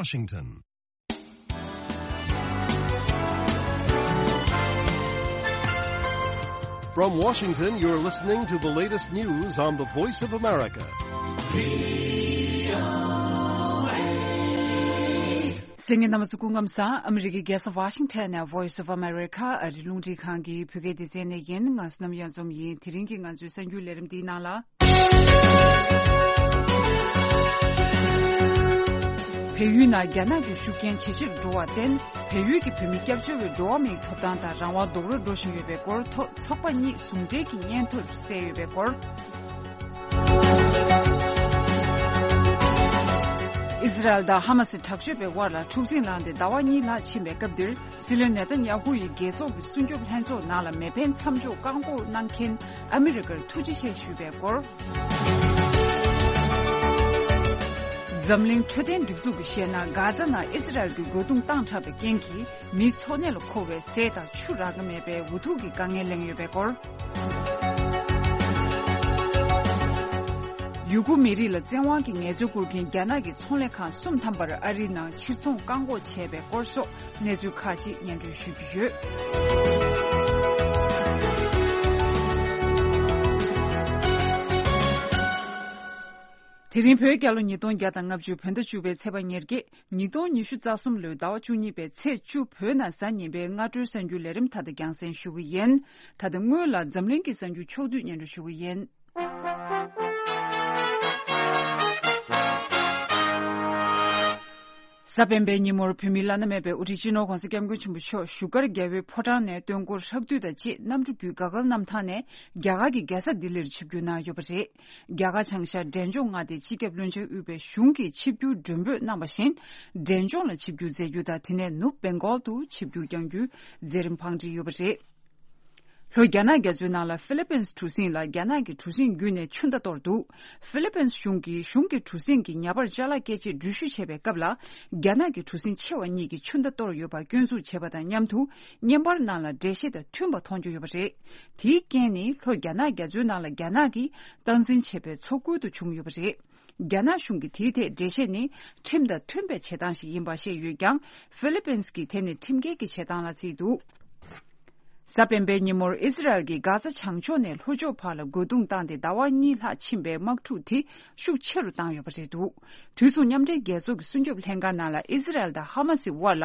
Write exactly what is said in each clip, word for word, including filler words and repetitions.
Washington. From Washington, you're listening to the latest news on the Voice of America. གསན་མཁན་རྣམ་པ་ཚོ་སྐུ་ཁམས་བཟང་། ཨ་མི་རི་ཀའི་རྒྱལ་ས་ཝ་ཤིང་ཊོན་ནས་Voice of America ཨ་རི་རླུང་འཕྲིན་ཁང་གི་བོད་སྐད་སྡེ་ཚན་ནས་ཡིན། ང་བསོད་ནམས་གཡང་འཛོམས་ཡིན། དེ་རིང་གི་ང་ཚོའི་གསར་འགྱུར་ལས་རིམ་འདིའི་ནང་ལ། བལ་ཡུལ་ནང་རྒྱ་ནག་གི་ཤུགས་རྐྱེན་ཇེ་ཆེར་འགྲོ་བར་བརྟེན། བལ་ཡུལ་གྱི་བོད་མི་སྐྱབས་བཅོལ་བའི་འགྲོ་བ་མིའི་ཐོབ་ཐང་དང་རང་དབང་རྡོག་རོལ་འགྲོ་བཞིན་ཡོད་པའི་སྐོར། ཐོག་ཚོགས་པ་གཉིས་ཟུང་འབྲེལ་གྱི་སྙན་ཐོར་གསལ་ཡོད་པའི་སྐོར། ཨི་ཟི་རལ་དང་ཧ་མ་སི་དྲག་སྤྱོད་པའི་དབར་ལ་འཁྲུག་འཛིང་ལངས་ཏེ་ཟླ་བ་གཉིས་ལྷག་ཕྱིན་པའི་སྐབས་འདིར། སྲིད་བློན་ནེ་ཐན་ཡ་ཧུ་ཡིས་རྒྱལ་ཚོགས་ཀྱི་སྲུང་སྐྱོབ་ལྷན་ཚོགས་ནང་ལ་མེ་འཕེན་མཚམས་འཇོག་བཀག་འགོག་གནང་མཁན་ཨ་མི་རི་ཀར་ཐུགས་རྗེ་ཆེ་ཞུས་པའི་སྐོར། འཛམ་གླིང་འཕྲོད་བསྟེན་སྒྲིག་འཛུགས་ཀྱིས་བཤད་ན། གྷ་ཛ་ནང་ཨི་ཟི་རལ་གྱི་རྒོལ་རྡུང་བཏང་དྲགས་པའི་རྐྱེན་གྱིས། མིའི་འཚོ་གནས་ལ་མཁོ་བའི་ཟས་དང་ཆུ་རག་གི་མེད་པའི་འུ་ཐུག་གི་དཀའ་ངལ་གླེང་ཡོད་པའི་སྐོར། ཡུ་གུར་མི་རིགས་ལ་བཙན་དབང་གིས་ངལ་རྩོལ་བསྐུར་མཁན་རྒྱ་ནག་གི་ཚོང་ལས་ཁང་གསུམ་ཐམ་པར་ཨ་རིའི་ནང་ཕྱིར་ཚོང་བཀག་འགོག་བྱས་པའི་སྐོར་སོགས་གནས་ཚུལ་ཁག་ཅིག་སྙན་སྒྲོན་ཞུ་རྒྱུ་ཡོད། དེ་རིང་བོད་རྒྱལ་ལོ་ཉིས་སྟོང་བརྒྱ་དང་ལྔ་བཅུ་བོད་ཟླ་བཅུ་པའི་ཚེས་པ་ཉེར་བརྒྱད། ཉིས་སྟོང་ཉི་ཤུ་རྩ་གསུམ་ལོའི་ཟླ་བ་བཅུ་གཉིས་པའི་ཚེས་བཅུ་བོད་ནང་གཟའ་ཉི་མའི་སྔ་དྲོའི་གསར་འགྱུར་ལས་རིམ་ད་ལྟ་རྒྱང་སྲིང་ཞུ་གི་ཡིན། ད་ལྟ་སྔོན་ལ་འཛམ་གླིང་གི་གསར་འགྱུར་ཕྱོགས་བསྡུས་སྙན་སྒྲོན་ཞུ་གི་ཡིན། གཟའ་སྤེན་པའི་ཉིན་མོར་བོད་མིའི་བླ་ན་མེད་པའི་དབུ་ཁྲིད་སྤྱི་ནོར་༧གོང་ས་༧སྐྱབས་མགོན་ཆེན་པོ་མཆོག་བཞུགས་སྒར་རྒྱལ་བའི་ཕོ་བྲང་ནས་སྟོན་འཁོར་ཧྲག་བསྡུས་དང་བཅས་གནམ་གྲུ་བརྒྱུད་ག་གལ་གནམ་ཐང་ནས་རྒྱ་གར་གྱི་རྒྱལ་ས་ལྡི་ལིར་ཆིབས་བསྒྱུར་གནང་ཡོད་པ་རེད། རྒྱ་གར་བྱང་ཤར་འབྲས་ལྗོངས་མངའ་སྡེའི་སྤྱི་ཁྱབ་བློན་ཆེན་དབུས་པའི་གཞུང་གིས་ཆིབས་བསྒྱུར་མགྲོན་འབོད་གནང་བ་བཞིན། འབྲས་ལྗོངས་ལ་ཆིབས་བསྒྱུར་མཛད་རྒྱུ་དང་། དེ་ནས་ནུབ་བེང་གོལ་དུ་ཆིབས་བསྒྱུར་བསྐྱང་རྒྱུའི་མཛད་རིམ་བང་སྒྲིག་ཡོད་པ་རེད། ལྷོ་རྒྱ་ནག་རྒྱ་མཚོའི་ནང་ལ་ཧྥི་ལི་པིན་གྲུ་གཟིངས་ལ་རྒྱ་ནག་གི་གྲུ་གཟིངས་བརྒྱུད་ནས་ཆུ་མདའ་གཏོར་འདུག་ཧྥི་ལི་པིན་གཞུང་གིས་གཞུང་གི་གྲུ་གཟིངས་ཀྱི་ཉ་པར་ཅ་ལག་བསྐྱལ་ཆེད་འགྲུལ་བཞུད་བྱེད་པའི་སྐབས་ལ། རྒྱ་ནག་གི་གྲུ་གཟིངས་ཆེ་བ་གཉིས་ཀྱིས་ཆུ་མདའ་གཏོར་ཡོད་པར་སྐྱོན་འཛུགས་བྱས་པ་དང་མཉམ་དུ། བརྙན་པར་ནང་ལ་འགྲེལ་བཤད་དང་མཐུན་པ་མཐོང་རྒྱུ་ཡོད་པ་རེད། དེའི་རྐྱེན་ནི་ལྷོ་རྒྱ་ནག་རྒྱ་མཚོའི་ནང་ལ་རྒྱ་ནག་གིས་སྟངས་འཛིན་བྱས་པའི་ཚོགས་སྐུལ་དུ་བྱུང་ཡོད་པ་རེད། རྒྱ་ནག་གཞུང་གིས་དེའི་ཐད་འགྲེལ་བཤད་ནི། ཁྲིམས་དང་མཐུན་པའི་བྱེད་སྟངས་ཤིག་ཡིན་པ་བཤད་ཡོད་ཀྱང་། ཧྥི་ལི་པིན་གྱིས་དེ་ནི་ཁྲིམས་འགལ་གྱི་བྱེད་སྟངས་ལ་བརྩིས་འདུག་གཟའ་སྤེན་པའི་ཉིན་མོར་ཨི་ཟི་རལ་གྱིས་གྷ་ཛ་བྱང་ཕྱོགས་ནས་ལྷོ་ཕྱོགས་བར་ལ་རྒོལ་རྡུང་བཏང་སྟེ་ཟླ་བ་གཉིས་ལྷག་ཕྱིན་པའི་དམག་འཁྲུག་དེ་ཤུགས་ཆེ་རུ་བཏང་ཡོད་པ་རེད་འདུག་དུས་མཚུངས་མཉམ་འབྲེལ་རྒྱལ་ཚོགས་ཀྱི་སྲུང་སྐྱོབ་ལྷན་ཁང་ནང་ལ་ཨི་ཟི་རལ་དང་ཧ་མ་སི་དབར་ལ་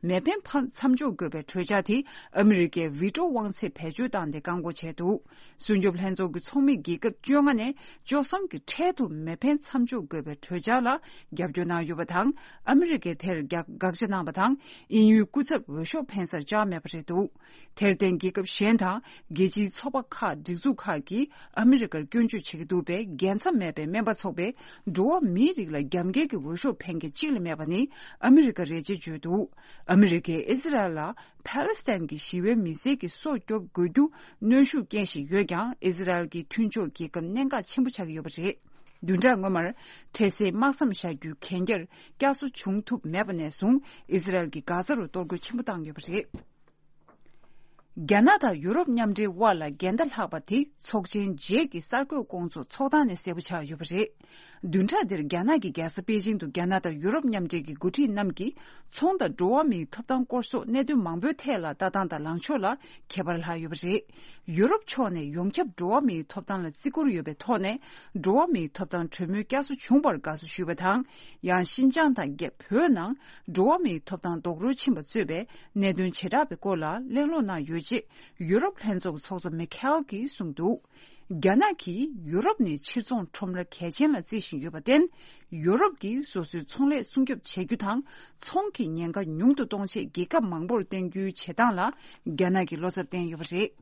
མེ་འཕེན་ཕ་མཚམས་འཇོག་དགོས་པའི་གྲོས་འཆར་དེ་ཨ་མི་རི་ཀས་ཝི་ཏྲོ་དབང་ཚད་བེད་སྤྱོད་བཏང་སྟེ་བཀག་འགོག་བྱས་འདུག་སྲུང་སྐྱོབ་ལྷན་ཚོགས་ཀྱི་ཚོགས་མི་རྒྱལ་ཁབ་བཅོ་ལྔ་ནས་བཅུ་གསུམ་གྱིས་འཕྲལ་དུ་མེ་འཕེན་མཚམས་འཇོག་དགོས་པའི་གྲོས་འཆར་ལ་རྒྱབ་སྐྱོར་གནང་ཡོད་པ་དང་། ཨ་མི་རི་ཀས་དེར་རྒྱག་དགག་བྱ་གནང་བ་དང་། དབྱིན་ཡུལ་སྐུ་ཚབ་འོས་ཤོག་འཕེན་སར་བཅར་མེད་པ་རེད་འདུག་དེར་བརྟེན་རྒྱལ་ཁབ་གཞན་དང་རྒྱལ་སྤྱིའི་ཚོགས་པ་ཁག་སྒྲིག་འཛུགས་ཁག་གིས་ཨ་མི་རི་ཀར་སྐྱོན་བརྗོད་བྱེད་ཀྱི་འདུག་པས། རྒྱལ་མཚམས་མེད་པའི་སྨན་པ་ཚོགས་པས་འགྲོ་བ་མིའི་རིགས་ལ་རྒྱབ་འགལ་གྱི་འོས་ཤོག་འཕེན་མཁན་གཅིག་ལས་མེད་པ་ནི་ཨ་མི་རི་ཀ་རེད་ཅེས་བརྗོད་འདུག་ཨ་མི་རི་ཀས་ཨི་ཟི་རལ་ལ་ཕཱ་ལེ་སི་ཐན་གྱི་ཞི་བའི་མི་སེར་གྱི་སྲོག་སྐྱོབ་དགོས་རྒྱུ་གནོན་ཤུགས་རྐྱེན་ཞིག་ཡོད་ཀྱང་། ཨི་ཟི་རལ་གྱི་མཐུན་ཕྱོགས་རྒྱལ་ཁབ་གནད་འགག་ཆེན་པོ་ཆགས་ཀྱི་ཡོད་པ་རེད། བདུན་ཕྲག་སྔོན་མར་འཕྲལ་སེལ་དམག་མཚམས་བཞག་རྒྱུའི་གན་རྒྱར་བསྐྱར་གསོ་བྱུང་ཐུབ་མེད་པ་ནས་བཟུང་ཨི་ཟི་རལ་གྱིས་གྷ་ཛ་རུ་གཏོར་རྒོལ་ཆེན་པོ་བཏང་ཡོད་པ་རེད། རྒྱ་ནག་དང་ཡུ་རོབ་མཉམ་འབྲེལ་དབར་ལ་འགལ་ཟླ་ལྷག་པ་དེ་ཚོགས་ཆེན་རྗེས་ཀྱི་གསར་འགོད་སྐོང་ཚོགས་ཚོགས་སྟངས་ནས་གསལ་པོ་ཆགས་ཡོད་པ་རེད། བདུན་ཕྲག་འདིར་རྒྱ་ནག་གི་རྒྱལ་ས་པེ་ཅིང་དུ་རྒྱ་ནག་དང་ཡུ་རོབ་མཉམ་འབྲེལ་གྱི་འགོ་ཁྲིད་རྣམས་ཀྱིས་ཚོང་དང་འགྲོ་བ་མིའི་ཐོབ་ཐང་སྐོར་སོགས་གནད་དོན་མང་པོའི་ཐད་ལ་ལྟ་སྟངས་དང་ལངས་ཕྱོགས་ལ་ཁྱད་པར་ལྷག་ཡོད་པ་རེད། ཡུ་རོབ་ཕྱོགས་ནས་ཡོངས་ཁྱབ་འགྲོ་བ་མིའི་ཐོབ་ཐང་ལ་བརྩི་བཀུར་ཡོད་པའི་ཐོག་ནས། འགྲོ་བ་མིའི་ཐོབ་ཐང་གྲོས་མོལ་བསྐྱར་གསོ་བྱུང་བར་དགའ་བསུ་ཞུས་པ་དང་། ཡང་ཤིན་ཅང་དང་རྒྱ་བོད་ནང་འགྲོ་བ་མིའི་ཐོབ་ཐང་རྡོག་རོལ་ཕྱིན་པ་གཙོས་པའི་གནད་དོན་བྱེ་བྲག་པའི་སྐོར་ལ་གླེང་སློང་གནང་ཡོད་ཅེས་ཡུ་རོབ་ལྷན་ཚོགས་ཀྱི་ཚོགས་གཙོ་མི་ཁེལ་གྱིས་གསུངས་འདུག་རྒྱ་ནག་གིས་ཡུ་རོབ་ནི་ཕྱིར་ཚོང་ཁྲོམ་ར་གལ་ཆེན་ལ་བརྩི་བཞིན་ཡོད་པར་བརྟེན། ཡུ་རོབ་ཀྱིས་སོ་སོའི་ཚོང་ལས་སྲུང་སྐྱོབ་བྱེད་རྒྱུ་དང་། ཚོང་གི་ཉེན་ཁ་ཉུང་དུ་གཏོང་ཆེད་རྒྱལ་ཁབ་མང་པོར་བརྟེན་རྒྱུའི་བྱེད་སྟངས་ལ་རྒྱ་ནག་གིས་བློ་འཚབ་བསྟན་ཡོད་པ་རེད།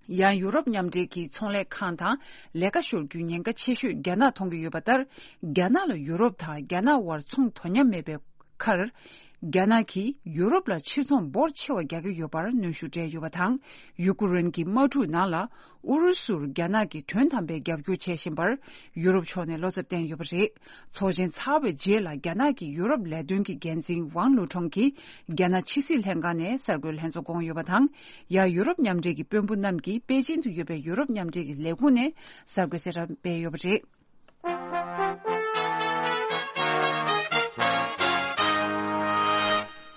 ཡང་ཡུ་རོབ་མཉམ་འབྲེལ་གྱི་ཚོང་ལས་ཁང་དང་ལས་ཀ་ཤོར་རྒྱུའི་ཉེན་ཁ་ཆེ་ཤོས་རྒྱ་ནག་མཐོང་གི་ཡོད་པ་ལྟར། རྒྱ་ནག་ལ་ཡུ་རོབ་དང་རྒྱ་ནག་དབར་ཚོང་དོ་མཉམ་མེད་པའི་ཁར། རྒྱ་ནག་གིས་ཡུ་རོབ་ལ་ཕྱིར་ཚོང་འབོར་ཆེ་བ་རྒྱག་གི་ཡོད་པར་གནོན་ཤུགས་སྤྲད་ཡོད་པ་དང་། ཡུ་ཀུ་རེན་གྱི་དམག་འཁྲུག་ནང་ལ་ཨུ་རུ་སུར་རྒྱ་ནག་གིས་དོན་དམ་པའི་རྒྱབ་སྐྱོར་བྱེད་བཞིན་པར་ཡུ་རོབ་ཕྱོགས་ནས་བློ་འཚབ་བསྟན་ཡོད་པ་རེད། ཚོགས་ཆེན་ཚར་བའི་རྗེས་ལ་རྒྱ་ནག་གི་ཡུ་རོབ་ལས་དོན་གྱི་འགན་འཛིན་ཝང་ལུའུ་ཁྲོང་གིས་རྒྱ་ནག་ཕྱི་སྲིད་ལྷན་ཁང་ནས་གསར་འགོད་ལྷན་ཚོགས་བསྐོངས་ཡོད་པ་དང་། ཡང་ཡུ་རོབ་མཉམ་འབྲེལ་གྱི་དཔོན་པོ་རྣམས་ཀྱིས་པེ་ཅིན་དུ་ཡོད་པའི་ཡུ་རོབ་མཉམ་འབྲེལ་གྱི་ལས་ཁུངས་ནས་གསར་འགོད་གསལ་བསྒྲགས་སྤེལ་ཡོད་པ་རེད།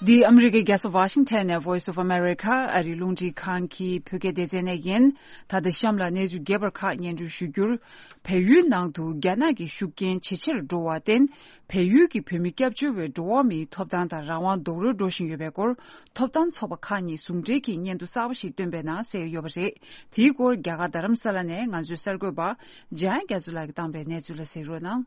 འདི་ཨ་མི་རི་ཀའི་རྒྱལ་ས་ཝ་ཤིང་ཊོན་ནས་Voice of America ཨ་རིའི་རླུང་འཕྲིན་ཁང་གི་བོད་སྐད་སྡེ་ཚན་ནས་ཡིན། ད་ལྟ་གཤམ་ལ་གནས་ཚུལ་རྒྱས་པར་ཁག་སྙན་སྒྲོན་ཞུ་རྒྱུར། བལ་ཡུལ་ནང་དུ་རྒྱ་ནག་གི་ཤུགས་རྐྱེན་ཇེ་ཆེར་འགྲོ་བར་བརྟེན། བལ་ཡུལ་གྱི་བོད་མི་སྐྱབས་བཅོལ་བའི་འགྲོ་བ་མིའི་ཐོབ་ཐང་དང་རང་དབང་རྡོག་རོལ་འགྲོ་བཞིན་ཡོད་པའི་སྐོར། ཐོབ་ཐང་ཚོགས་པ་ཁག་གཉིས་ཟུང་འབྲེལ་གྱིས་སྙན་ཐོ་གསར་པ་ཞིག་བཏོན་པའི་ནང་གསལ་ཡོད་པ་རེད། དེའི་སྐོར་རྒྱ་གར་རྡ་རམ་ས་ལ་ནས་ང་ཚོའི་གསར་འགོད་པ་འཇམ་དབྱངས་རྒྱ་མཚོ་ལགས་ཀྱིས་བཏང་པའི་གནས་ཚུལ་ལ་གསན་རོགས་གནང་།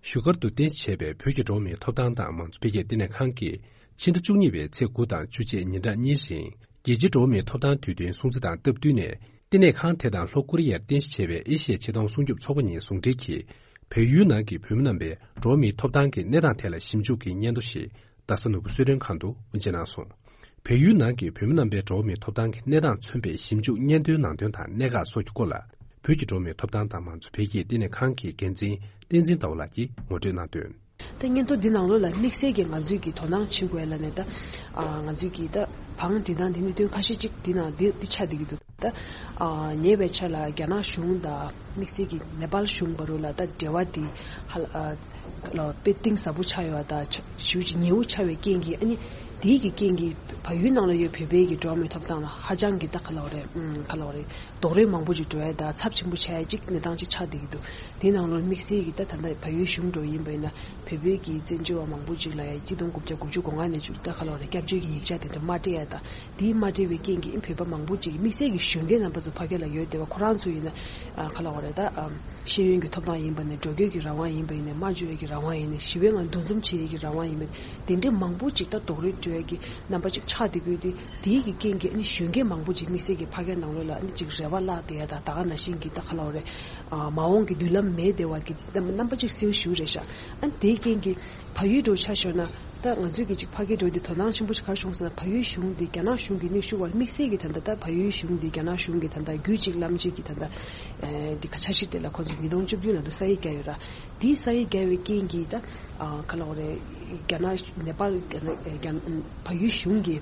བཞུགས་སྒར་དུ་རྟེན་གཞི་བྱས་པའི་བོད་ཀྱི་འགྲོ་བ་མིའི་ཐོབ་ཐང་དང་མང་གཙོ་འཕེལ་རྒྱས་ལྟེ་གནས་ཁང་གིས་ཕྱི་ཟླ་བཅུ་གཉིས་པའི་ཚེས་དགུ་དང་བཅུ་བཅས་ཉིན་གྲངས་གཉིས་རིང་རྒྱལ་སྤྱིའི་འགྲོ་བ་མིའི་ཐོབ་ཐང་དུས་སྟོན་སྲུང་བརྩི་དང་སྟབས་བསྟུན་ནས། ལྟེ་གནས་ཁང་དེ་དང་ལྷོ་ཀོ་རི་ཡར་རྟེན་གཞི་བྱས་པའི་ཨེ་ཤི་ཡའི་ཆེ་མཐོང་སྲུང་སྐྱོབ་ཚོགས་པ་གཉིས་ཟུང་འབྲེལ་གྱིས། བལ་ཡུལ་ནང་གི་བོད་མི་རྣམ་པའི་འགྲོ་བ་མིའི་ཐོབ་ཐང་གི་གནས་སྟངས་ཐད་ལ་ཞིབ་འཇུག་གི་སྙན་ཐོ་ཞིག་རྡ་ས་ནོར་བུ་གསོལ་མགྲོན་ཁང་དུ་དབུ་འབྱེད་གནང་སོང་། བལ་ཡུལ་ནང་གི་བོད་མི་རྣམ་པའི་འགྲོ་བ་མིའི་ཐོབ་ཐང་གི་གནས་སྟངས་མཚོན་པའི་ཞིབ་འཇུག་སྙན་ཐོའི་ནང་དོན་དང་གནད་འགག་སོགས་ཀྱི་སྐོར་ལ། བོད་ཀྱི་འགྲོ་བ་མིའི་ཐོབ་ཐང་དང་མང་གཙོ་འཕེལ་རྒྱས་ལྟེ་གནས་ཁང་གི་འགན་འཛིན་བསྟན་འཛིན་ཟླ་བ་ལགས་ཀྱིས་ངོ་སྤྲོད་གནང་དོན། ད་སྙན་ཐོ་འདི་ནང་ལོགས་ལ་དམིགས་བསལ་གྱི་ང་ཚོས་ཀྱི་དོ་སྣང་བྱེད་དགོས་ལ་ནས་ད། ཨ་ང་ཚོས་ཀྱི་ད་བང་སྒྲིག་སྟངས་འདི་གནད་དོན་ཁ་ཤས་ཅིག་འདི་ནང་འདི་འདི་ཆགས་བསྡད་ཀྱི་འདུག་ད། ཨ་ཉེ་བའི་ཆར་ལ་རྒྱ་ནག་གཞུང་དང་དམིགས་བསལ་གྱི་ནེ་པཱལ་གཞུང་བར་ལ་ད་འབྲེལ་བ་འདི་ཧ་ལ་ཨ་ལ་དཔེ་གཏིང་ཟབ་པོ་ཆགས་ཡོད་པ་དང་ཞེ་པོ་ཅིག་ཉེ་བོ་ཆགས་པའི་རྐྱེན་གྱིས། ཨ་ནི་དེའི་གི་རྐྱེན་གྱིས་བལ་ཡུལ་ནང་ལ་ཡོད་བོད་པའི་གི་འགྲོ་བ་མིའི་ཐོབ་ཐང་ལ་ཧ་ཅང་གི་ད་ག་ལབ་རེད། ཨུམ་ག་ལབ་རེད། རྡོག་རོལ་མང་པོ་ཅིག་འགྲོ་ཡ་དང་ཚབས་ཆེན་པོ་ཆགས་ཡ་ཅིག་གནས་སྟངས་ཅིག་ཆགས་བསྡད་ཀྱི་འདུག་དེའི་ནང་ལོགས་དམིགས་བསལ་གྱི་ད་ད་ལྟ་བལ་ཡུལ་གཞུང་འགྲོ་ཡིན་པ་ཡིན་ན་བོད་པའི་གི་བཙན་བྱོལ་བ་མང་པོ་ཅིག་ལ་ཡ་གཅིག་སྟོང་དགུ་བརྒྱ་དགུ་བཅུ་གོ་ལྔ་ནས་ཅིག་ད་ག་ལབ་རེད། སྐྱབས་བཅོལ་གྱི་ཡིག་ཆ་དེ་འདྲ་མ་སྤྲད་ཡ་དང་། དེའི་མ་སྤྲད་པའི་རྐྱེན་གྱིས་བོད་པ་མང་པོ་ཅིག་དམིགས་བསལ་གྱི་གཞོན་སྐྱེས་རྣམ་པ་ཚོ་ཕ་གི་ལ་ཡོད་བསྡད་པ་ཁོ་རང་ཚོ་ཡིན་ན་ཨ་ག་ལབ་དགོས་རེད། ད་ཨ་ཤེས་ཡོན་གྱི་ཐོབ་ཐང་ཡིན་པ་ནས་འགྲོ་སྐྱོད་ཀྱི་རང་དབང་ཡིན་པ་ཡིན་ནས་སྨྲ་བརྗོད་ཀྱི་རང་དབང་ཡིན་ནས་ཞི་བའི་ངང་འདུ་འཛོམས་བྱེད་ཡས་ཀྱི་རང་དབང་ཡིན་པ་དེ་འདྲའི་མང་པོ་ཅིག་ད་རྡོག་རོལ་འགྲོ་ཡས་ཀྱི་རྣམ་པ་ཅིག་ཆགས་བསྡད་ཀྱི་ཡོད་དུས། དེའི་གི་རྐྱེན་གྱིས་ཨ་ནི་གཞོན་སྐྱེས་མང་པོ་ཅིག་དམིགས་བསལ་གྱི་ཕ་གིའི་ནང་ལོགས་ལ་ཨ་ནི་ཅིག་རེ་བ་བརླག་བསྡད་ཡ་དང་། ད་ག་ནང་བཞིན་གྱི་ད་ག་ལབ་དགོས་རེད། ཨ་མ་འོངས་ཀྱི་མདུན་ལམ་མེད་བསྡད་པ་གི་རྣམ་པ་ཅིག་གསལ་པོ་ཞེ་པོ་རེད་ཤག་ཨ་ནི་དེའི་རྐྱེན་གྱིས་བལ་ཡུལ་འགྲོ་ཆ་བཞག་ན། ད་ང་ཚོས་ཀྱི་ཅིག་ཕ་གིར་འགྲོ་དུས་དོ་སྣང་ཆེན་པོ་ཞིག་ག་རེ་བྱུང་ཟེར་ན། བལ་ཡུལ་གཞུང་འདི་རྒྱ་ནག་གཞུང་གི་མིག་ཤུགས་བར་དམིགས་བསལ་གྱི་ད་ལྟ་ད་བལ་ཡུལ་གཞུང་འདི་རྒྱ་ནག་གཞུང་གི་ད་ལྟ་རྒྱུད་གཅིག་ལམ་གཅིག་གི་ད་ལྟ་ཨེ་འདི་ག་འཆར་གཞི་དེ་ལ་ཁོ་ཚོས་ཉིས་སྟོང་བཅུ་བདུན་ལ་དུ་ས་ཡིག་བརྒྱབ་ཡོད་ར། དེའི་ས་ཡིག་བརྒྱབ་པའི་རྐྱེན་གྱིས་ད་ཨ་ག་ལབ་དགོས་རེད། རྒྱ་ནག་ནེ་པཱལ་རྒྱ་ནག་རྒྱ་བལ་ཡུལ་གཞུང་གི་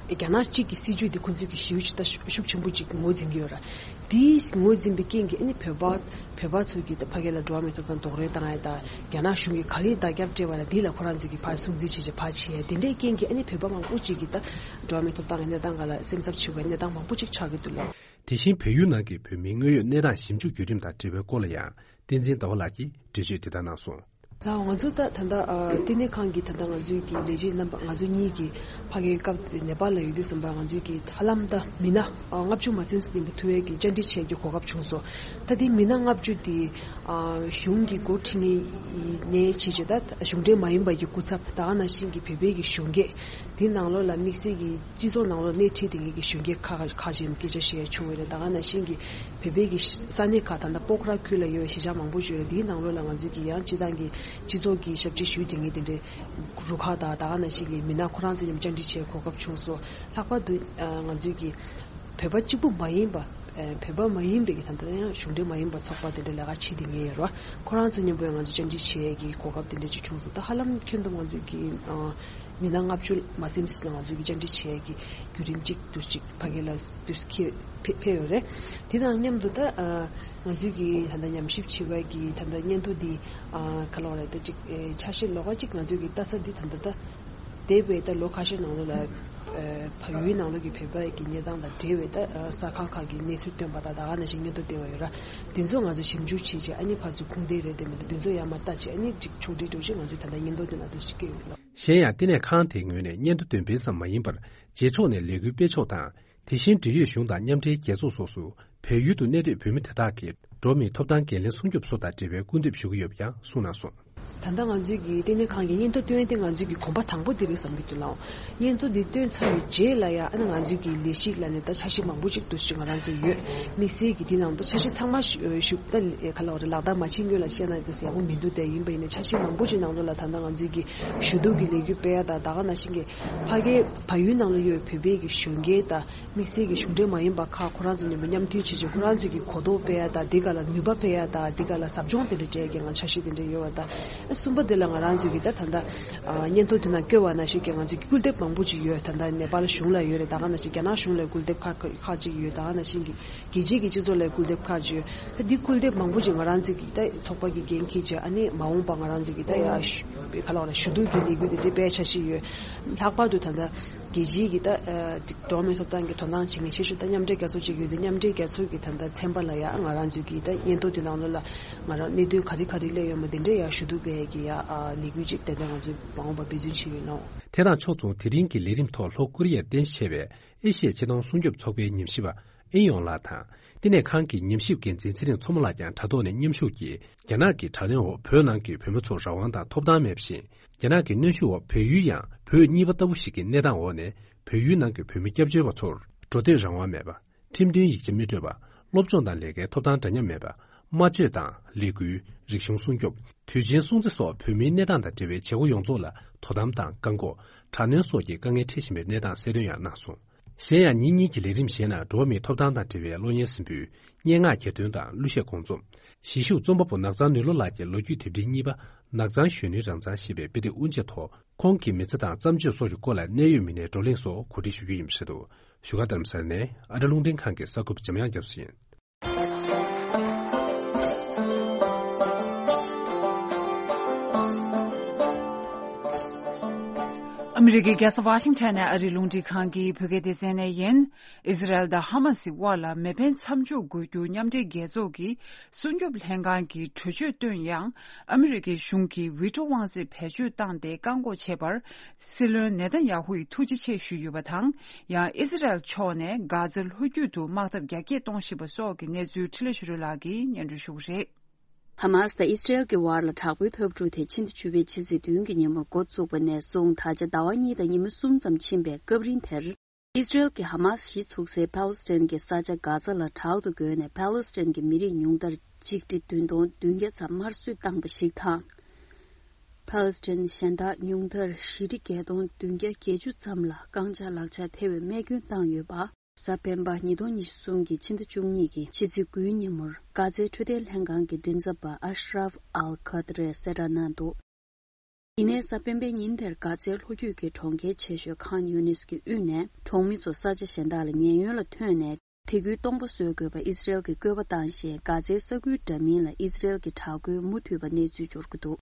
རྒྱ་ནག་གཅིག་གི་སྲིད་ཇུས་འདི་ཁོ་ཚོས་ཀྱི་ཞེ་པོ་ཅིག་ད་ཤུགས་ཆེན་པོ་ཅིག་ངོས་འཛིན་གྱི་ཡོད་ར། དེས་ངོས་འཛིན་པའི་རྐྱེན་གྱིས་ཨ་ནི་བོད་པ་བོད་པ་ཚོས་ཀྱིས་ད་ཕ་གི་ལ་འགྲོ་བ་མིའི་ཐོབ་ཐང་རྡོག་རོལ་བཏང་ཡ་དང་། རྒྱ་ནག་གཞུང་གིས་ག་རེ་བརྡ་ཁྱབ་སྤྲད་པ་ལ་དེ་ལ་ཁོ་རང་ཚོས་ཀྱིས་ཕར་སྲུང་བརྩི་བྱེད་བྱེད་ཕར་བྱེད་ཡ། དེ་འདྲའི་རྐྱེན་གྱིས་ཨ་ནི་བོད་པ་མང་པོ་ཅིག་གིས་ད་འགྲོ་བ་མིའི་ཐོབ་ཐང་གི་གནས་སྟངས་སྒང་ལ་སེམས་འཚབ་བྱེད་དགོས་གནས་སྟངས་མང་པོ་ཅིག་ཆགས་ཀྱི་འདུག་ལ། དེ་བཞིན་བལ་ཡུལ་ནང་གི་བོད་མིའི་དངོས་ཡོད་གནས་སྟངས་ཞིབ་འཇུག་བརྒྱུད་རིམ་དང་འབྲེལ་བའི་སྐོར་ལ་ཡང་བསྟན་འཛིན་ཟླ་བ་ལགས་ཀྱིས་འགྲེལ་བརྗོད་དེ་ལྟར་གནང་སོང་། ལགས། ང་ཚོ་ད་ད་ལྟ་ཨ་ལྟེ་གནས་ཁང་གི་ད་ལྟ་ང་ཚོའི་གི་ལས་བྱེད་རྣམ་པ་ང་ཚོ་གཉིས་ཀྱི་ཕ་གིའི་སྐབས་དེ་ནེ་པཱལ་ལ་ཡོད་དུས་ཙམ་པ་ང་ཚོའི་གི་ཧ་ལམ་ད་མི་སྣ་ཨ་ལྔ་བཅུ་མ་ཟིན་ཟིན་པ་ཐུག་ཡས་ཀྱི་བཅར་འདྲི་བྱེད་ཀྱི་གོ་སྐབས་བྱུང་སོང་། ད་དེ་མི་སྣ་ལྔ་བཅུ་དེ་ཨ་གཞུང་གི་འགོ་ཁྲིད་མཁན་ནས་བྱས་བྱས་ད་གཞུང་འབྲེལ་མ་ཡིན་པ་གི་སྐུ་ཚབ། ད་ག་ནང་བཞིན་གྱི་བོད་པའི་གི་གཞོན་སྐྱེས། དེ་ནང་ལོགས་ལ་དམིགས་བསལ་གྱི་སྤྱི་ཚོགས་ནང་ལོགས་སྣེ་ཁྲིད་དེ་གི་གཞོན་སྐྱེས་ཁག་ཁག་ཅིག་སྐད་ཆ་བཤད་བྱུང་བ་རེད། ད་ག་ནང་བཞིན་གྱི་བོད་པའི་གི་ས་གནས་ཁག་ད་ལྟ་སྤོག་ར་ཁུལ་ལ་ཡོད་པའི་གཞིས་ཆགས་མང་པོ་ཅིག་ཡོད་རེད། དེའི་ནང་ལོགས་ལ་ང་ཚོས་ཀྱི་ཡང་སྤྱི་བཏང་གི་སྤྱི་ཚོགས་ཀྱི་ཞབས་ཕྱི་ཞུ་དེ་ངས་དེ་འདྲའི་རུ་ཁག་དང་། ད་ག་ནང་བཞིན་གྱི་མི་སྣ་ཁོ་རང་ཚོ་མཉམ་བཅར་འདྲི་བྱེད་གོ་སྐབས་བྱུང་སོང་། ལྷག་པར་དུ་ང་ཚོས་ཀྱི་བོད་པ་གཅིག་པུ་མ་ཡིན་པ། བོད་པ་མ་ཡིན་པའི་གི་ད་ལྟ་ཡང་གཞུང་འབྲེལ་མ་ཡིན་པ་ཚོགས་པ་དེ་འདྲ་ལས་ཀ་བྱེད་དེ་ངེས་ཡོད་རེད་བ། ཁོ་རང་ཚོ་མཉམ་པོ་ཡང་ང་ཚོ་བཅར་འདྲི་བྱེད་ཡས་ཀྱི་གོ་སྐབས་དེ་འདྲ་ཅིག་བྱུང་སོང་། ད་ཧ་ལམ་ཁྱོན་བསྡོམས་ང་ཚོས་ཀྱི་མི་སྣ་ལྔ་བཅུ་མ་ཟིན་ཟིན་ལ་ང་ཚོས་ཀྱི་བཅར་འདྲི་བྱེད་ཡས་ཀྱི་བརྒྱུད་རིམ་གཅིག་ཏུ་གཅིག་ཕ་གི་ལ་དུས་ཁེ་ཕེ་ཕེབས་ཡོད་རེད། དེ་དང་མཉམ་དུ་ད་ང་ཚོས་ཀྱི་ད་ལྟ་ཉམས་ཞིབ་བྱེད་པ་གི་ད་ལྟ་སྙན་ཐོ་འདི་ག་ལབ་རེད། ད་ཅིག་འཆར་གཞི་ལོགས་ཀ་ཅིག་ང་ཚོས་ཀྱི་ལྟ་ས་འདི་ད་ལྟ་ད་འདས་པའི་ད་ལོ་ཁ་ཤས་ནང་ལོགས་ལ་བལ་ཡུལ་ནང་ལོགས་ཀྱི་བོད་པ་གི་གནས་སྟངས་དང་འབྲེལ་བའི་ད་གསར་ཁང་ཁག་གི་གནས་ཚུལ་བཏོན་པ་དང་། ད་ག་ནང་བཞིན་སྙན་ཐོ་བཏོན་པ་ཡོད་ར། དེ་ཚོ་ང་ཚོ་ཞིབ་འཇུག་བྱེད་ཆེད་ཨ་ནི་ཕར་ཚུར་ཁུངས་ལྡན་རེད་དེ་མེད་ད་དེ་ཚོ་ཡར་མར་ལྟ་ཆེད་ཨ་ནི་ཅིག་ཕྱོགས་སྒྲིག་འགྲོ་ཆེད་ང་ཚོས་ད་ལྟ་སྙན་ཐོ་དེ་ནང་དུ་ཞིག་སྐྱེལ་ཡོད་ལ། གཞན་ཡང་ལྟེ་གནས་ཁང་དེའི་ངོས་ནས་སྙན་ཐོ་འདོན་སྤེལ་ཙམ་མ་ཡིན་པར་རྗེས་ཕྱོགས་ནས་ལས་འགུལ་སྤེལ་ཕྱོགས་དང་། དེ་བཞིན་འབྲེལ་ཡོད་གཞུང་དང་མཉམ་འབྲེལ་རྒྱལ་ཚོགས་སོགས་སུ་བལ་ཡུལ་དུ་གནས་སྡོད་བོད་མི་དེ་དག་གི་འགྲོ་བ་མིའི་ཐོབ་ཐང་འགན་ལེན་སྲུང་སྐྱོབ་སོགས་དང་འབྲེལ་བའི་སྐུལ་འདེབས་ཞུ་གི་ཡོད་པ་ཡང་གསུངས་གནང་སོང་། ད་ལྟ་ང་ཚོའི་གི་ལྟེ་གནས་ཁང་གི་སྙན་ཐོ་བཏོན་ཏེ་ང་ཚོའི་གི་གོམ་པ་དང་པོ་དེ་རེད་བསམ་གྱི་འདུག་ལགས། སྙན་ཐོ་འདི་བཏོན་ཚར་བའི་རྗེས་ལ་ཡང་ཨ་ནི་ང་ཚོའི་གི་ལས་གཞི་ལ་ནི་ད་འཆར་གཞི་མང་པོ་ཅིག་འདུག་ཅིག་ང་རང་ཚོ་ཡོད། དམིགས་བསལ་གྱི་དེ་ནང་དུ་འཆར་གཞི་ཚང་མ་ཞུ་ཞུ་ད་ག་ལ་བ་རེད་ལག་བསྟར་མ་བྱེད་སྔོན་ལ་བཤད་ན་དེ་ཡག་པོ་མི་འདུག་དེ་ཡིན་པ་ཡིན་ན་འཆར་གཞི་མང་པོ་ཅིག་ནང་ལོགས་ལ་ད་ལྟ་ང་ཚོའི་གི་ཞུ་གཏུག་གི་ལས་འགུལ་སྤེལ་ཡ་དང་། ད་ག་ནང་བཞིན་གྱི་ཕ་གིའི་བལ་ཡུལ་ནང་ལ་ཡོད་བོད་པའི་གི་གཞོན་སྐྱེས་དང་། དམིགས་བསལ་གྱི་གཞུང་འབྲེལ་མ་ཡིན་པ་ཁག་ཁོ་རང་ཚོ་མཉམ་པོ་མཉམ་མཐུན་བྱེད་ཆེད་ཁོ་རང་ཚོས་ཀྱི་གོ་རྟོགས་སྤེལ་ཡ་དང་། འདི་ག་ལ་ནུས་པ་སྤེལ་ཡ་དང་། འདི་ག་ལ་ཟབ་སྦྱོང་དེ་འདྲ་སྤྲད་ཀྱི་ང་འཆར་གཞི་དེ་འདྲ་ཡོད་པ་དང་ ད་གསུམ་པ་དེ་ལ་ང་རང་ཚོས་ཀྱི་ད་ད་ལྟ་ཨ་སྙན་ཐོ་དེ་ནང་བཀོད་པ་ནང་བཞིན་གྱི་ང་ཚོས་ཀྱི་སྐུལ་འདེབས་མང་པོ་ཅིག་ཡོད། ད་ལྟ་ནེ་པཱལ་གཞུང་ལ་ཡོད་རེད། ད་ག་ནང་བཞིན་རྒྱ་ནག་གཞུང་ལ་སྐུལ་འདེབས་ཁག་ཁག་ཅིག་ཡོད། ད་ག་ནང་བཞིན་གྱི་རྒྱལ་སྤྱིའི་གི་སྤྱི་ཚོགས་ལ་སྐུལ་འདེབས་ཁག་ཅིག་ཡོད། ད་འདི་སྐུལ་འདེབས་མང་པོ་ཅིག་ང་རང་ཚོས་ཀྱི་ད་ཚོགས་པ་གི་འགན་འཁྱེར་བྱས། ཨ་ནི་མ་འོངས་པ་ང་རང་ཚོས་ཀྱི་ད་ཡ་ཞུ་ག་ལ་བ་ལ་ཞུ་གཏུག་གི་ལས་འགུལ་དེ་འདྲ་སྤེལ་འཆར་གཞི་ཡོད། ལྷག་པར་དུ་ད་ལྟ་རྒྱལ་སྤྱིའི་གི་ད་ཨ་འགྲོ་བ་མིའི་ཐོབ་ཐང་གི་དོ་སྣང་བྱེད་མཁན་ཆེ་ཤོས་ད་མཉམ་འབྲེལ་རྒྱལ་ཚོགས་ཅིག་ཡོད་དེ། མཉམ་འབྲེལ་རྒྱལ་ཚོགས་ཀྱི་ད་ལྟ་ཚན་པ་ལ་ཡ་ང་རང་ཚོས་ཀྱི་ད་སྙན་ཐོ་དེ་ནང་ལོགས་ལ་ང་རང་གནད་དོན་ག་རེ་ག་རེ་སླེབས་ཡོད་མེད་དེ་འདྲ་ཡ་ཞུ་གཏུག་སྤེལ་གྱི་ཡ་ཨ་ལས་འགུལ་ཅིག་ཏན་ཏན་ང་ཚོས་མ་འོངས་པར་འབད་བརྩོན་བྱེད་ཀྱི་ཡོད་ལགས། དེ་དང་ཕྱོགས་མཚུངས། དེ་རིང་གི་ལས་རིམ་ཐོག་ལྷོ་ཀོ་རི་ཡར་རྟེན་གཞི་བྱས་པའི་ཨེ་ཤི་ཡའི་ཆེས་མཐོང་སྲུང་སྐྱོབ་ཚོགས་པའི་ཉམས་ཞིབ་པ་ཨིན་ཡོང་ལགས་དང་། དེ་ནས་ཁང་གི་ཉམས་ཞིབ་འགན་འཛིན་ཚེ་རིང་མཚོ་མོ་ལགས་ཀྱང་དྲ་ཐོག་ནས་མཉམ་ཞུགས་ཀྱིས། རྒྱ་ནག་གི་དྲག་གནོན་འོག་བོད་ནང་གི་བོད་མི་ཚོར་རང་དབང་དང་ཐོབ་ཐང་མེད་པ་བཞིན། རྒྱ་ནག་གི་གནོན་ཤུགས་འོག་བལ་ཡུལ་ཡང་བོད་གཉིས་པ་ལྟ་བུ་ཞིག་གི་གནས་སྟངས་འོག་ནས། བལ་ཡུལ་ནང་གི་བོད་མི་སྐྱབས་བཅོལ་བ་ཚོར་འགྲོ་སྡོད་རང་དབང་མེད་པ། ཁྲིམས་མཐུན་ཡིག་ཆ་མི་སྤྲོད་པ། སློབ་སྦྱོང་དང་ལས་ཀའི་ཐོབ་ཐང་འདྲ་མཉམ་མེད་པ། སྨྲ་བརྗོད་དང་ལས་འགུལ། རིག་གཞུང་སྲུང་སྐྱོབ། དུས་ཆེན་སྲུང་བརྩི་སོགས་བོད་མིའི་གནས་སྟངས་དང་འབྲེལ་བའི་བྱེད་སྒོ་ཡོངས་རྫོགས་ལ་དོ་དམ་དང་བཀག་འགོག་དྲག་གནོན་སོགས་ཀྱི་དཀའ་ངལ་འཕྲད་བཞིན་པའི་གནས་སྟངས་གསལ་སྟོན་ཡང་གནང་སོང་། གཞན་ཡང་ཉིན་གཉིས་ཀྱི་ལས་རིམ་གཞན་ནང་འགྲོ་བ་མིའི་ཐོབ་ཐང་དང་འབྲེལ་བའི་གློག་བརྙན་གཟིགས་འབུལ། སྙན་ངག་གྱེར་འདོན་དང་གླུ་གཞས་དགོང་རྩོམ། གཞིས་བཞུགས་རྩོམ་པ་པོ་ནགས་ཚང་ནུས་བློ་ལགས་ཀྱི་ལོ་རྒྱུས་དེབ་འབྲི་གཉིས་པ་ནགས་ཚང་གཞོན་ནུའི་རང་མཚང་ཞེས་པའི་དཔེ་དེབ་དབུ་འབྱེད་ཐོག་ཁོང་གི་མི་ཚེ་དང་བརྩམས་ཆོས་སོགས་ཀྱི་སྐོར་ལ་གནད་ཡོད་མི་སྣའི་བགྲོ་གླེང་སོགས་གོ་སྒྲིག་ཞུ་རྒྱུ་ཡིན་པ་རེད་འདུག་བཞུགས་སྒར་རྡ་རམ་ས་ལ་ནས་ཨ་རི་རླུང་འཕྲིན་ཁང་གི་གསར་འགོད་པ་འཇམ་དབྱངས་རྒྱ་མཚོ་ཡིན། ཨ་མི་རི་ཀའི་རྒྱལ་ས་ཝ་ཤིང་ཊོན་ནས་ཨ་རིའི་རླུང་འཕྲིན་ཁང་གི་བོད་སྐད་སྡེ་ཚན་ནས་ཡིན། ཨི་ཟི་རལ་དང་ཧ་མ་སི་དབར་ལ་མེ་འཕེན་མཚམས་འཇོག་དགོས་རྒྱུ་མཉམ་འབྲེལ་རྒྱལ་ཚོགས་ཀྱི་སྲུང་སྐྱོབ་ལྷན་ཁང་གིས་གྲོས་ཆོད་བཏོན་ཡང་། ཨ་མི་རི་ཀའི་གཞུང་གིས་ཝི་ཊོ་དབང་ཚད་བེད་སྤྱོད་བཏང་སྟེ་བཀག་འགོག་བྱས་པར། སྲིད་བློན་ནེ་ཐན་ཡ་ཧུ་ཡིས་ཐུགས་རྗེ་ཆེ་ཞུས་ཡོད་པ་དང་། ཡང་ཨི་ཟི་རལ་ཕྱོགས་ནས་གྷ་ཛའི་ལྷོ་རྒྱུད་དུ་དམག་འཐབ་རྒྱ་སྐྱེད་གཏོང་བཞིན་པ་སོགས་ཀྱི་གནས་ཚུལ་འཕྲིན་ལས་ཆོས་སྒྲོན་ལགས་ཀྱིས་སྙན་སྒྲོན་ཞུ་གི་རེད། ཧ་མ་སི་དང་ཨི་སི་རེལ་གྱི་བར་ལ་དྲག་པོའི་འཐབ་འཁྲུག་དེ་ཕྱི་ཟླ་བཅུ་པའི་ཕྱི་ཚེས་བདུན་གྱི་ཉིན་མོར་འགོ་བཙུགས་པ་ནས་བཟུང་ད་ཆ་ཟླ་བ་གཉིས་དང་ཉི་མ་གསུམ་ཙམ་ཕྱིན་པའི་སྐབས་རིང་དེར། ཨི་སི་རེལ་གྱིས་ཧ་མ་སི་གཞི་ཚུགས་སའི་ཕཱ་ལེ་སི་ཐན་གྱི་ས་ཆ་གྷ་ཛ་ལ་དྲག་ཏུ་རྒོལ་ནས་ཕཱ་ལེ་སི་ཐན་གྱི་མི་རིགས་ཉུང་མཐར་ཆིག་ཁྲི་བདུན་སྟོང་བདུན་བརྒྱ་ཙམ་དམར་གསོད་བཏང་པ་ཞིག་དང་། ཕཱ་ལེ་སི་ཐན་གཞན་དག་ཉུང་མཐར་བཞི་ཁྲི་བརྒྱད་སྟོང་བདུན་བརྒྱ་བརྒྱད་ཅུ་ཙམ་ལ་རྐང་ཆག་ལག་ཆག་ཐེ་བའི་རྨས་སྐྱོན་བཏང་ཡོད་པ། གཟའ་སྤེན་པ་ཉིས་སྟོང་ཉི་ཤུ་གསུམ་གྱི་ཕྱི་ཟླ་བཅུ་གཉིས་ཀྱི་ཕྱི་ཚེས་དགུའི་ཉིན་མོར་གྷ་ཛའི་འཕྲོད་བསྟེན་ལྷན་ཁང་གི་མགྲིན་ཚབ་པ་ཨ་ཤ་རབ་ཨལ་ཁ་ཏ་རས་གསལ་བསྒྲགས་གནང་འདུག་ཡིན་ནའི་གཟའ་སྤེན་པའི་ཉིན་དེར་གྷ་ཛའི་ལྷོ་རྒྱུད་ཀྱི་གྲོང་ཁྱེར་ཆེ་ཤོས་ཁཱན་ཡུ་ནིས་ཀྱི་དབུས་ནས་གྲོང་མི་ཚོ་ས་ཆ་གཞན་དག་ལ་ཉེན་གཡོལ་ལ་ཐོན་ནས་དེ་ཁུལ་སྟོང་པ་བཟོ་དགོས་པ་ཨི་སི་རེལ་གྱིས་བཀོད་པ་བཏང་ཞིང་། གྷ་ཛའི་ས་ཁུལ་འདྲ་མིན་ལ་ཨི་སི་རེལ་གྱི་དྲག་རྒོལ་མུ་མཐུད་པ་གནས་ཚུལ་འབྱོར་གྱི་འདུག་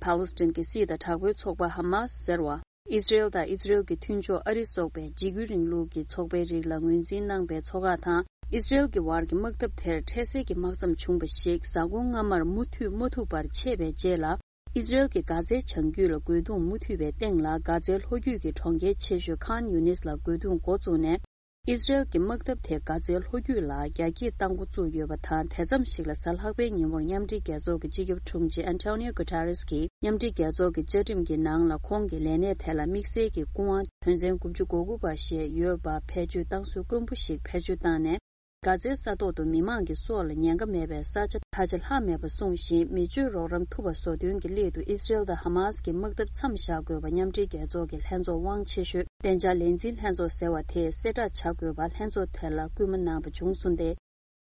ཕཱ་ལེ་སི་ཐན་གྱི་སྲིད་དང་དྲག་པོའི་ཚོགས་པ་ཧ་མ་སི་ཟེར་བ། ཨི་སི་རེལ་དང་ཨི་སི་རེལ་གྱི་མཐུན་ཕྱོགས་ཨ་རི་སོགས་པའི་འཇིགས་སྐུལ་རིང་ལུགས་ཀྱི་ཚོགས་པའི་རིགས་ལ་ངོས་འཛིན་གནང་པའི་ཚོགས་ཁག་དང་། ཨི་སི་རེལ་གྱི་བར་གྱི་དམག་འཐབ་དེར་འཕྲལ་སེལ་གྱི་དམག་མཚམས་བྱུང་བ་ཞིག་གཟའ་འཁོར་སྔ་མར་མུ་མཐུད་མ་ཐུབ་པར་ཆད་པའི་རྗེས་ལ། ཨི་སི་རེལ་གྱིས་གྷ་ཛའི་བྱང་རྒྱུད་ལ་རྒོལ་རྡུང་མུ་མཐུད་པའི་སྟེང་ལ། གྷ་ཛའི་ལྷོ་རྒྱུད་ཀྱི་གྲོང་ཁྱེར་ཆེ་ཤོས་ཁཱན་ཡུ་ནིས་ལ་རྒོལ་རྡུང་འགོ་བཙུགས་ནས། ཨི་སི་རེལ་གྱི་དམག་འཐབ་དེ་གྷ་ཛའི་ལྷོ་རྒྱུད་ལ་རྒྱ་སྐྱེད་གཏང་འགོ་བཙུགས་ཡོད་པ་དང་། དེ་ཙམ་ཞིག་ལ་གཟའ་ལྷག་པའི་ཉིན་མོར་མཉམ་འབྲེལ་རྒྱལ་ཚོགས་ཀྱི་སྤྱི་ཁྱབ་དྲུང་ཆེ་ཨན་ཊོ་ནིའོ་གུ་ཏ་རེས་ཀྱིས་མཉམ་འབྲེལ་རྒྱལ་ཚོགས་ཀྱི་བཅའ་ཁྲིམས་ཀྱི་ནང་ལ་ཁོང་གི་ལས་གནས་དེ་ལ་དམིགས་བསལ་གྱི་སྐུ་དབང་དོན་ཚན་དགུ་བཅུ་གོ་དགུ་པ་ཞེས་ཡོད་པ་བེད་སྤྱོད་བཏང་སྲོལ་དཀོན་པོ་ཞིག་བེད་སྤྱོད་བཏང་ནས། གྷ་ཛའི་ས་ཐོག་ཏུ་མི་མང་གི་སྲོག་ལ་ཉེན་ཁ་མེད་པའི་ས་ཆ་ད་ཆ་ལྷག་མེད་པ་སྲུང་ཞིང་། མི་སྤྱོད་རོགས་རམ་ཐུབ་པ་བཟོ་དོན་གྱི་སླད་དུ། ཨི་སི་རེལ་དང་ཧ་མ་སི་གི་དམག་འཐབ་མཚམས་བཞག་དགོས་པ་མཉམ་འབྲེལ་རྒྱལ་ཚོགས་ཀྱི་ལྷན་ཚོགས་དབང་ཆེ་ཤོས་བདེ་འཇགས་ལས་འཛིན་ལྷན་ཚོགས་ཟེར་བ་དེས་གསལ་བསྒྲགས་བྱ་དགོས་པ་ལྷན་ཚོགས་དེ་ལ་སྐུལ་མ་གནང་པ་བྱུང་སོང་སྟེ།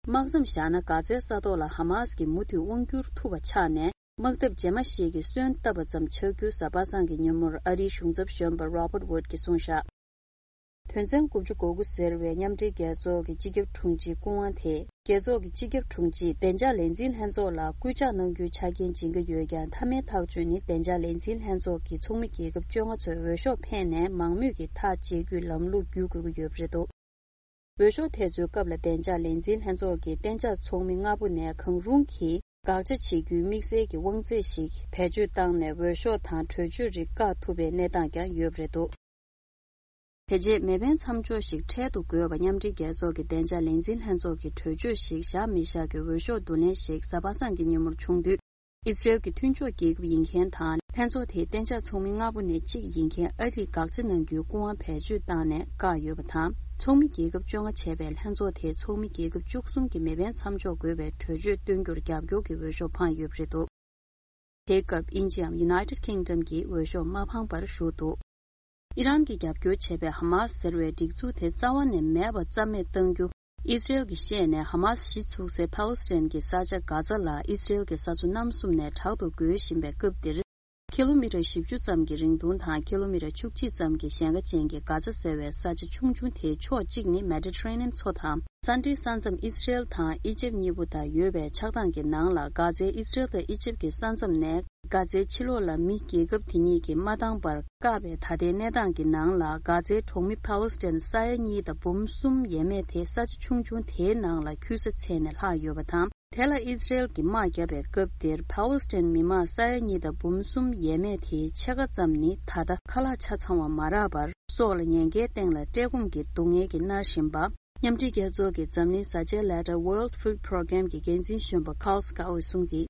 དམག་མཚམས་བཞག་ན་གྷ་ཛའི་ས་ཐོག་ལ་ཧ་མ་སི་གིས་མུ་མཐུད་དབང་བསྒྱུར་ཐུབ་པ་ཆགས་ནས། དམག་འཐབ་རྗེས་མ་ཞིག་གི་སོན་བཏབ་པ་ཙམ་ཆགས་རྒྱུ། གཟའ་པ་སངས་ཀྱི་ཉིན་མོར་ཨ་རིའི་གཞུང་ཚབ་གཞོན་པ་Robert Wood གྱིས་གསུངས་བཞག་དོན་ཚན་དགུ་བཅུ་གོ་དགུ་ཟེར་བའི་མཉམ་འབྲེལ་རྒྱལ་ཚོགས་ཀྱི་སྤྱི་ཁྱབ་དྲུང་ཆེའི་སྐུ་དབང་དེས། རྒྱལ་ཚོགས་ཀྱི་སྤྱི་ཁྱབ་དྲུང་ཆེས་བདེ་འཇགས་ལས་འཛིན་ལྷན་ཚོགས་ལ་སྐུལ་ལྕག་གནང་རྒྱུའི་ཆ་རྐྱེན་སྦྱིན་གྱི་ཡོད་ཀྱང་། མཐའ་མའི་ཐག་གཅོད་ནི་བདེ་འཇགས་ལས་འཛིན་ལྷན་ཚོགས་ཀྱི་ཚོགས་མི་རྒྱལ་ཁབ་བཅོ་ལྔ་ཚོས་འོས་ཤོག་འཕེན་ནས་མང་མོས་ཀྱིས་ཐག་བཅད་རྒྱུའི་ལམ་ལུགས་བརྒྱུད་དགོས་ཀྱི་ཡོད་པ་རེད་འདུག་འོས་ཤོག་དེ་ཚོའི་སྐབས་ལ་བདེ་འཇགས་ལས་འཛིན་ལྷན་ཚོགས་ཀྱི་གཏན་འཇགས་ཚོགས་མི་ལྔ་པོ་ནས་གང་རུང་གིས་དགག་བྱ་བྱེད་རྒྱུའི་དམིགས་བསལ་གྱི་དབང་ཚད་ཞིག་བེད་སྤྱོད་བཏང་ནས། འོས་ཤོག་དང་གྲོས་ཆོད་རིགས་བཀག་ཐུབ་པའི་གནས་སྟངས་ཀྱང་ཡོད་པ་རེད་འདུག་དེ་རྗེས་མེ་འཕེན་མཚམས་འཇོག་ཞིག་འཕྲལ་དུ་དགོས་པ་མཉམ་འབྲེལ་རྒྱལ་ཚོགས་ཀྱི་བདེ་འཇགས་ལས་འཛིན་ལྷན་ཚོགས་ཀྱིས་གྲོས་ཆོད་ཞིག་བཞག་མི་བཞག་གི་འོས་ཤོག་བསྡུ་ལེན་ཞིག་གཟའ་པ་སངས་ཀྱི་ཉིན་མོར་བྱུང་དུས། ཨི་སི་རེལ་གྱི་མཐུན་ཕྱོགས་རྒྱལ་ཁབ་ཡིན་མཁན་དང་། ལྷན་ཚོགས་དེའི་གཏན་འཇགས་ཚོགས་མི་ལྔ་པོ་ནས་གཅིག་ཡིན་མཁན་ཨ་རིས་དགག་བྱ་གནང་རྒྱུའི་སྐུ་དབང་བེད་སྤྱོད་བཏང་ནས་བཀག་ཡོད་པ་དང་། ཚོགས་མི་རྒྱལ་ཁབ་བཅོ་ལྔ་བྱས་པའི་ལྷན་ཚོགས་དེའི་ཚོགས་མི་རྒྱལ་ཁབ་བཅུ་གསུམ་གྱིས་མེ་འཕེན་མཚམས་འཇོག་དགོས་པའི་གྲོས་ཆོད་བཏོན་རྒྱུར་རྒྱབ་སྐྱོར་གྱི་འོས་ཤོག་འཕངས་ཡོད་པ་རེད་འདུག་དེའི་སྐབས་དབྱིན་ཇིའམ་United Kingdom གྱིས་འོས་ཤོག་མ་འཕངས་པར་བཞུགས་འདུག་ཨི་རན་གྱིས་རྒྱབ་སྐྱོར་བྱས་པའི་ཧ་མ་སི་ཟེར་བའི་སྒྲིག་འཛུགས་དེ་རྩ་བ་ནས་མེད་པ་རྩ་མེད་གཏང་རྒྱུ། ཨི་སི་རེལ་གྱིས་བཤད་ནས་ཧ་མ་སི་གཞི་ཚུགས་སའི་ཕཱ་ལེ་སི་ཐན་གྱི་ས་ཆ་གྷ་ཛ་ལ་ཨི་སི་རེལ་གྱི་ས་མཚོ་གནམ་གསུམ་ནས་དྲག་ཏུ་རྒོལ་བཞིན་པའི་སྐབས་འདིར། ཁི་ལོ་མི་ཊར་བཞི་བཅུ་ཙམ་གྱི་རིང་ཐུང་དང་ཁི་ལོ་མི་ཊར་བཅུ་གཅིག་ཙམ་གྱི་ཞེང་ཁ་ཅན་གྱི་གྷ་ཛ་ཟེར་བའི་ས་ཆ་ཆུང་ཆུང་དེའི་ཕྱོགས་གཅིག་ནི་མེ་ཌི་ཊ་རེ་ནི་ཡན་མཚོ་དང་། ས་འབྲེལ་ས་མཚམས་ཨི་སི་རེལ་དང་ཨི་ཇེབ་གཉིས་པོ་དང་ཡོད་པའི་ཆགས་སྟངས་ཀྱི་ནང་ལ། གྷ་ཛའི་ཨི་སི་རེལ་དང་ཨི་ཇེབ་ཀྱི་ས་མཚམས་ནས། གྷ་ཛའི་ཕྱི་ལོགས་ལ་མི་རྒྱལ་ཁབ་དེ་གཉིས་ཀྱིས་མ་འདང་བར་བཀག་པའི་ད་ལྟའི་གནས་སྟངས་ཀྱི་ནང་ལ། གྷ་ཛའི་གྲོང་མི་ཕཱ་ལེ་སི་ཐན་ས་ཡ་གཉིས་དང་འབུམ་གསུམ་ཡས་མས་དེ་ས་ཆ་ཆུང་ཆུང་དེའི་ནང་ལ་འཁྱུད་ས་བཙལ་ནས་ལྷག་ཡོད་པ་དང་། དེ་ལ་ཨི་སི་རེལ་གྱིས་དམག་བརྒྱབ་པའི་སྐབས་དེར་ཕཱ་ལེ་སི་ཐན་མི་མང་ས་ཡ་གཉིས་དང་འབུམ་གསུམ་ཡས་མས་དེའི་ཕྱེད་ཀ་ཙམ་ནི་ད་ལྟ་ཁ་ལག་ཆ་ཚང་བ་མ་རག་པར། སྲོག་ལ་ཉེན་ཁའི་སྟེང་ལ་བཀྲེས་སྐོམ་གྱི་སྡུག་བསྔལ་གྱིས་མནར་བཞིན་པ། མཉམ་འབྲེལ་རྒྱལ་ཚོགས་ཀྱི་འཛམ་གླིང་བཟའ་བཅའི་ལས་གྲྭ་World Food Programme གྱི་འགན་འཛིན་གཞོན་པ་Carl Scott གིས་གསུངས་ཀྱིས།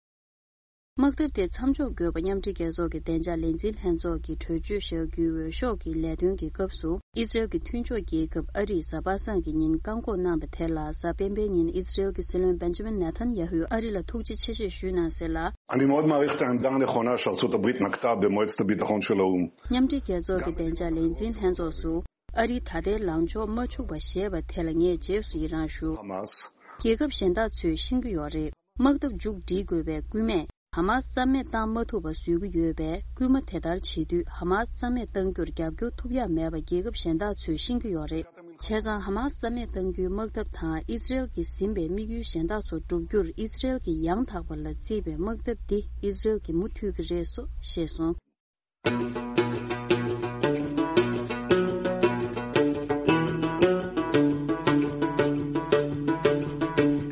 དམག་འཐབ་དེ་མཚམས་འཇོག་དགོས་པ་མཉམ་འབྲེལ་རྒྱལ་ཚོགས་ཀྱི་བདེ་འཇགས་ལས་འཛིན་ལྷན་ཚོགས་ཀྱིས་གྲོས་ཆོད་བཞག་རྒྱུའི་འོས་ཤོག་གི་ལས་དོན་གྱི་སྐབས་སུ། ཨི་སི་རེལ་གྱི་མཐུན་ཕྱོགས་རྒྱལ་ཁབ་ཨ་རིས་གཟའ་པ་སངས་ཀྱི་ཉིན་བཀག་འགོག་གནང་བ་དེ་ལ། གཟའ་སྤེན་པའི་ཉིན་ཨི་སི་རེལ་གྱི་སྲིད་བློན་Benjamin Netanyahu ཨ་རི་ལ་ཐུགས་རྗེ་ཆེ་ཞེས་ཞུས་གནང་ཟེར་ལ། אני מאוד מעריך את העמדה הנכונה שארצות הברית נקטה במועצת הביטחון של האו"ם. མཉམ་འབྲེལ་རྒྱལ་ཚོགས་ཀྱི་བདེ་འཇགས་ལས་འཛིན་ལྷན་ཚོགས་སུ། ཨ་རིས་ད་ལྟའི་ལངས་ཕྱོགས་མ་འཕྱུག་པ་བཞེས་པ་དེ་ལ་ངས་རྗེས་སུ་ཡི་རང་ཞུ། རྒྱལ་ཁབ་གཞན་དག་ཚོས་ཤེས་ཀྱི་ཡོད་རེད། དམག་འཐབ་མཇུག་སྒྲིལ་དགོས་པའི་སྐུལ་མས། ཧ་མ་སི་རྩ་མེད་བཏང་མ་ཐུབ་པ་བཟོ་གི་ཡོད་པས། སྐུལ་མ་དེ་ལྟར་བྱེད་དུས་ཧ་མ་སི་རྩ་མེད་གཏང་རྒྱུར་རྒྱབ་སྐྱོར་ཐུབ་ཡག་མེད་པ་རྒྱལ་ཁབ་གཞན་དག་ཚོས་ཤེས་ཀྱི་ཡོད་རེད། བྱས་ཙང་ཧ་མ་སི་རྩ་མེད་གཏང་རྒྱུའི་དམག་འཐབ་དང་ཨི་སི་རེལ་གྱིས་ཟིན་པའི་དམིགས་ཡུལ་གཞན་དག་ཚོ་བསྒྲུབ་རྒྱུར། ཨི་སི་རེལ་གྱི་ཡང་དག་པ་ལ་བརྩིས་པའི་དམག་འཐབ་འདི་ཨི་སི་རེལ་གྱིས་མུ་མཐུད་ཀྱི་རེད་སོ། ཞེས་གསུངས།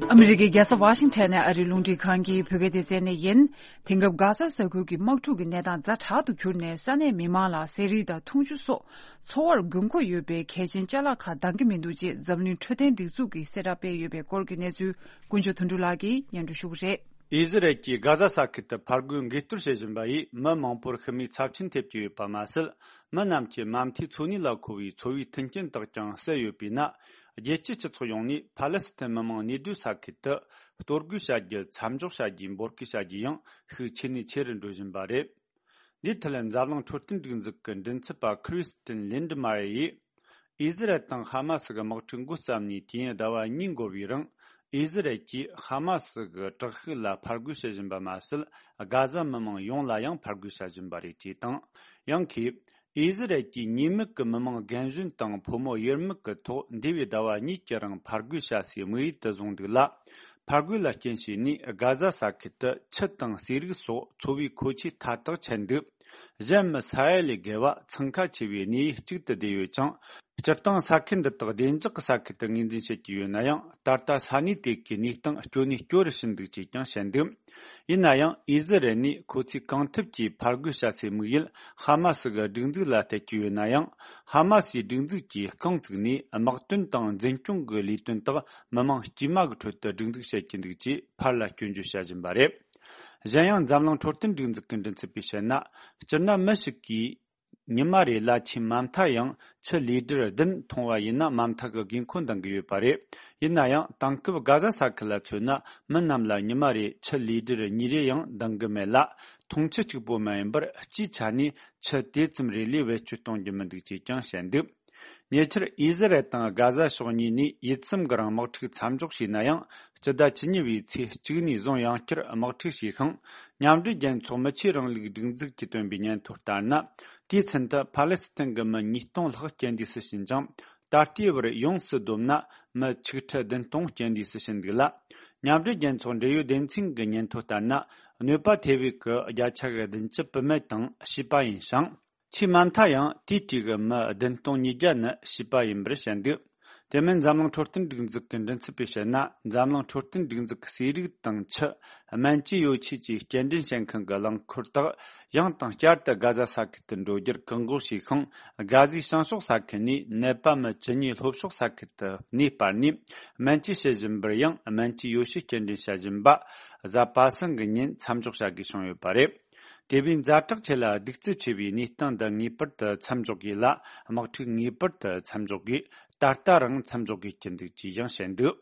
ཨ་མི་རི་ཀའི་རྒྱལ་ས་ཝ་ཤིང་ཊོན་ནས་ཨ་རིའི་རླུང་འཕྲིན་ཁང་གི་བོད་སྐད་སྡེ་ཚན་ནས་ཡིན། དེང་སྐབས་གྷ་ཟ་ས་ཁུལ་གྱི་དམག་འཁྲུག་གི་གནས་སྟངས་ཛ་དྲག་ཏུ་གྱུར་ནས། ས་གནས་མི་མང་ལ་ཟས་རིགས་དང་འཐུང་ཆུ་སོགས་འཚོ་བར་དགོས་མཁོ་ཡོད་པའི་གལ་ཆེན་ཅ་ལག་ཁག་འདང་གི་མི་འདུག་ཅེས་འཛམ་གླིང་འཕྲོད་བསྟེན་སྒྲིག་འཛུགས་ཀྱིས་གསལ་བསྒྲགས་སྤེལ་ཡོད་པའི་སྐོར་གྱི་གནས་ཚུལ་དཀོན་མཆོག་དོན་གྲུབ་ལགས་ཀྱིས་སྙན་སྒྲོན་ཞུ་གི་རེད། ཨི་ཟི་རལ་གྱིས་གྷ་ཟ་ས་ཁུལ་དུ་ཕར་རྒོལ་འགུལ་གཏོར་བྱེད་བཞིན་པ་ཡིས་མི་མང་པོར་ཤི་རྨས་ཚབས་ཆེན་ཐེབས་ཀྱི་ཡོད་པ་མ་ཟད། མི་རྣམས་ཀྱི་མ་མཐའི་འཚོ་གནས་ལ་མཁོ་བའི་འཚོ་བའི་མཐུན་རྐྱེན་དག་ཀྱང་བསལ་ཡོད་པས་ན། རྒྱལ་སྤྱིའི་སྤྱི་ཚོགས་ཡོངས་ནས་ཕཱ་ལེ་སི་ཐན་མི་མང་གནས་སྡོད་ས་ཁུལ་དུ་གཏོར་རྒོལ་བྱ་རྒྱུ་མཚམས་འཇོག་བྱ་རྒྱུའི་འབོད་སྐུལ་བྱ་རྒྱུ་ཡང་ཤུགས་ཆེ་ནས་ཆེ་རུ་འགྲོ་བཞིན་པ་རེད། འདིའི་ཐད་འཛམ་གླིང་འཕྲོད་བསྟེན་སྒྲིག་འཛུགས་ཀྱི་མགྲིན་ཚབ་པ་ཁྲི་སི་ཏིན་ལིན་ཌི་མ་ཡིས། ཨི་ཟི་རལ་དང་ཧ་མ་སི་གི་དམག་འཁྲུག་འགོ་བརྩམས་ནས་དུས་ཡུན་ཟླ་བ་གཉིས་འགོར་བའི་རིང་། ཨི་ཟི་རལ་གྱིས་ཧ་མ་སི་གི་དྲག་ཤུགས་ལ་ཕར་རྒོལ་བྱེད་བཞིན་པ་མ་ཟད། གྷ་ཟ་མི་མང་ཡོངས་ལ་ཡང་ཕར་རྒོལ་བྱ་བཞིན་པ་རེད་ཅེས་དང་། ཡང་ཁོས། ཨི་ཟི་རལ་གྱིས་ཉེས་མེད་ཀྱི་མི་མང་རྒན་གཞོན་དང་ཕོ་མོ་ཡུལ་མི་གི་ཐོག་འདས་པའི་ཟླ་བ་གཉིས་ཀྱི་རིང་ཕར་རྒོལ་བྱ་སའི་དམིགས་ཡུལ་དུ་བཟུང་འདུག་ལ། ཕར་རྒོལ་ལ་རྐྱེན་བྱས་ནས་གྷ་ཟ་ས་ཁུལ་དུ་ཆུ་དང་ཟས་རིགས་སོགས་འཚོ་བའི་མཁོ་ཆས་མཐའ་དག་ཆད་འདུག་གཞན་མི་ས་ཡ་ལས་བརྒལ་བ་འཚང་ཁ་ཆེ་བའི་གནས་ཡུལ་གཅིག་ཏུ་བསྡད་ཡོད་ཅིང་། སྤྱིར་བཏང་ས་ཁུལ་འདི་དག་བདེ་འཇགས་ཀྱི་ས་ཁུལ་དུ་ངོས་འཛིན་བྱེད་ཀྱི་ཡོད་ན་ཡང་། ད་ལྟ་ས་གནས་དེ་གའི་གནས་སྟངས་སྐྱོ་ནས་སྐྱོ་རུ་ཕྱིན་འདུག་ཅེས་ཀྱང་བཤད་འདུག་ཡིན་ན་ཡང་། ཨི་ཟི་རལ་ནས་ཁོ་ཚོས་གང་ཐུབ་ཀྱིས་ཕར་རྒོལ་བྱ་སའི་དམིགས་ཡུལ་ཧ་མ་སི་གི་སྒྲིག་འཛུགས་ལ་གཏད་ཀྱི་ཡོད་ན་ཡང་། ཧ་མ་སིའི་སྒྲིག་འཛུགས་ཀྱིས་རྐང་བཙུགས་ནས་དམག་དོན་དང་འཛིན་སྐྱོང་གི་ལས་དོན་དག་མི་མང་དཀྱུས་མ་གི་ཁྲོད་དུ་སྒྲིག་འཛུགས་བྱེད་ཀྱི་འདུག་ཅེས་ཕར་ལ་སྐྱོན་བརྗོད་བྱ་བཞིན་པ་རེད། གཞན་ཡང་། འཛམ་གླིང་འཕྲོད་བསྟེན་སྒྲིག་འཛུགས་ཀྱི་མགྲིན་ཚབ་པས་བཤད་ན། སྤྱིར་ན་མི་ཞིག་གིས་ཉི་མ་རེ་ལ་ཆུས་མ་མཐའ་ཡང་ཆུ་ལི་ཏྲ་བདུན་འཐུང་བ་ཡིན་ན་མ་མཐའ་གི་དགོས་མཁོ་འདང་གི་ཡོད་པ་རེད། ཡིན་ན་ཡང་། དེང་སྐབས་གྷ་ཟ་ས་ཁུལ་ལ་མཚོན་ན། མི་རྣམས་ལ་ཉི་མ་རེ་ཆུ་ལི་ཏྲ་གཉིས་རེ་ཡང་འདང་གི་མེད་ལ། འཐུང་ཆུ་གཅིག་པོ་མ་ཡིན་པར། སྤྱིའི་ཆ་ནས་ཆུ་དེ་ཙམ་རེ་ལས་བེད་སྤྱོད་གཏོང་རྒྱུ་མི་འདུག་ཅེས་ཀྱང་བཤད་འདུག་ཉེ་ཆར་ཨི་ཟི་རལ་དང་གྷ་ཟ་ཕྱོགས་གཉིས་ནས་ཡིད་ཙམ་གྱི་རིང་དམག་འཁྲུག་མཚམས་འཇོག་བྱས་ན་ཡང་། སྤྱི་ཟླ་བཅུ་གཉིས་པའི་ཚེས་གཅིག་ནས་བཟུང་ཡང་བསྐྱར་དམག་འཁྲུག་བྱས་ཤིང་། མཉམ་འབྲེལ་རྒྱལ་ཚོགས་མི་ཆོས་རིང་ལུགས་སྒྲིག་འཛུགས་ཀྱིས་བཏོན་པའི་སྙན་ཐོ་ལྟར་ན། དུས་ཚུན་དུ་ཕཱ་ལེ་སི་ཐན་གྱི་མི་ཉིས་སྟོང་ལྷག་རྐྱེན་འདས་སུ་ཕྱིན་ཅིང་། ད་ལྟའི་བར་ཡོངས་སུ་བསྡོམས་ན་མི་ཆིག་ཁྲི་བདུན་སྟོང་རྐྱེན་འདས་སུ་ཕྱིན་འདུག་ལ། མཉམ་འབྲེལ་རྒྱལ་ཚོགས་འབྲེལ་ཡོད་སྡེ་ཚན་གྱི་སྙན་ཐོ་ལྟར་ན། གནོད་པ་ཐེབས་པའི་གི་བརྒྱ་ཆ་གི་བདུན་ཅུ་བུད་མེད་དང་བྱིས་པ་ཡིན་ཞིང་། ཆུས་མ་མཐའ་ཡང་དེའི་གྲས་ཀྱི་མི་བདུན་སྟོང་ཉིས་བརྒྱ་ནི་བྱིས་པ་ཡིན་པར་བཤད་འདུག་དེ་མིན་འཛམ་གླིང་འཕྲོད་བསྟེན་སྒྲིག་འཛུགས་ཀྱི་མགྲིན་ཚབ་པས་བཤད་ན། འཛམ་གླིང་འཕྲོད་བསྟེན་སྒྲིག་འཛུགས་ཀྱི་ཟས་རིགས་དང་ཆུ། སྨན་བཅོས་ཡོ་ཆས་བཅས་སྐྱེལ་འདྲེན་བྱེད་མཁན་གྱི་རླངས་འཁོར་དག་ཡང་དང་བསྐྱར་དུ་གྷ་ཟ་ས་ཁུལ་དུ་འགྲོ་རྒྱུར་བཀག་འགོག་བྱས་ཤིང་། གྷ་ཟའི་བྱང་ཕྱོགས་ས་ཁུལ་ནས་ནད་པ་མི་བཅུ་གཉིས་ལྷོ་ཕྱོགས་ས་ཁུལ་དུ་གནས་སྤར་ནས། སྨན་བཅོས་བྱེད་བཞིན་པར་ཡང་སྨན་བཅོས་ཡོ་བྱད་སྐྱེལ་འདྲེན་བྱ་བཞིན་པ། གཟའ་པ་སངས་ཀྱི་ཉིན་མཚམས་འཇོག་བྱ་དགོས་བྱུང་ཡོད་པ་རེད། དེ་བས་ཛ་དྲག་ཆེ་ལ་གདུག་རྩུབ་ཆེ་བའི་གནས་སྟངས་འདི་ངེས་པར་དུ་མཚམས་འཇོག་དགོས་ལ། དམག་འཁྲུག་ངེས་པར་དུ་མཚམས་འཇོག་དགོས། ད་ལྟ་རང་མཚམས་འཇོག་དགོས་ཀྱི་འདུག་ཅེས་ཡང་བཤད་འདུག་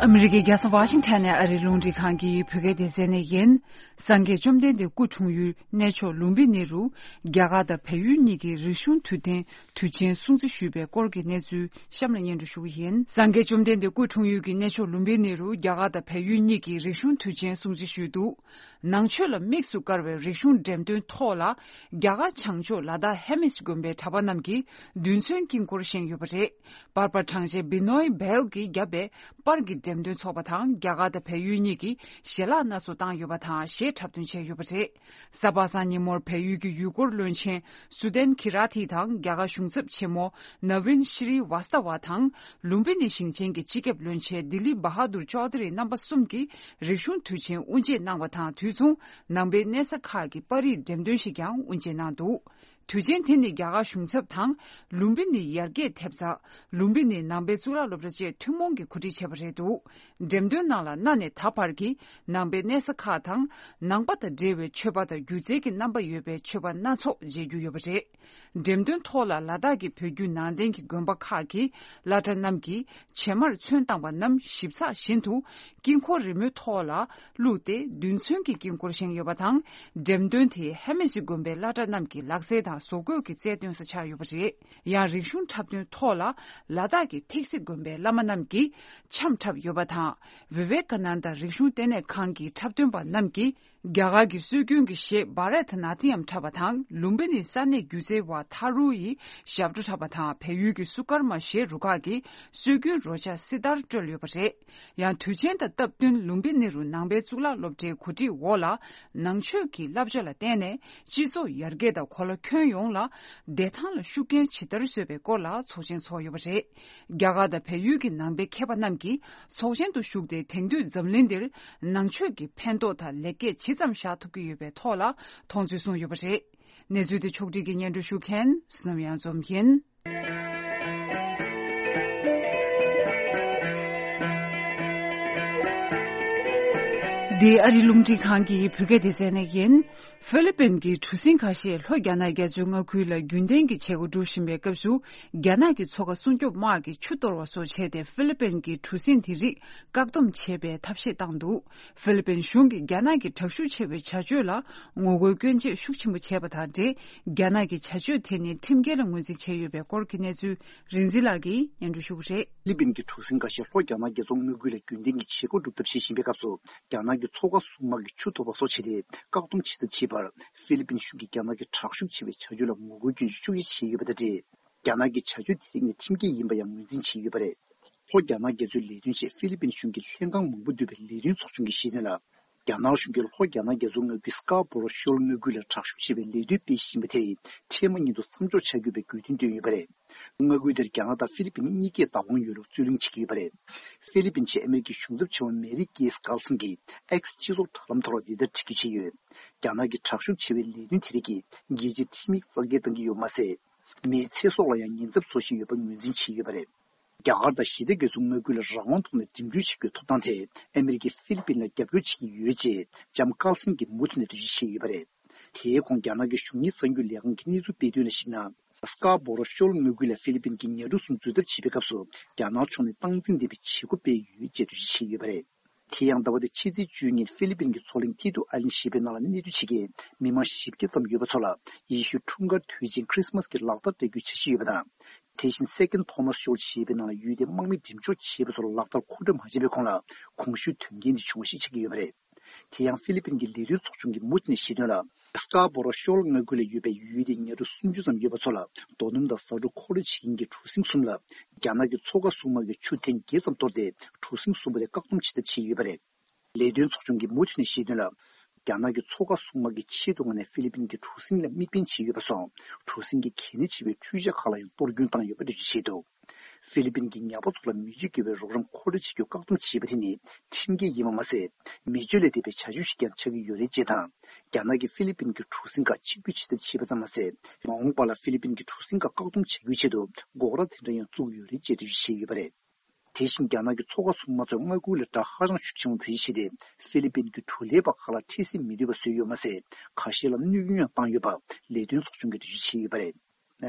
ཨ་ ཨ་མི་རི་ཀའི་རྒྱལ་ས་ཝ་ཤིང་ཊོན་ནས་ཨ་རིའི་རླུང་འཕྲིན་ཁང་གི་བོད་སྐད་སྡེ་ཚན་ནས་ཡིན། སངས་རྒྱས་བཅོམ་ལྡན་འདས་སྐུ་འཁྲུངས་ཡུལ་གནས་མཆོག་ལུམ་བི་ནི་རུ། རྒྱ་གར་དང་བལ་ཡུལ་གཉིས་ཀྱི་རིག་གཞུང་དུས་སྟོན་དུས་ཆེན་སྲུང་བརྩི་ཞུས་པའི་སྐོར་གྱི་གནས་ཚུལ་གཤམ་ལ་སྙན་སྒྲོན་ཞུ་གི་ཡིན། སངས་རྒྱས་བཅོམ་ལྡན་འདས་སྐུ་འཁྲུངས་ཡུལ་གྱི་གནས་མཆོག་ལུམ་བི་ནི་རུ་རྒྱ་གར་དང་བལ་ཡུལ་གཉིས་ཀྱི་རིག་གཞུང་དུས་ཆེན་སྲུང་བརྩི་ཞུས་འདུག། ནང་ཆོས་ལ་དམིགས་སུ་བཀར་བའི་རིག་གཞུང་འགྲེམས་སྟོན་ཐོག་ལ། རྒྱ་གར་བྱང་ཕྱོགས་ལ་དྭགས་ཧེ་མིས་དགོན་པའི་གྲྭ་པ་རྣམས་ཀྱིས་རྡུལ་ཚོན་དཀྱིལ་འཁོར་བཞེངས་ཡོད་པ་རེད། པར་པ་དྲངས་ཆེན་བི་ནོའི་བྷེལ་གྱིས་བརྒྱབ་པའི་པར་གྱི་འགྲེམས་སྟོན་ཚོགས་པ་དང་རྒྱ་གར་དང་བལ་ཡུལ་གཉིས་ཀྱིས་ཞལ་ལག་སྣ་ཚོགས་བཏང་ཡོད་པ་དང་གཞས་འཁྲབ་སྟོན་བྱས་ཡོད་པ་རེད། གཟའ་པ་སངས་ཉིན་མོར་བལ་ཡུལ་གྱི་ཡུལ་སྐོར་བློན་ཆེན་སུ་དན་ཁི་ར་ཐི་དང་རྒྱ་གར་གཞུང་ཚབ་ཆེན་མོ་ནཱ་ཝིན་ཤྲི་ཝཱ་སྟ་ཝ་དང་ལུམ་བི་ནི་ཞིང་ཆེན་གྱི་སྤྱི་ཁྱབ་བློན་ཆེན་ལྡི་ལི་བྷ་ཧ་དུར་ཅོ་དྷི་རི་རྣམ་པ་གསུམ་གྱིས་རིག་གཞུང་དུས་ཆེན་དབུ་འབྱེད་གནང་བ་དང་དུས་མཚུངས་ནང་པའི་གནས་ས་ཁག་གི་པར་རིས་འགྲེམས་སྟོན་ཞིག་ཀྱང་དབུ་འབྱེད་གནང་འདུག། དུས་ཆེན་དེ་ནི་རྒྱ་གར་གཞུང་ཚབ་དང་ལུམ་བི་ནི་ཡར་རྒྱས་ཐེབས་རྩ། ལུམ་བི་ནི་ནང་པའི་གཙུག་ལག་སློབ་གྲྭ་བཅས་ཐུན་མོང་གིས་གོ་སྒྲིག་བྱས་པ་རེད་འདུག། འགྲེམས་སྟོན་ནང་ལ་གནའ་ནས་ད་བར་གྱི་ནང་པའི་གནས་ས་ཁག་དང་ནང་པ་དང་འབྲེལ་བའི་མཆོད་པ་དང་སྒྱུ་རྩལ་གྱི་རྣམ་པ་ཡོད་པའི་མཆོད་པ་སྣ་ཚོགས་མཇལ་རྒྱུ་ཡོད་པ་རེད། འགྲེམས་སྟོན་ཐོག་ལ་ལ་དྭགས་ཀྱི་བོད་བརྒྱུད་ནང་བསྟན་གྱི་དགོན་པ་ཁག་གི་བླ་གྲྭ་རྣམས་ཀྱིས་བྱེ་མར་ཚོན་བཏང་བ་རྣམས་ཞིབ་ཚགས་བཞིན་དུ་དཀྱིལ་འཁོར་རི་མོའི་ཐོག་ལ་བླུགས་ཏེ་རྡུལ་ཚོན་གྱི་དཀྱིལ་འཁོར་བཞེངས་ཡོད་པ་དང་། འགྲེམས་སྟོན་དེ་ཧེ་མེ་སི་དགོན་པའི་བླ་གྲྭ་རྣམས་ཀྱི་ལག་རྩལ་དང་བཟོ་བཀོད་ཀྱི་རྩལ་སྟོན་ས་ཆགས་ཡོད་པ་རེད། ཡང་རིག་གཞུང་འཁྲབ་སྟོན་ཐོག་ལ་ལ་དྭགས་ཀྱི་ཐེག་སི་དགོན་པའི་བླ་མ་རྣམས་ཀྱིས་འཆམ་འཁྲབ་ཡོད་པ་དང་། བི་ཝེ་ཀ་ནན་དཱ་རིག་གཞུང་ལྟེ་གནས་ཁང་གི་འཁྲབ་སྟོན་པ་རྣམས་ཀྱིས་རྒྱ་གར་གྱི་སྲོལ་རྒྱུན་གྱི་གཞས་བྷ་རད་ནཱ་ཏི་ཡམ་འཁྲབ་པ་དང་ལུམ་བི་ནིའི་ས་གནས་སྒྱུ་རྩལ་བ་ཐ་རུ་ཡིས་ཞབས་བྲོ་འཁྲབ་པ་དང་བལ་ཡུལ་གྱི་སུ་ཀར་མ་གཞས་རུ་ཁག་གིས་སྲོལ་རྒྱུན་རོལ་ཆ་སི་ཏར་དཀྲོལ་ཡོད་པ་རེད། ཡང་དུས་ཆེན་དང་སྟབས་བསྟུན་ལུམ་བི་ནི་རུ་ནང་པའི་གཙུག་ལག་སློབ་གྲྭའི་གོ་སྒྲིག་འོག་ལ་ནང་ཆོས་ཀྱི་བསླབ་བྱ་ལ་བརྟེན་ནས་སྤྱི་ཚོགས་ཡར་རྒྱས་དང་གོ་ལ་ཁྱོན་ཡོངས་ལ་བདེ་ཐང་ལ་ཤུགས་རྐྱེན་ཇི་ལྟར་བཟོས་པའི་སྐོར་ལ་ཚོགས་ཆེན་ཚོགས་ཡོད་པ་རེད། རྒྱ་གར་དང་བལ་ཡུལ་གྱི་ནང་པའི་མཁས་པ་རྣམས་ཀྱིས་ཚོགས་ཆེན་དུ་ཞུགས་ཏེ་དེང་དུས་འཛམ་གླིང་འདིར་ནང་ཆོས་ཀྱི་ཕན་ཐོགས་དང་ལེགས་སྐྱེས་ཇི་ཙམ་བཞག་ཐུབ་ཀྱི་ཡོད་པའི་ཐོག་ལ་མཐོང་ཚུལ་གསུངས་ཡོད་པ་རེད། གནས་ཚུལ་དེ་ཕྱོགས་སྒྲིག་གིས་སྙན་སྒྲོན་ཞུ་མཁན་བསོད་ནམས་གཡང་འཛོམས་ཡིན། འདི་ཨ་རི་རླུང་འཕྲིན་ཁང་གི་བོད་སྐད་སྡེ་ཚན་ནས་ཡིན། ཧྥི་ལི་པིན་གྱི་གྲུ་གཟིངས་ཁ་ཤས་ལྷོ་རྒྱ་ནག་རྒྱ་མཚོའི་མངའ་ཁུལ་ལ་རྒྱུན་ལྡན་གྱི་བྱེད་སྒོ་སྒྲུབ་བཞིན་པའི་སྐབས་སུ། རྒྱ་ནག་གི་མཚོ་ཁ་སྲུང་སྐྱོབ་དམག་གིས་ཆུ་གཏོར་བ་སོགས་བྱས་ཏེ་ཧྥི་ལི་པིན་གྱི་གྲུ་གཟིངས་དེ་རིགས་བཀག་སྡོམ་བྱེད་པའི་ཐབས་ཤེས་བཏང་འདུག། ཧྥི་ལི་པིན་གཞུང་གིས་རྒྱ་ནག་གི་དྲག་ཤུགས་ཆེ་བའི་བྱ་སྤྱོད་ལ་ངོ་རྒོལ་སྐྱོན་བརྗོད་ཤུགས་ཆེན་པོ་བྱས་པ་དང་འབྲེལ། རྒྱ་ནག་གི་བྱ་སྤྱོད་དེ་ནི་ཁྲིམས་འགལ་ལ་ངོས་འཛིན་བྱས་ཡོད་པའི་སྐོར་གྱི་གནས་ཚུལ་རིག་འཛིན་ལགས་ཀྱིས་སྙན་སྒྲོན་ཞུ་གི་རེད། ཧྥི་ལི་པིན་གྱི་གྲུ་གཟིངས་འགའ་ཤས་ལྷོ་རྒྱ་ནག་རྒྱ་མཚོ་མངའ་ཁུལ་ལ་རྒྱུན་ལྡན་གྱི་བྱེད་སྒོ་སྒྲུབ་ཐབས་བྱེད་བཞིན་པའི་སྐབས་སུ། རྒྱ་ནག་གི་མཚོ་ཁ་སྲུང་དམག་གིས་ཆུ་གཏོར་བ་སོགས་བྱས་ཏེ་བཀག་སྡོམ་བྱེད་ཐབས་བྱེད་པར། ཧྥི་ལི་པིན་གཞུང་གིས་རྒྱ་ནག་གི་དྲག་ཤུགས་ཆེ་བའི་བྱ་སྤྱོད་ལ་ངོ་རྒོལ་སྐྱོན་བརྗོད་ཤུགས་ཆེ་བྱས་ཡོད་པ་དང་འབྲེལ། རྒྱ་ནག་གི་བྱ་སྤྱོད་དེ་རིགས་ནི་ཁྲིམས་འགལ་ཡིན་པ་ཡང་ངོས་འཛིན་བྱས་ཡོད་པ་རེད། ལྷོ་རྒྱ་ནག་རྒྱ་མཚོའི་ལས་དོན་ཆེད་ཧྥི་ལི་པིན་གཞུང་གི་ལྷན་ཁང་མང་པོ་འདུས་པའི་ལས་དོན་ཚོགས་ཆུང་གིས་བཤད་དོན་ལ། རྒྱ་ནག་གཞུང་གིས་ལྷོ་རྒྱ་ནག་རྒྱ་མཚོ་མངའ་ཁུལ་སྐ་བོ་རོ་ཤོར་མངའ་ཁུལ་ལ་དྲག་ཤུགས་ཆེ་བའི་ལས་དོན་སྤེལ་བཞིན་པ་དེ་ཡིས་འཕྲལ་མ་ཉིད་དུ་མཚམས་འཇོག་བྱ་དགོས་པའི་དགོས་འདུན་བཏོན་ཡོད་པ་རེད། མངའ་ཁུལ་དེར་རྒྱ་ནག་དང་ཧྥི་ལི་པིན་གཉིས་ཀས་བདག་དབང་ཡོད་ལུགས་རྩོད་གླེང་བྱེད་ཀྱི་ཡོད་པ་རེད། ཧྥི་ལི་པིན་གྱི་ཨ་མེ་རི་ཀའི་གཞུང་ཚབ་ཆེན་མོ་མེ་རི་ཀེས་ཀར་སན་གྱིས་ཨེགས་སྤྱི་ཚོགས་དྲ་ལམ་ཐོག་ལ་འདི་ལྟར་བྲིས་བརྗོད་བྱས་ཡོད། རྒྱ་ནག་གི་དྲག་ཤུགས་ཆེ་བའི་ལས་དོན་དེ་རིགས་ཀྱིས་རྒྱལ་སྤྱིའི་ཁྲིམས་ཡིག་རྩ་འགེངས་བཏང་གི་ཡོད་པ་མ་ཟད། མིའི་ཚེ་སྲོག་ལ་ཡང་ཉེན་ཚབས་བཟོ་བཞིན་ཡོད་པ་ངོས་འཛིན་བྱས་ཡོད་པ་རེད། རྒྱ་གར་དང་ཞི་བདེ་རྒྱ་མཚོ་མངའ་ཁུལ་ལ་རང་དབང་ཐོག་ནས་འགྲིམ་འགྲུལ་བྱེད་རྒྱུའི་ཐོབ་ཐང་ཐད་ཨ་མེ་རི་ཀས་ཧྥི་ལི་པིན་ལ་རྒྱབ་སྐྱོར་བྱེད་ཀྱི་ཡོད་ཅེས་ལྕམ་ཀར་སན་གྱིས་མུ་མཐུད་ནས་འགྲེལ་བརྗོད་བྱས་ཡོད་པ་རེད། དེའི་གོང་རྒྱ་ནག་གི་གཞུང་གཉེར་གསར་འགྱུར་ལས་ཁང་གིས་གནས་ཚུལ་སྤེལ་དོན་ལ་གཞིགས་ན། སྐ་བོ་རོ་ཤོར་མངའ་ཁུལ་ལ་ཧྥི་ལི་པིན་གྱིས་ཉ་གྲུ་གསུམ་འཛུལ་ཐབས་བྱེད་པའི་སྐབས་སུ་རྒྱ་ནག་ཕྱོགས་ནས་སྟངས་འཛིན་ལྡན་པའི་བྱེད་སྒོ་སྤེལ་ཡོད་ཅེས་འགྲེལ་བརྗོད་བྱས་ཡོད་པ་རེད། དེ་ཡང་ཟླ་བ་འདིའི་ཕྱི་ཚེས་བཅུ་གཉིས་ཧྥི་ལི་པིན་གྱི་མཚོ་གླིང་ཐི་ཏུ་ཨའི་ལན་ཞེས་པའི་ནང་ལ་གནས་སྡོད་བྱེད་མཁན་མི་མང་བཞི་བརྒྱ་ཙམ་ཡོད་པ་ཚོ་ལ་ཡེ་ཤུའི་འཁྲུངས་སྐར་དུས་ཆེན་ཁྲི་སི་མ་སི་གི་ལག་བསྟར་སྤྲད་རྒྱུའི་འཆར་གཞི་ཡོད་པ་དང་། དེ་བཞིན་སེ་ཀེན་ཐོ་མ་སི་ཤོལ་ཞེས་པའི་ནང་ལ་ཡུལ་དེའི་དམག་མི་འགྲེམས་འཇོག་བྱས་པ་ཚོ་ལ་ལག་བསྟར་མཁོ་སྤྲོད་མ་བྱས་པའི་གོང་ལ་གོང་ཞུས་དོན་རྐྱེན་འདི་བྱུང་བ་ཞིག་ཆགས་ཀྱི་ཡོད་པ་རེད། དེ་ཡང་ཧྥི་ལི་པིན་གྱི་ལས་དོན་ཚོགས་ཆུང་གིས་མུ་མཐུད་ནས་བཤད་དོན་ལ། སྐ་བོ་རོ་ཤོལ་མངའ་ཁུལ་ལ་ཡོད་པའི་ཡུལ་དེའི་ཉ་གྲུ་སུམ་ཅུ་ཙམ་ཡོད་པ་ཚོ་ལ་རྡོ་སྣུམ་དང་ཟ་འབྲུ་མཁོ་སྤྲོད་བྱེད་མཁན་གྱི་གྲུ་གཟིངས་གསུམ་ལ་རྒྱ་ནག་གི་མཚོ་ཁ་སྲུང་དམག་གིས་ཆུ་ཐེངས་བརྒྱད་ཙམ་གཏོར་ཏེ་གྲུ་གཟིངས་གསུམ་པོ་དེ་བཀག་སྡོམ་བྱེད་ཐབས་བྱས་ཡོད་པ་རེད། ལས་དོན་ཚོགས་ཆུང་གིས་མུ་མཐུད་ནས་བཤད་དོན་ལ། རྒྱ་ནག་གི་མཚོ་ཁ་སྲུང་དམག་གིས་ཆེད་དུ་མངགས་ནས་ཧྥི་ལི་པིན་གྱི་གྲུ་གཟིངས་ལ་དམིགས་འབེན་བྱས་ཡོད་པ་སོགས་གྲུ་གཟིངས་ཀྱི་གལ་གནད་ཆེ་བའི་འཕྲུལ་ཆས་ཁག་ལ་ཡང་གཏོར་སྐྱོན་བཏང་ཡོད་པ་འགྲེལ་བརྗོད་བྱས་འདུག། ཧྥི་ལི་པིན་གྱིས་ཉ་པ་ཚོ་ལ་མི་སྤྱོད་དགེ་བའི་རོགས་རམ་མཁོ་སྤྲོད་བྱེད་རྒྱུ་བཀག་སྡོམ་བྱས་པ་དེ་ནི་ཁྲིམས་འགལ་ཡིན་པ་མ་ཟད། མི་སྤྱོད་ལས་འདས་པའི་བྱ་སྤྱོད་ཞིག་ཀྱང་ཆགས་ཀྱི་ཡོད་རེད་ཅེས་དང་། རྒྱ་ནག་གིས་ཧྥི་ལི་པིན་གྱི་གྲུ་གཟིངས་ཁག་ཕྱིར་འབུད་བྱེད་ཐབས་བྱས་པ་ཙམ་མ་ཟད། མ་འོངས་པ་ལ་ཧྥི་ལི་པིན་གྱི་གྲུ་གཟིངས་ཁག་བཀག་སྡོམ་བྱ་རྒྱུའི་ཆེད་དུ་འགོག་ར་དེ་འདྲ་ཡང་བཙུགས་ཡོད་རེད་ཅེས་འགྲེལ་བརྗོད་བྱས་ཡོད་པ་རེད། དེ་བཞིན་རྒྱ་ནག་གི་མཚོ་ཁ་སྲུང་དམག་ཚོས་མངའ་ཁུལ་ལ་དགྲ་ཧ་ཅང་ཤུགས་ཆེན་པོ་བེད་སྤྱད་དེ་ཧྥི་ལི་པིན་གྱི་གྲུ་ལས་པ་ཁག་ལ་འཕྲལ་སེལ་མི་འདོད་པ་བཟོས་ཡོད་མ་ཟད། ཁ་ཤས་ལ་གནོད་སྐྱོན་ཡང་བཏང་ཡོད་པ་ལས་དོན་ཚོགས་ཆུང་གིས་འགྲེལ་བརྗོད་བྱས་ཡོད་པ་རེད།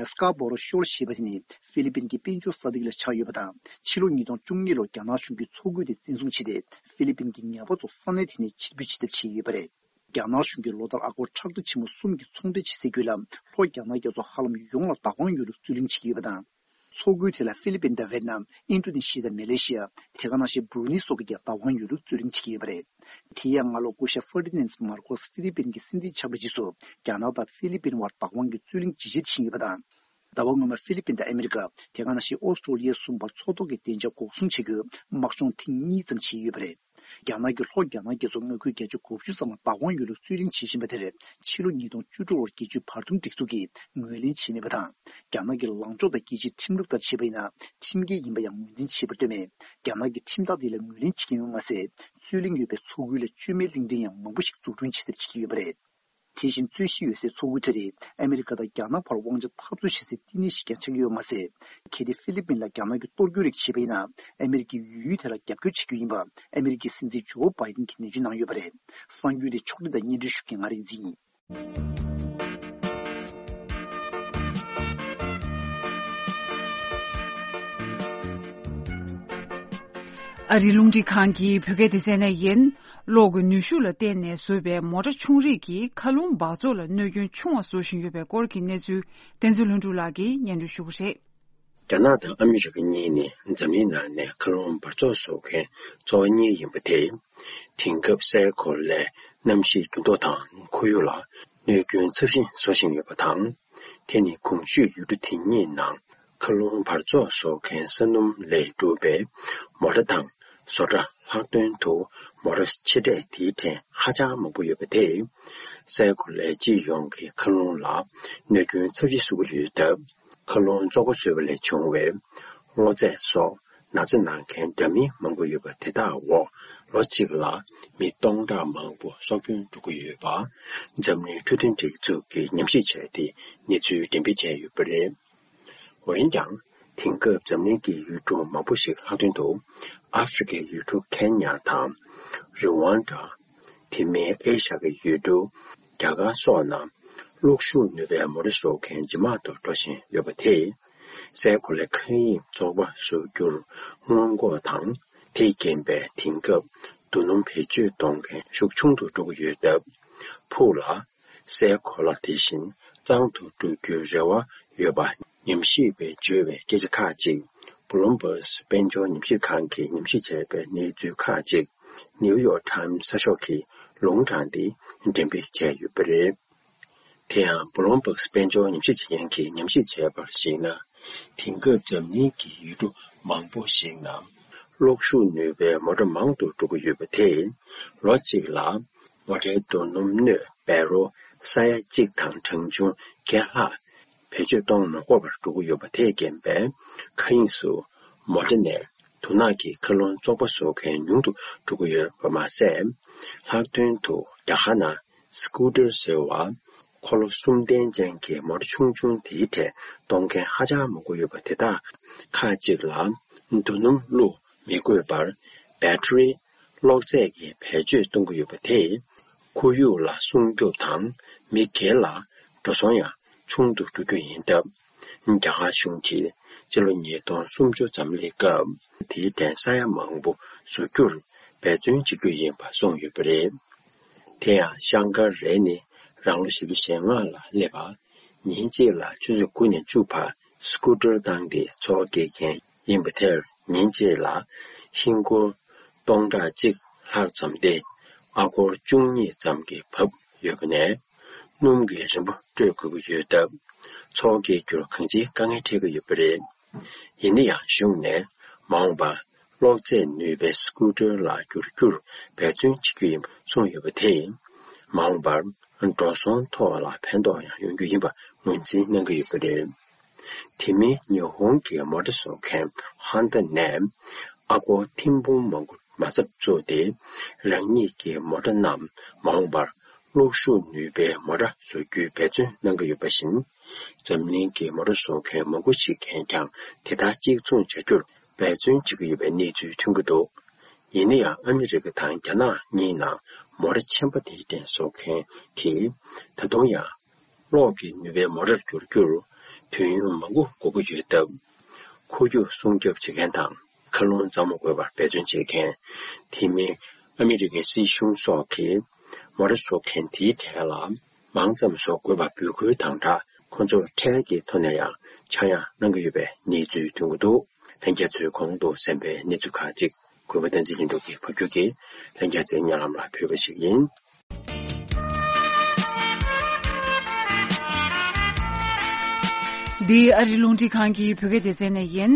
སི་ཀ་བོ་རོ་ཤོལ་ཞེས་པ་དེ་ནི་ཧྥི་ལི་པིན་གྱི་དཔལ་འབྱོར་ས་སྟེང་ལ་ཆགས་ཡོད་པ་དང་། ཕྱི་ལོ་ཉིས་སྟོང་བཅུ་གཉིས་ལོར་རྒྱ་ནག་གཞུང་གིས་མཚོ་ཁུལ་དེ་བཙན་བཟུང་བྱས་ཏེ། ཧྥི་ལི་པིན་གྱི་ཉ་པ་ཚོ་ས་གནས་དེ་ནས་ཕྱིར་འབུད་བྱེད་ཐབས་བྱས་ཡོད་པ་རེད། རྒྱ་ནག་གཞུང་གིས་ལོ་ལྟར་ཨ་སྒོར་ཁྲག་ཁྲིག་ཆེན་མོ་གསུམ་གྱི་ཚོང་འབྲེལ་བྱེད་སའི་བརྒྱུད་ལམ་ལྷོ་རྒྱ་ནག་རྒྱ་མཚོ་ཧ་ལམ་ཡོངས་ལ་བདག་དབང་ཡོད་ལུགས་རྩོད་གླེང་བྱེད་ཀྱི་ཡོད་པ་དང་། མཚོ་ཁུལ་དེ་ལ་ཧྥི་ལི་པིན་དང་ཝེ་ཏི་ནམ། ཨིན་ཌོ་ནེ་ཤི་ཡ་དང་མེ་ལེ་ཤི་ཡ། དེ་ག་ནང་བཞིན་བྷུ་རུ་ནེ་སོགས་ཀྱིས་ཀྱང་བདག་དབང་ཡོད་ལུགས་རྩོད་གླེང་བྱེད་ཀྱི་ཡོད་པ་རེད། དེ་ཡང་སྔ་ལོ་སྐུ་ཞབས་ཧྥར་ཏི་ནན་མར་ཀོས་ཧྥི་ལི་པིན་གྱི་སྲིད་འཛིན་ཆགས་པའི་རྗེས་སུ། རྒྱ་ནག་དང་ཧྥི་ལི་པིན་བར་བདག་དབང་གི་རྩོད་གླེང་ཇེ་ཆེར་ཕྱིན་ཡོད་པ་དང་། ཟླ་བ་སྔོན་མ་ཧྥི་ལི་པིན་དང་ཨ་མི་རི་ཀ། དེ་ག་ནང་བཞིན་ཨོ་སི་ཀྲོ་ལི་ཡ་གསུམ་བར་མཚོ་ཐོག་གི་བདེ་འཇགས་འགོག་སྲུང་བྱེད་རྒྱུའི་དམག་སྦྱོང་ཐེངས་གཉིས་ཙམ་བྱས་ཡོད་པ་རེད། རྒྱ་ནག་གིས་ལྷོ་རྒྱ་ནག་རྒྱ་མཚོ་མངའ་ཁུལ་བརྒྱད་ཅུ་གོ་བཅུ་ཙམ་ལ་བདག་དབང་ཡོད་ལུགས་རྩོད་གླེང་བྱེད་བཞིན་པ་དེར། ཕྱི་ལོ་ཉིས་སྟོང་བཅུ་དྲུག་ལོར་རྒྱལ་སྤྱིའི་བར་འདུམ་སྒྲིག་འཛུགས་ཀྱིས་ངོས་ལེན་བྱས་མེད་པ་དང་། རྒྱ་ནག་གི་ལངས་ཕྱོགས་དང་རྒྱལ་སྤྱིའི་ཁྲིམས་ལུགས་ལྟར་བྱས་པ་ཡིན་ན། ཁྲིམས་འགལ་ཡིན་པ་ཡང་ངོས་འཛིན་བྱས་པར་ལྟོས་ནས། རྒྱ་ནག་གིས་ཁྲིམས་ཐག་དེ་ལ་ངོས་ལེན་བྱེད་ཀྱི་ཡོད་མ་ཟད། རྩོད་གླེང་ཡོད་པའི་མཚོ་ཁུལ་ལ་བཅོས་མའི་གླིང་ཕྲན་ཡང་མང་པོ་ཞིག་འཛུགས་སྐྲུན་བྱེད་ཐབས་བྱེད་ཀྱི་ཡོད་པ་རེད། དེ་བཞིན་རྩོད་གཞི་ཡོད་སའི་མཚོ་ཁུལ་དེ་རིགས་ཨ་མི་རི་ཀ་དང་རྒྱ་ནག་བར་དབང་ཆ་འཐབ་རྩོད་བྱེད་སའི་བསྟི་གནས་ཤིག་ཀྱང་ཆགས་ཀྱི་ཡོད་མ་ཟད། གལ་ཏེ་ཧྥི་ལི་པིན་ལ་རྒྱ་ནག་གིས་གཏོར་རྒོལ་རིགས་བྱས་པ་ཡིན་ན། ཨ་མི་རི་ཀས་ཡུལ་དེ་ལ་རྒྱབ་སྐྱོར་བྱེད་རྒྱུ་ཡིན་པ་ཨ་མི་རི་ཀའི་སྲིད་འཛིན་ཇོ་བྷའི་ཏིན་གྱིས་ནན་བརྗོད་གནང་ཡོད་པ་རེད། གསར་འགྱུར་དེ་ཕྱོགས་སྒྲིག་དང་སྙན་སྒྲོན་ཞུ་མཁན་ང་རིག་འཛིན་ཡིན། ཨ་རིའི་རླུང་འཕྲིན་ཁང་གི་བོད་སྐད་སྡེ་ཚན་ནས་ཡིན། གློག་གི་ནུས་ཤུགས་ལ་བརྟེན་ནས་བཟོས་པའི་མོ་ཊ་ཆུང་རིགས་ཀྱིས་མཁའ་རླུང་འབག་བཙོག་ལ་གནོད་སྐྱོན་ཆུང་བ་བཟོ་བཞིན་ཡོད་པའི་སྐོར་གྱི་གནས་ཚུལ། བསྟན་འཛིན་ལྷུན་གྲུབ་ལགས་ཀྱིས་སྙན་སྒྲོན་ཞུ་གི་རེད། རྒྱ་ནག་དང་ཨ་མི་རི་ཀ་གཉིས་ནི་འཛམ་གླིང་ནང་ནས་མཁའ་རླུང་འབག་བཙོག་བཟོ་མཁན་གཙོ་བོ་གཉིས་ཡིན་པ་དེ། དེང་སྐབས་སའི་གོ་ལའི་གནམ་གཤིས་འགྱུར་ལྡོག་དང་ཁོར་ཡུག་ལ་གནོད་སྐྱོན་ཚབས་ཆེན་བཟོ་བཞིན་ཡོད་པ་དང་། དེ་ནི་གོང་ཞུས་ཡུལ་གྲུ་དེ་གཉིས་ནང་མཁའ་རླུང་འབག་བཙོག་བཟོ་མཁན་ས་སྣུམ་ལས་གྲུབ་པའི་མོ་ཊ་དང་། བཟོ་གྲྭ་ལྷག་དོན་དུ་མོ་ཊ་ཆེ་གྲས་དེའི་གྲས་ཧ་ཅང་མང་པོ་ཡོད་པ་དེས། སའི་གོ་ལའི་སྤྱི་ཡོངས་ཀྱི་མཁའ་རླུང་ལ་གནོད་སྐྱོན་ཚབས་ཆེ་བཟོ་གི་ཡོད་སྟབས། མཁའ་རླུང་བཙོག་པ་བཟོས་པ་ལས་བྱུང་བའི་གློ་ཚད་སོགས་ན་ཚ་ན་མཁན་འདྲ་མིན་མང་པོ་ཡོད་པ་དེ་དག་འོག་ལོ་གཅིག་ལ་མི་སྟོང་ཕྲག་མང་པོ་སྲོག་སྐྱོན་འགྲོ་གི་ཡོད་པ། འཛམ་གླིང་འཕྲོད་བསྟེན་སྒྲིག་འཛུགས་ཀྱིས་ཉམས་ཞིབ་བྱས་ཏེ་གནས་ཚུལ་འགྲེམས་སྤེལ་བྱས་ཡོད་པ་རེད། འོན་ཀྱང་། དེང་སྐབས་འཛམ་གླིང་གི་ཡུལ་གྲུ་མང་པོ་ཞིག་ལྷག་དོན་དུ་ཨ་ཧྥེ་རི་ཁའི་ཡུལ་གྲུ་ཁེན་ཡ་དང་། རི་ཝན་ཌ། དེ་མིན་ཨེ་ཤ་ཡའི་ཡུལ་གྲུ་རྒྱ་གར་སོགས་ནང་གློག་ཤུགས་ནུས་པའི་མོ་ཊ་བཟོ་མཁན་ཇེ་མང་དུ་འགྲོ་བཞིན་ཡོད་པ་དེས། སའི་གོ་ལའི་མཁའ་དབྱིངས་བཙོག་པ་བཟོ་རྒྱུར་སྔོན་འགོག་དང་། དེས་རྐྱེན་པས་དེང་སྐབས་རྡོ་སྣུམ་བེད་སྤྱོད་གཏོང་མཁན་ཤུགས་ཆུང་དུ་འགྲོ་གི་ཡོད་སྟབས། ཕུགས་ལ། སའི་གོ་ལ་དེ་བཞིན་གཙང་དུ་འགྲོ་རྒྱུའི་རེ་བ་ཡོད་པ་ཉམས་ཞིབ་པས་བརྗོད་པའི་སྐད་ཆ་ཁག་ཅིག་བྷུ་ལུམ་བྷག་དཔལ་འབྱོར་ཉམས་ཞིབ་ཁང་གིས་ཉམས་ཞིབ་བྱས་པའི་གནས་ཚུལ་ཁག་ཅིག་ནིའུ་ཡོག་ཊའིམ་གསར་ཤོག་གིས་ལུང་དྲངས་ཏེ་འགྲེམས་སྤེལ་བྱས་ཡོད་པ་རེད། དེ་ཡང་བྷུ་ལུམ་བྷག་དཔལ་འབྱོར་ཉམས་ཞིབ་བྱེད་མཁན་གྱིས་ཉམས་ཞིབ་བྱས་པར་གཞིགས་ན། དེང་སྐབས་འཛམ་གླིང་གི་ཡུལ་གྲུ་མང་པོ་ཞིག་ནང་གློག་ཤུགས་ནུས་པའི་མོ་ཊ་མང་དུ་འགྲོ་གི་ཡོད་པ་དེས། ལོ་གཅིག་ལ་མོ་ཊའི་རྡོ་སྣུམ་སྣོད་བེ་རོལ་ས་ཡ་གཅིག་དང་གྲངས་ཆུང་བརྒྱད་ལྷག་བེད་སྤྱོད་གཏོང་མ་དགོས་པར་འགྲོ་གི་ཡོད་པ་དེས་རྐྱེན་པས། མཁའ་དབྱིངས་སུ་མོ་ཊ་ནས་དུག་ནག་གི་མཁའ་རླུང་བཙོག་པ་བཟོ་མཁན་ཉུང་དུ་འགྲོ་གི་ཡོད་པ་མ་ཟད། ལྷག་དོན་དུ་རྒྱ་གར་ནང་སི་ཀུ་ཊར་ཟེར་བ། འཁོར་ལོ་གསུམ་ལྡན་ཅན་གྱི་མོ་ཊ་ཆུང་ཆུང་དེའི་གྲས་གཏོང་མཁན་ཧ་ཅང་མང་པོ་ཡོད་པ་དེ་དག་ཁག་ཅིག་ལ་རྡོ་སྣུམ་བླུགས་མི་དགོས་པར་བེ་ཊ་རི་གློག་རྫས་ཀྱི་བེད་སྤྱོད་གཏོང་གི་ཡོད་པ་དེས། ཁོར་ཡུག་ལ་སྲུང་སྐྱོབ་དང་མི་སྒེར་ལ་འགྲོ་སོང་ཡང་ཆུང་དུ་འགྲོ་རྒྱུ་ཡིན་སྟབས། རྒྱ་གར་གཞུང་གིས་སྤྱི་ལོ་ཉིས་སྟོང་སུམ་ཅུ་འཛམ་གླིང་སྐབས་དེའི་གྲས་ས་ཡ་མང་པོ་བཟོ་རྒྱུར་འབད་བརྩོན་བྱེད་རྒྱུ་ཡིན་པ་གསུངས་ཡོད་པ་རེད། དེ་ཡང་ཤང་ཀ་རེ་ནི་རང་ལོ་བཞི་བཅུ་ཞེ་ལྔ་ལ་སླེབས་པ། ཉིན་གཅིག་ལ་ཆུ་ཚོད་དགུ་ནས་བཅུ་བར་སི་ཀུ་ཊར་བཏང་སྟེ་འཚོ་སྐྱེལ་མཁན་ཡིན་པ་དེར། ཉིན་གཅིག་ལ་ཧིན་སྒོར་སྟོང་ཕྲག་གཅིག་ལྷག་ཙམ་སྟེ། ཨ་སྒོར་བཅུ་གཉིས་ཙམ་གྱི་བབ་ཡོད་པ་ནས། སྣུམ་གྱི་རིན་པ་སྤྲོད་དགོས་ཀྱི་ཡོད་སྟབས། འཚོ་སྐྱེལ་རྒྱུར་གང་ཅིའི་དཀའ་ངལ་འཕྲད་ཀྱི་ཡོད་པ་རེད། ཡིན་ན་ཡང་གཞུང་ནས་མ་འོངས་པར་གློག་རྫས་ནུས་པའི་སི་ཀུ་ཊར་ལ་བསྒྱུར་རྒྱུར་འབད་བརྩོན་བྱེད་རྒྱུ་ཡིན་པ་གསུངས་ཡོད་པ་དེས། མ་འོངས་པར་འགྲོ་སོང་ཐོག་ལ་ཕན་ཐོགས་ཡང་ཡོང་རྒྱུ་ཡིན་པ་ངོས་འཛིན་གནང་གི་ཡོད་པ་རེད། དེ་མིན་ཉི་ཧོང་གི་མོ་ཊ་བཟོ་མཁན་ཧོན་ཌ་ནས་ཨ་སྒོར་ཐེར་འབུམ་མང་པོ་མ་རྩ་བཙུགས་ཏེ། རང་ཉིད་ཀྱི་མོ་ཊ་རྣམས་མ་འོངས་པར་གློག་ཤུགས་ནུས་པའི་མོ་ཊ་བཟོ་རྒྱུའི་འབད་བརྩོན་གནང་གི་ཡོད་པ་བཞིན། འཛམ་གླིང་གི་མོ་ཊ་བཟོ་མཁན་མང་པོ་ཞིག་གིས་ཀྱང་དེ་ལྟར་གཅིག་མཚུངས་བྱ་རྒྱུར་འབད་བརྩོན་བྱེད་ཀྱི་ཡོད་པའི་གནས་ཚུལ་ཐོན་གྱི་འདུག་ཡིན་ན་ཡང་ཨ་མི་རི་ཀ་དང་རྒྱ་ནག་གཉིས་ནང་མོ་ཊ་ཆེན་པོ་དེའི་སྟེང་བཟོ་མཁན་གྱིས་ད་དུང་ཡང་། གློག་གི་ནུས་པའི་མོ་ཊར་བསྒྱུར་རྒྱུར། དུས་ཡུན་མང་པོ་འགོར་གྱི་ཡོད་སྟབས། འཁོར་རྒྱུག་སྲུང་སྐྱོབ་བྱེད་མཁན་དང་། མཁའ་རླུང་གཙང་མ་དགོས་པར་འབད་བརྩོན་བྱེད་མཁན། དེ་མིན་ཨ་མི་རི་ཀའི་སྲིད་གཞུང་སོགས་ཀྱིས་མོ་ཊ་བཟོ་མཁན་དེའི་གྲས་ལ་མང་ཙམ་བཟོ་དགོས་པ་འབོད་སྐུལ་དང་སྦྲགས། ཁོ་ཚོར་ཁྲལ་གྱི་ཐོག་ནས་ཡང་ཆག་ཡང་གནང་གི་ཡོད་པའི་གནས་ཚུལ་ཐོན་གྱི་འདུག་ལྷན་རྒྱས་ཚོས་གོང་དུ་གསན་པའི་གནས་ཚུལ་ཁག་ཅིག་གུས་པ་བསྟན་འཛིན་ཡིན་འདུག་གི་ཕབ་སྒྱུར་གྱིས་ལྷན་རྒྱས་ཚོའི་སྙན་ལམ་ལ་ཕུལ་བ་ཞིག་ཡིན། འདི་ཨ་རི་རླུང་འཕྲིན་ཁང་གི་བོད་སྐད་སྡེ་ཚན་ནས་ཡིན།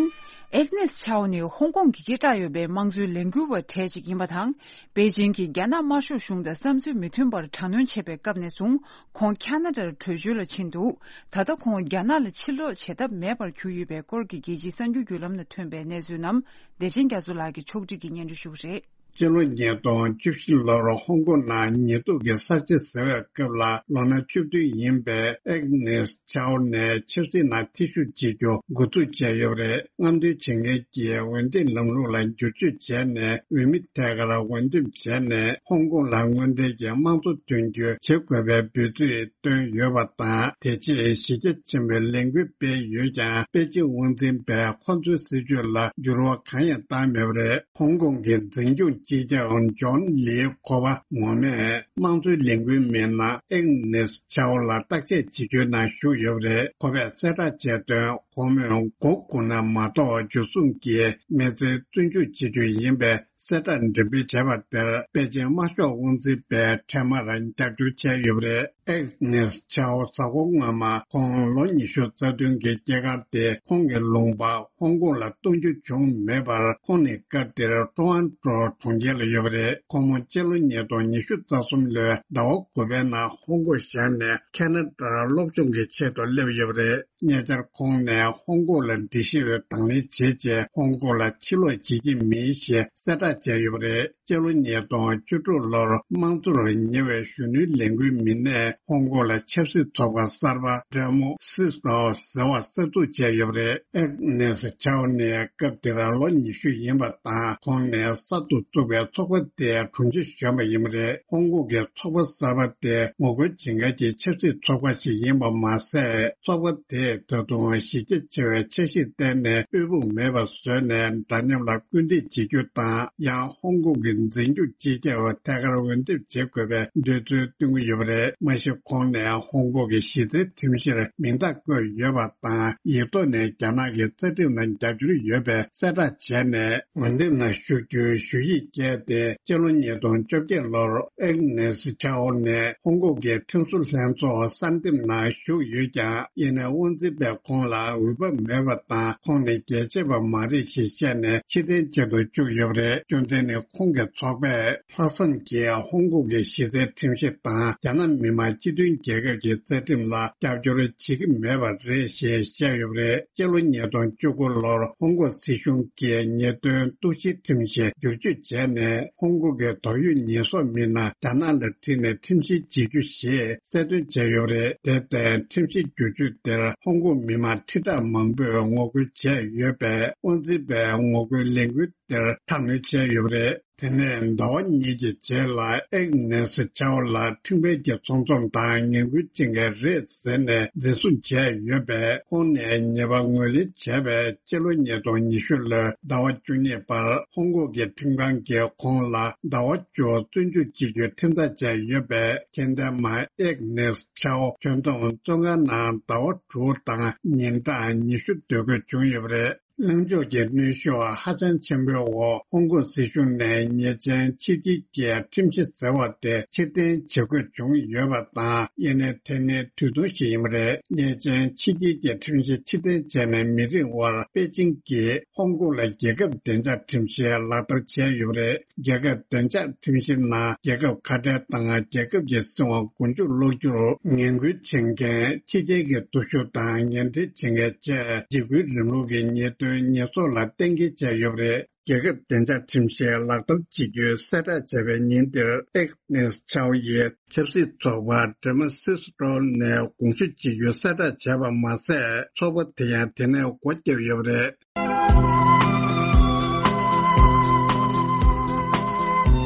ཨེག་ནེས་ཆའོ་ནི་ཧོང་ཀོང་གི་སྐད་གྲགས་ཡོད་པའི་དམངས་གཙོའི་ལས་འགུལ་བ་གྲས་ཅིག་ཡིན་པ་དང་། པེ་ཅིང་གིས་རྒྱ་ནག་དམར་ཤོག་གཞུང་དང་བསམ་ཚུལ་མི་མཐུན་པར་དྲག་གནོན་བྱས་པའི་སྐབས་ནས་བཟུང་། ཁོང་ཁ་ན་ཌར་བྲོས་བྱོལ་ལ་ཕྱིན་འདུག་ད་ལྟ་ཁོང་རྒྱ་ནག་ལ་ཕྱིར་ལོག་བྱེད་ཐབས་མེད་པར་གྱུར་ཡོད་པའི་སྐོར་གྱི་རྒྱལ་སྤྱིའི་གསར་འགྱུར་བརྒྱུད་ལམ་ནང་ཐོན་པའི་གནས་ཚུལ་རྣམས་བདེ་ཆེན་རྒྱ་མཚོ་ལགས་ཀྱིས་ཕྱོགས་སྒྲིག་གིས་སྙན་སྒྲོན་ཞུ་གི་རེད། སྤྱི་ལོ་ཉིས་སྟོང་བཅུ་བཞི་ལོར་ཧོང་ཀོང་ནང་ཉེན་སྟོབས་ཀྱི་གསར་བརྗེ་ཟེར་བའི་སྐབས་ལ་ལོ་ན་བཅུ་བདུན་ཡིན་པའི་ཨེག་ནེས་ཆའོ་ནས་ཆབ་སྲིད་ནང་ཐེ་ཞུགས་བྱེད་རྒྱུ་འགོ་འཛུགས་བྱས་ཡོད་པ་རེད། རྔམ་སྟོན་བྱེད་མཁན་གྱིས་འོས་འདེམས་ལམ་ལུགས་ལ་བསྒྱུར་བཅོས་བྱས་ནས་འོས་མི་ཐད་ཀར་འོས་འདེམས་བྱས་ནས་ཧོང་ཀོང་ལ་དངོས་འབྲེལ་གྱི་དམངས་གཙོ་ཐོན་རྒྱུ་བྱེད་དགོས་པའི་འབོད་ཚིག་བཏོན་ཡོད་པ་དང་། དེ་རྗེས་གཞི་རྒྱ་ཆེན་པོས་ལས་འགུལ་སྤེལ་ཡོད་ཀྱང་པེ་ཅིང་དབང་འཛིན་པས་ཁོ་ཚོའི་སྲིད་བྱུས་ལ་འགྱུར་བ་གང་ཡང་བཏང་མེད་པ་རེད། ཧོང་ཀོང་གི་འཛིན་སྐྱོང་སྤྱི་ཁྱབ་ཇོན་ལིའི་ཁོ་པ་ངོ་མས་དམངས་གཙོའི་ལས་འགུལ་མི་སྣ་ཨེག་ནེས་ཆའོ་ལ་བརྟག་དཔྱད་བྱེད་རྒྱུའི་ནང་ཞུགས་ཡོད་པ་རེད། ཁོ་པས་གསལ་བསྒྲགས་བྱས་དོན། ཁོ་མོས་མགོ་སྒུར་ན་མ་གཏོགས་འཇུ་བཟུང་གིས་མི་ཚེ་བཙོན་འཇུག་བྱེད་རྒྱུ་ཡིན་པའི་གསལ་བསྒྲགས་འགྲེམས་སྤེལ་བྱས་པ་དེར་པེ་ཅིང་དམར་ཤོག་དབང་འཛིན་པས་འཕྲལ་མར་རྒྱབ་སྐྱོར་བྱས་ཡོད་པ་རེད། ཨེག་ནེས་ཆའོ་གཟའ་འཁོར་སྔོན་མ་ཁོང་ལོ་ཉི་ཤུ་རྩ་བདུན་གྱི་སྐྱེས་སྐར་དེ་ཁོང་གི་ལུང་པ་ཧོང་ཀོང་ལ་གཏོང་རྒྱུ་བྱུང་མེད་པར། ཁོང་ནི་སྐབས་དེར་ཊོ་རོན་ཊོ་གྲོང་ཁྱེར་ལ་ཡོད་པ་རེད། ཁོང་མོ་སྤྱི་ལོ་ཉིས་སྟོང་ཉི་ཤུ་རྩ་གསུམ་ལོའི་ཟླ་བ་དགུ་པའི་ནང་ཧོང་ཀོང་གཞན་ནས་ཁ་ན་ཌར་སློབ་སྦྱོང་གི་ཆེད་དུ་སླེབས་ཡོད་པ་རེད། ཉེ་ཆར་ཁོང་ནས་ཧོང་ཀོང་ལ་འགྲིལ་ཤེས་པའི་དང་ལེན་བྱེད་ཆེད་ཧོང་ཀོང་ལ་ཕྱིར་ལོག་བྱེད་ཀྱི་མིན་ཞེས་གསལ་བསྒྲགས་བྱས་ཡོད་པ་རེད། སྤྱི་ལོ་ཉིས་སྟོང་བཅུ་དྲུག་ལོར་དམངས་གཙོར་ཉེ་བའི་གཞོན་ནུའི་ལས་འགུལ་མི་སྣས་ཧོང་ཀོང་ལ་ཆབ་སྲིད་ཚོགས་པ་གསར་པ་ཌེ་མོ་སི་ཏོ་ཟེར་བ་གསར་འཛུགས་བྱས་ཡོད་པ་རེད། ཨེག་ནེས་ཆའོ་ནི་སྐབས་དེར་ལོ་ཉི་ཤུ་ཡིན་པ་དང་། ཁོང་ནས་གསར་དུ་བཙུགས་པའི་ཚོགས་པ་དེའི་དྲུང་ཆེ་གཞོན་པ་ཡིན་པ་རེད། ཧོང་ཀོང་གི་ཚོགས་པ་གསར་པ་དེ་ངོ་རྒོལ་བྱེད་མཁན་གྱི་ཆབ་སྲིད་ཚོགས་པ་ཞིག་ཡིན་པ་མ་ཟད། ཚོགས་པ་དེས་ད་དུང་གཞི་རྒྱ་ཆེ་བའི་འཆར་གཞིར་བརྟེན་ནས་དབུལ་ཕོངས་མེད་པ་བཟོས་ནས་འདྲ་མཉམ་ལ་སྐུལ་འདེད་བྱེད་རྒྱུ་དང་། ཡང་ཧོང་ཀོང་གི་འཛིན་སྐྱོང་སྤྱི་ཁྱབ་ཐད་ཀར་འོས་འདེམས་བྱེད་དགོས་པའི་འདོད་ཚུལ་བཏོན་གྱི་ཡོད་པ་རེད། མ་གཞི་ཁོང་ནས་ཧོང་ཀོང་གི་གཞི་རྩའི་ཁྲིམས་གཞིར་མིང་རྟགས་བཀོད་ཡོད་པ་དང་། ཡིག་ཐོག་ནས་རྒྱ་ནག་གི་རྩ་ཁྲིམས་ལ་རྒྱབ་སྐྱོར་ཡོད་པའི་གསལ་བསྒྲགས་བྱས་ནས། འོས་འདེམས་ནང་ཞུགས་རྒྱུའི་ཞུ་ཡིག་བསྐྱལ་ཏེ། སྤྱི་ལོ་ཉིས་སྟོང་བཅོ་བརྒྱད་ལོར་ཨེག་ནེས་ཆའོ་ནས་ཧོང་ཀོང་གི་ཁྲིམས་བཟོ་ལྷན་ཚོགས་གསར་འདེམས་ནང་ཞུགས་ཡོད་ཀྱང་། ཡིན་ནའི་དབང་འཛིན་པས་ཁོང་ལ་འོས་བབ་མེད་པ་དང་། ཁོང་ནི་རྒྱལ་གཅེས་པ་མ་རེད་ཞེས་བཤད་ནས་ཕྱིར་འཐེན་བྱེད་དུ་བཅུག་ཡོད་པ་རེད། རྒྱུ་མཚན་ནི་ཁོང་གི་ཚོགས་པས། ལྷག་བསམ་གྱིས་ཧོང་ཀོང་གི་གཞི་རྩའི་ཁྲིམས་གཞི་དང་རྒྱ་ནག་མི་དམངས་སྤྱི་མཐུན་རྒྱལ་ཁབ་ཀྱི་རྩ་ཁྲིམས་ལ་རྒྱབ་སྐྱོར་བྱེད་ཀྱི་མེད་པ་རེད་ཞེས་བཤད་ཡོད་པ་རེད། སྤྱི་ལོ་ཉིས་སྟོང་བཅུ་དགུ་ལོར་ཧོང་ཀོང་སྲིད་གཞུང་གིས་ཉེས་དོན་གཏུག་བཤེར་ཁྲིམས་གཞི་བསྒྱུར་བཅོས་བྱས་ནས། ཧོང་ཀོང་གི་འདོད་ཡོན་ཉེས་གསོག་མི་སྣ་རྒྱ་ནག་ལ་ཁྲིད་ནས་ཁྲིམས་བཤེར་བྱེད་རྒྱུ་ཞེས་གསལ་སྟོན་བྱས་ཡོད་པ་རེད། དེར་བརྟེན་ཁྲིམས་གཞི་བསྒྱུར་བཅོས་དེར་ཧོང་ཀོང་མི་མང་ཁྲི་ཕྲག་མང་པོས་ངོ་རྒོལ་བྱས་ཡོད་པས། དབང་འཛིན་པས་ངོ་རྒོལ་ལས་འགུལ་དེར་དྲག་གནོན་བྱས་ཡོད་པ་རེད། དེ་ནས་ཟླ་བ་གཉིས་ཀྱི་རྗེས་ལ་ཨེག་ནེས་ཆའོ་ལ་ཁྲིམས་འགལ་གྱི་ཚོང་ཚོང་དང་ངན་སྐུལ་བྱེད་མཁན་རེད་ཟེར་ནས་འཛིན་བཟུང་བྱས་ཡོད་པས། ཁོང་ནས་ཉེས་པ་ངོས་ལེན་བྱས་པའི་སྤྱི་ལོ་ཉིས་སྟོང་ཉི་ཤུ་ལོའི་ཟླ་བ་བཅུ་གཉིས་པར་ཧོང་ཀོང་གི་ཁྲིམས་ཁང་གིས་ཁོང་ལ་ཟླ་བ་བཅུ་བཙོན་འཇུག་བྱེད་རྒྱུའི་ཁྲིམས་ཐག་བཅད་ཡོད་པས། ཁྱད་ལྡན་མ་ཨེག་ནེས་ཆའོ་ཁྱོན་བསྡོམས་བཙོན་ཁང་ནང་ཟླ་བ་དྲུག་དང་ཉིན་གྲངས་ཉི་ཤུ་སྡོད་དགོས་བྱུང་ཡོད་པ་རེད། ལངས་ཕྱོགས་ཀྱི་གནོན་ཤུགས་ཧ་ཅང་ཆེན་པོའི་འོག་ཧོང་ཀོང་སྲིད་གཞུང་ནས་ཉེས་ཅན་ཕྱིར་སྐྱེལ་གྱི་ཁྲིམས་གཞི་ཟེར་བ་དེ་ཕྱིར་འཐེན་བྱེད་དགོས་བྱུང་ཡོད་པ་དང་། ཡིན་ནའི་དེ་ནི་དུས་ཐུང་ཞིག་ཡིན་པ་རེད། ཉེས་ཅན་ཕྱིར་སྐྱེལ་གྱི་ཁྲིམས་གཞི་ཕྱིར་འཐེན་བྱས་ནས་མི་རིང་བར་པེ་ཅིང་གིས་ཧོང་ཀོང་ལ་རྒྱལ་ཁབ་བདེ་འཇགས་ཁྲིམས་གཞི་ལག་བསྟར་བྱས་ཡོད་པ་རེད། རྒྱལ་ཁབ་བདེ་འཇགས་ཁྲིམས་གཞི་ནང་རྒྱལ་ཁབ་ཁ་བྲལ་དང་རྒྱལ་ཁབ་ཀྱི་སྲིད་དབང་མགོ་མཇུག་སློག་རྒྱུར་ངན་སྐུལ་བྱེད་མཁན། ཕྱི་རྒྱལ་གྱི་སྟོབས་ཤུགས་དང་ངན་འབྲེལ་བྱེད་མཁན་བཅས་འཇིགས་སྐུལ་རིང་ལུགས་ཀྱི་ཉེས་དོན་ཉེས་གསོག་ལ་གཏན་འཁེལ་བྱས་ཡོད་པ་རེད། རྒྱལ་ཁབ་བདེ་འཇགས་ཁྲིམས་གཞི་ལག་བསྟར་བྱེད་རྒྱུའི་གསལ་བསྒྲགས་བྱས་པའི་ཉིན་དེར་ཨེག་ནེས་ཆའོ་ཡིས་ཆབ་སྲིད་ཚོགས་པ་ཌེ་མོ་སི་ཏོ་ནས་དགོངས་ཞུ་བྱེད་རྒྱུའི་གསལ་བསྒྲགས་བྱས་པ་མ་ཟད། ཚོགས་པ་དེ་ཡང་དེ་ནས་སྒོ་བརྒྱབ་ཡོད་པ་རེད།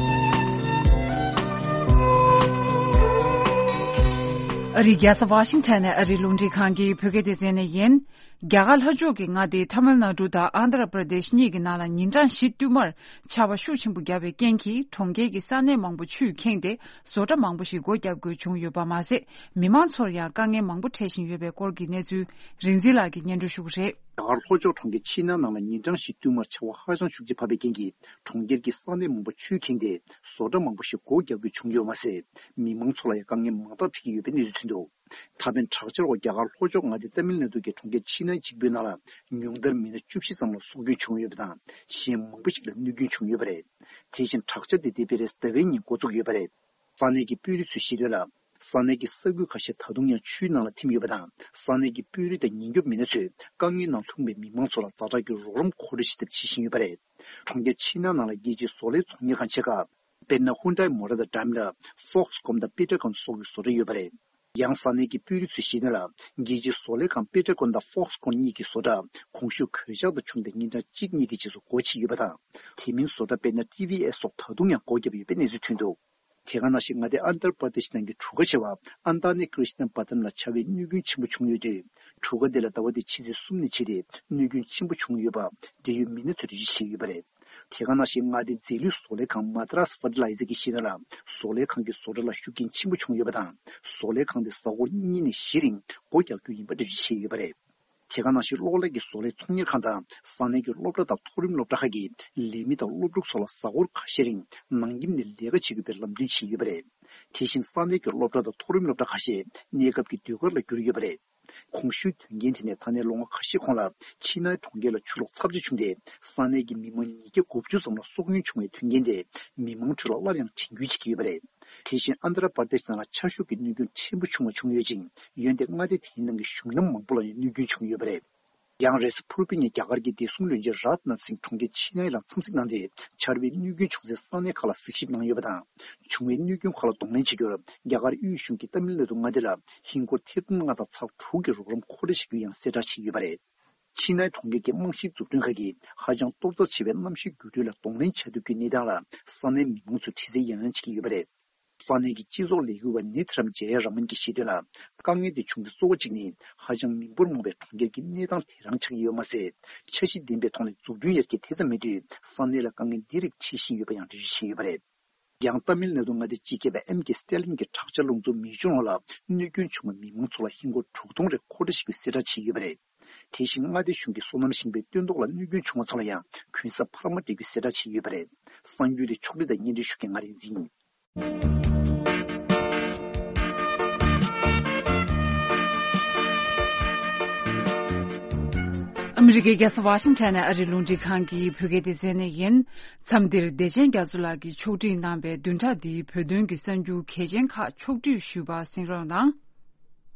ཨ་རིའི་རྒྱལ་ས་ཝ་ཤིང་ཊོན་ནས་ཨ་རིའི་རླུང་འཕྲིན་ཁང་གི་བོད་སྐད་སྡེ་ཚན་ནས་ཡིན། རྒྱ་གར་ལྷོ་ཕྱོགས་ཀྱི་མངའ་སྡེ་ཐ་མིལ་ནཱ་ཌུ་དང་ཨན་དྷ་ར་པྲ་དེཤ་གཉིས་ཀྱི་ནང་ལ་ཉིན་གྲངས་བཞི་བསྟུད་མར་ཆར་པ་ཤུགས་ཆེན་པོ་བརྒྱབ་པའི་རྐྱེན་གྱིས་གྲོང་ཁྱེར་གྱི་ས་གནས་མང་པོ་ཆུས་ཁེངས་ཏེ་བཟོ་གྲྭ་མང་པོ་ཞིག་སྒོ་བརྒྱབ་དགོས་བྱུང་ཡོད་པ་མ་ཟད། མི་མང་ཚོར་ཡང་དཀའ་ངལ་མང་པོ་འཕྲད་བཞིན་ཡོད་པའི་སྐོར་གྱི་གནས་ཚུལ་རིག་འཛིན་ལགས་ཀྱིས་སྙན་སྒྲོན་ཞུ་གི་རེད། རྒྱ་གར་ལྷོ་ཕྱོགས་གྲོང་ཁྱེར་ཆི་ནའི་ནང་ལ་ཉིན་གྲངས་བཞི་བསྟུད་མར་ཆར་པ་ཧ་ཅང་ཤུགས་ཆེ་བབས་པའི་རྐྱེན་གྱིས་གྲོང་ཁྱེར་གྱི་ས་གནས་མང་པོ་ཆུས་ཁེངས་ཏེ་བཟོ་གྲྭ་མང་པོ་ཞིག་སྒོ་བརྒྱབ་དགོས་བྱུང་ཡོད་མ་ཟད། མི་མང་ཚོ་ལ་ཡང་དཀའ་ངལ་མང་དག་འཕྲད་ཀྱི་ཡོད་པའི་གནས་ཚུལ་ཐོན་འདུག་ད་ཕན་དྲག་ཆར་འོག་རྒྱ་གར་ལྷོ་ཕྱོགས་མངའ་སྡེ་ཏ་མིལ་ནཱ་ཌུ་གི་གྲོང་ཁྱེར་ཆི་ནའི་གཅིག་པུའི་ནང་ལ་ཉུང་མཐར་མི་སྣ་བཅུ་བཞི་ཙམ་ལ་སྲོག་སྐྱོན་བྱུང་ཡོད་པ་དང་། གཞན་མང་པོ་ཞིག་ལ་གནོད་སྐྱོན་བྱུང་ཡོད་པ་རེད། དེ་བཞིན་དྲག་ཆར་དེ་འདས་པའི་རེས་གཟའ་པའི་ཉིན་འགོ་བཙུགས་ཡོད་པ་རེད། ས་གནས་ཀྱི་དཔོན་རིགས་ཚོས་བཤད་དོན་ལ། ས་གནས་ཀྱི་ས་ཁུལ་ཁ་ཤས་ད་དུང་ཡང་ཆུའི་ནང་ལ་ཐིམ་ཡོད་པ་དང་། ས་གནས་ཀྱི་དཔོན་རིགས་དང་ཉེན་སྐྱོབ་མི་སྣ་ཚོས་དཀའ་ངལ་ནང་ལྷུང་བའི་མི་མང་ཚོ་ལ་ཛ་དྲག་གི་རོགས་རམ་མཁོ་སྤྲོད་བྱེད་ཐབས་བྱེད་བཞིན་ཡོད་པ་རེད། གྲོང་ཁྱེར་ཆི་ནའི་ནང་ལ་རྒྱལ་སྤྱིའི་བཟོ་ལས་ཚོང་གཉེར་ཁང་ཆེ་ཁག་དཔེར་ན། ཧུན་ཌའི་མོ་ཊར་དང་ཌའིམ་ལར། ཧྥོག་སི་ཀོན་དང་པི་ཊར་ཀོན་སོགས་ཀྱི་བཟོ་གྲྭ་ཡོད་པ་རེད། ཡང་ས་གནས་ཀྱི་དཔོན་རིགས་ཚོས་བཤད་དོན་ལ། རྒྱལ་སྤྱིའི་བཟོ་ལས་ཁང་པི་ཊར་ཀོན་དང་ཧྥོག་སི་ཀོན་གཉིས་ཀྱི་བཟོ་གྲྭ་གོང་ཞུས་གོད་ཆག་དང་བྱུང་སྟེ་ཉིན་གྲངས་གཅིག་གཉིས་ཀྱི་རྗེས་སུ་སྒོ་ཕྱེ་ཡོད་པ་དང་། དེ་མིན་བཟོ་གྲྭ་དཔེར་ན་ཊི་ཝི་ཨེ་སི་སོགས་ད་དུང་ཡང་སྒོ་བརྒྱབ་ཡོད་པའི་གནས་ཚུལ་ཐོན་འདུག་དེ་ག་ནང་བཞིན་མངའ་སྡེ་ཨན་དྷ་ར་པྲ་དེཤ་ནང་གི་གྲུ་ཁ་ཆེ་བ་ཨན་ཏཱ་ནི་ཀྲི་ཤི་ན་པ་ཏམ་ལ་ཆར་པའི་གནོད་སྐྱོན་ཆེན་པོ་བྱུང་ཡོད་དུས། གྲུ་ཁ་དེ་ལ་ཟླ་བ་འདིའི་ཕྱི་ཚེས་གསུམ་ནས་བྱས་ཏེ་གནོད་སྐྱོན་ཆེན་པོ་བྱུང་ཡོད་པ་འབྲེལ་ཡོད་མི་སྣ་ཚོས་འགྲེལ་བརྗོད་བྱས་ཡོད་པ་རེད། དེ་ག་ནང་བཞིན་མངའ་སྡེའི་རྫས་ལུད་བཟོ་ལས་ཁང་མ་ཏྲ་སི་ཕར་ཊི་ལའི་ཛར་གྱིས་བཤད་དོན་ལ། བཟོ་ལས་ཁང་གི་བཟོ་གྲྭ་ལ་ཤུགས་རྐྱེན་ཆེན་པོ་བྱུང་ཡོད་པ་དང་། བཟོ་ལས་ཁང་དེ་གཟའ་འཁོར་གཉིས་ནས་བཞི་རིང་སྒོ་རྒྱག་རྒྱུ་ཡིན་པ་འགྲེལ་བརྗོད་བྱས་ཡོད་པ་རེད། དེ་ག་ནང་བཞིན་གློག་ཀླད་ཀྱི་བཟོ་ལས་ཚོང་གཉེར་ཁང་དང་ས་གནས་ཀྱི་སློབ་གྲྭ་དང་མཐོ་རིམ་སློབ་གྲྭ་ཁག་གི་ལས་མི་དང་སློབ་ཕྲུག་ཚོ་ལ་གཟའ་འཁོར་ཁ་ཤས་རིང་ནང་ཁྱིམ་ནས་ལས་ཀ་བྱེད་དགོས་པའི་ལམ་སྟོན་བྱས་ཡོད་པ་རེད། དེ་བཞིན་ས་གནས་ཀྱི་སློབ་གྲྭ་དང་མཐོ་རིམ་སློབ་གྲྭ་ཁ་ཤས་གནས་སྐབས་ཀྱི་ཟློས་གར་ལ་བསྒྱུར་ཡོད་པ་རེད། གོང་ཞུས་དོན་རྐྱེན་དེ་ནས་ད་ནས་ལོ་ངོ་ཁ་ཤས་གོང་ལ་ཆི་ནའི་གྲོང་ཁྱེར་ལ་ཆུ་ལོག་ཚབས་ཆེ་བྱུང་སྟེ་ས་གནས་ཀྱི་མི་མང་ཉིས་བརྒྱ་དགུ་བཅུ་ཙམ་ལ་སྲོག་སྐྱོན་བྱུང་བའི་དོན་རྐྱེན་དེ་མི་མང་ཁྲོད་ལ་སླར་ཡང་དྲན་སྐུལ་བྱེད་ཀྱི་ཡོད་པ་རེད། དེ་བཞིན་ཨན་དྷ་ར་པར་དེཤ་ནང་ལ་ཆར་ཤུགས་ཀྱི་གནོད་སྐྱོན་ཕྲན་བུ་ཆུང་བ་བྱུང་ཡོད་ཅིང་། འོན་ཏེ་མངའ་སྡེ་དེའི་ནང་གི་གཞུང་ལམ་མང་པོ་ལ་ཡང་གནོད་སྐྱོན་བྱུང་ཡོད་པ་རེད། ཡང་རེས་གཟའ་ཕུར་བུའི་ཉིན་རྒྱ་གར་གྱི་བདེ་སྲུང་བློན་ཆེན་རཱཇ་ནཱཐ་སིང་གྲོང་ཁྱེར་ཆི་ནའི་ལ་འཚམས་གཟིགས་གནང་སྟེ་ཆར་པའི་གནོད་སྐྱོན་བྱུང་སའི་ས་གནས་ཁག་ལ་གཟིགས་ཞིབ་གནང་ཡོད་པ་དང་། བྱུང་བའི་གནོད་སྐྱོན་ཁག་ལ་གདོང་ལེན་བྱེད་རྒྱུར་རྒྱ་གར་དབུས་གཞུང་གིས་ཏཱ་མིལ་ནཱ་ཌུ་མངའ་སྡེ་ལ་ཧིན་སྒོར་ཐེར་འབུམ་ལྔ་དང་ཚེག་དྲུག་གི་རོགས་རམ་མཁོ་སྤྲོད་བྱེད་རྒྱུ་ཡང་གསལ་བསྒྲགས་བྱས་ཡོད་པ་རེད། ཆི་ནའི་གྲོང་ཁྱེར་གྱི་རྨང་གཞིའི་འཛུགས་སྐྲུན་ཁག་གིས་ཧ་ཅང་གཏོར་རྩ་ཆེ་བའི་གནམ་གཤིས་འགྱུར་འགྲོས་ལ་གདོང་ལེན་བྱ་ཐུབ་རྒྱུའི་གནས་སྟངས་ལ་ས་གནས་མི་མང་ཚོས་དྲི་རྩད་ཡང་ཡང་བྱེད་ཀྱི་ཡོད་པ་རེད། ས་གནས་ཀྱི་སྤྱི་ཚོགས་ལས་འགུལ་བ་ནི་ཐི་རམ་ཇེ་ཡ་ར་མན་གྱིས་བཤད་དོན་ལ། དཀའ་ངལ་དེ་བྱུང་རྒྱུ་གཙོ་བོ་གཅིག་ནི་ཧ་ཅང་མི་འབོར་མང་བའི་གྲོང་ཁྱེར་གྱི་གནས་སྟངས་དེ་རང་ཆགས་ཀྱི་ཡོད་མ་ཟད། འཆར་གཞི་ལྡན་པའི་ཐོག་ནས་འཛུགས་སྐྲུན་ཡར་རྒྱས་དེ་ཙམ་མེད་དུས་ས་གནས་ལ་དཀའ་ངལ་འདི་རིགས་འཕྲད་བཞིན་ཡོད་པ་ཡང་འགྲེལ་བརྗོད་བྱས་ཡོད་པ་རེད། ཡང་ཏཱ་མིལ་ནཱ་ཌུ་མངའ་སྡེའི་སྤྱི་ཁྱབ་པ་ཨེམ་ཀེ་སི་ཊེ་ལིན་གྱིས་དྲག་ཆར་རླུང་འཚུབ་མེ་སྐྱོན་འོག་ལ་གནོད་སྐྱོན་བྱུང་བའི་མི་མང་ཚོ་ལ་ཧིན་སྒོར་དྲུག་སྟོང་རེ་མཁོ་སྤྲོད་བྱེད་རྒྱུའི་གསལ་བསྒྲགས་བྱས་ཡོད་པ་རེད། དེ་བཞིན་མངའ་སྡེ་གཞུང་གིས་སོ་ནམ་ཞིང་པའི་སྟོན་ཐོག་ལ་གནོད་སྐྱོན་བྱུང་བ་ཚོ་ལ་ཡང་གུན་གསབ་འཕར་མ་སྤྲད་རྒྱུའི་གསལ་བསྒྲགས་བྱས་ཡོད་པ་རེད། གསར་འགྱུར་དེ་ཕྱོགས་བསྒྲིགས་དང་སྙན་སྒྲོན་ཞུ་མཁན་ང་རིག་འཛིན་ཡིན། ཨ་མི་རི་ཀའི་རྒྱལ་ས་ཝ་ཤིང་ཊོན་ནས་ཨ་རིའི་རླུང་འཕྲིན་ཁང་གི་བོད་སྐད་སྡེ་ཚན་ནས་ཡིན། མཚམས་འདིར་བདེ་ཆེན་རྒྱ་མཚོ་ལགས་ཀྱིས་ཕྱོགས་སྒྲིག་གནང་བའི་བདུན་ཕྲག་འདིའི་བོད་དོན་གྱི་གསར་འགྱུར་གལ་ཆེན་ཁག་ཕྱོགས་བསྡུས་ཞུས་པ་གསན་རོགས་གནང་།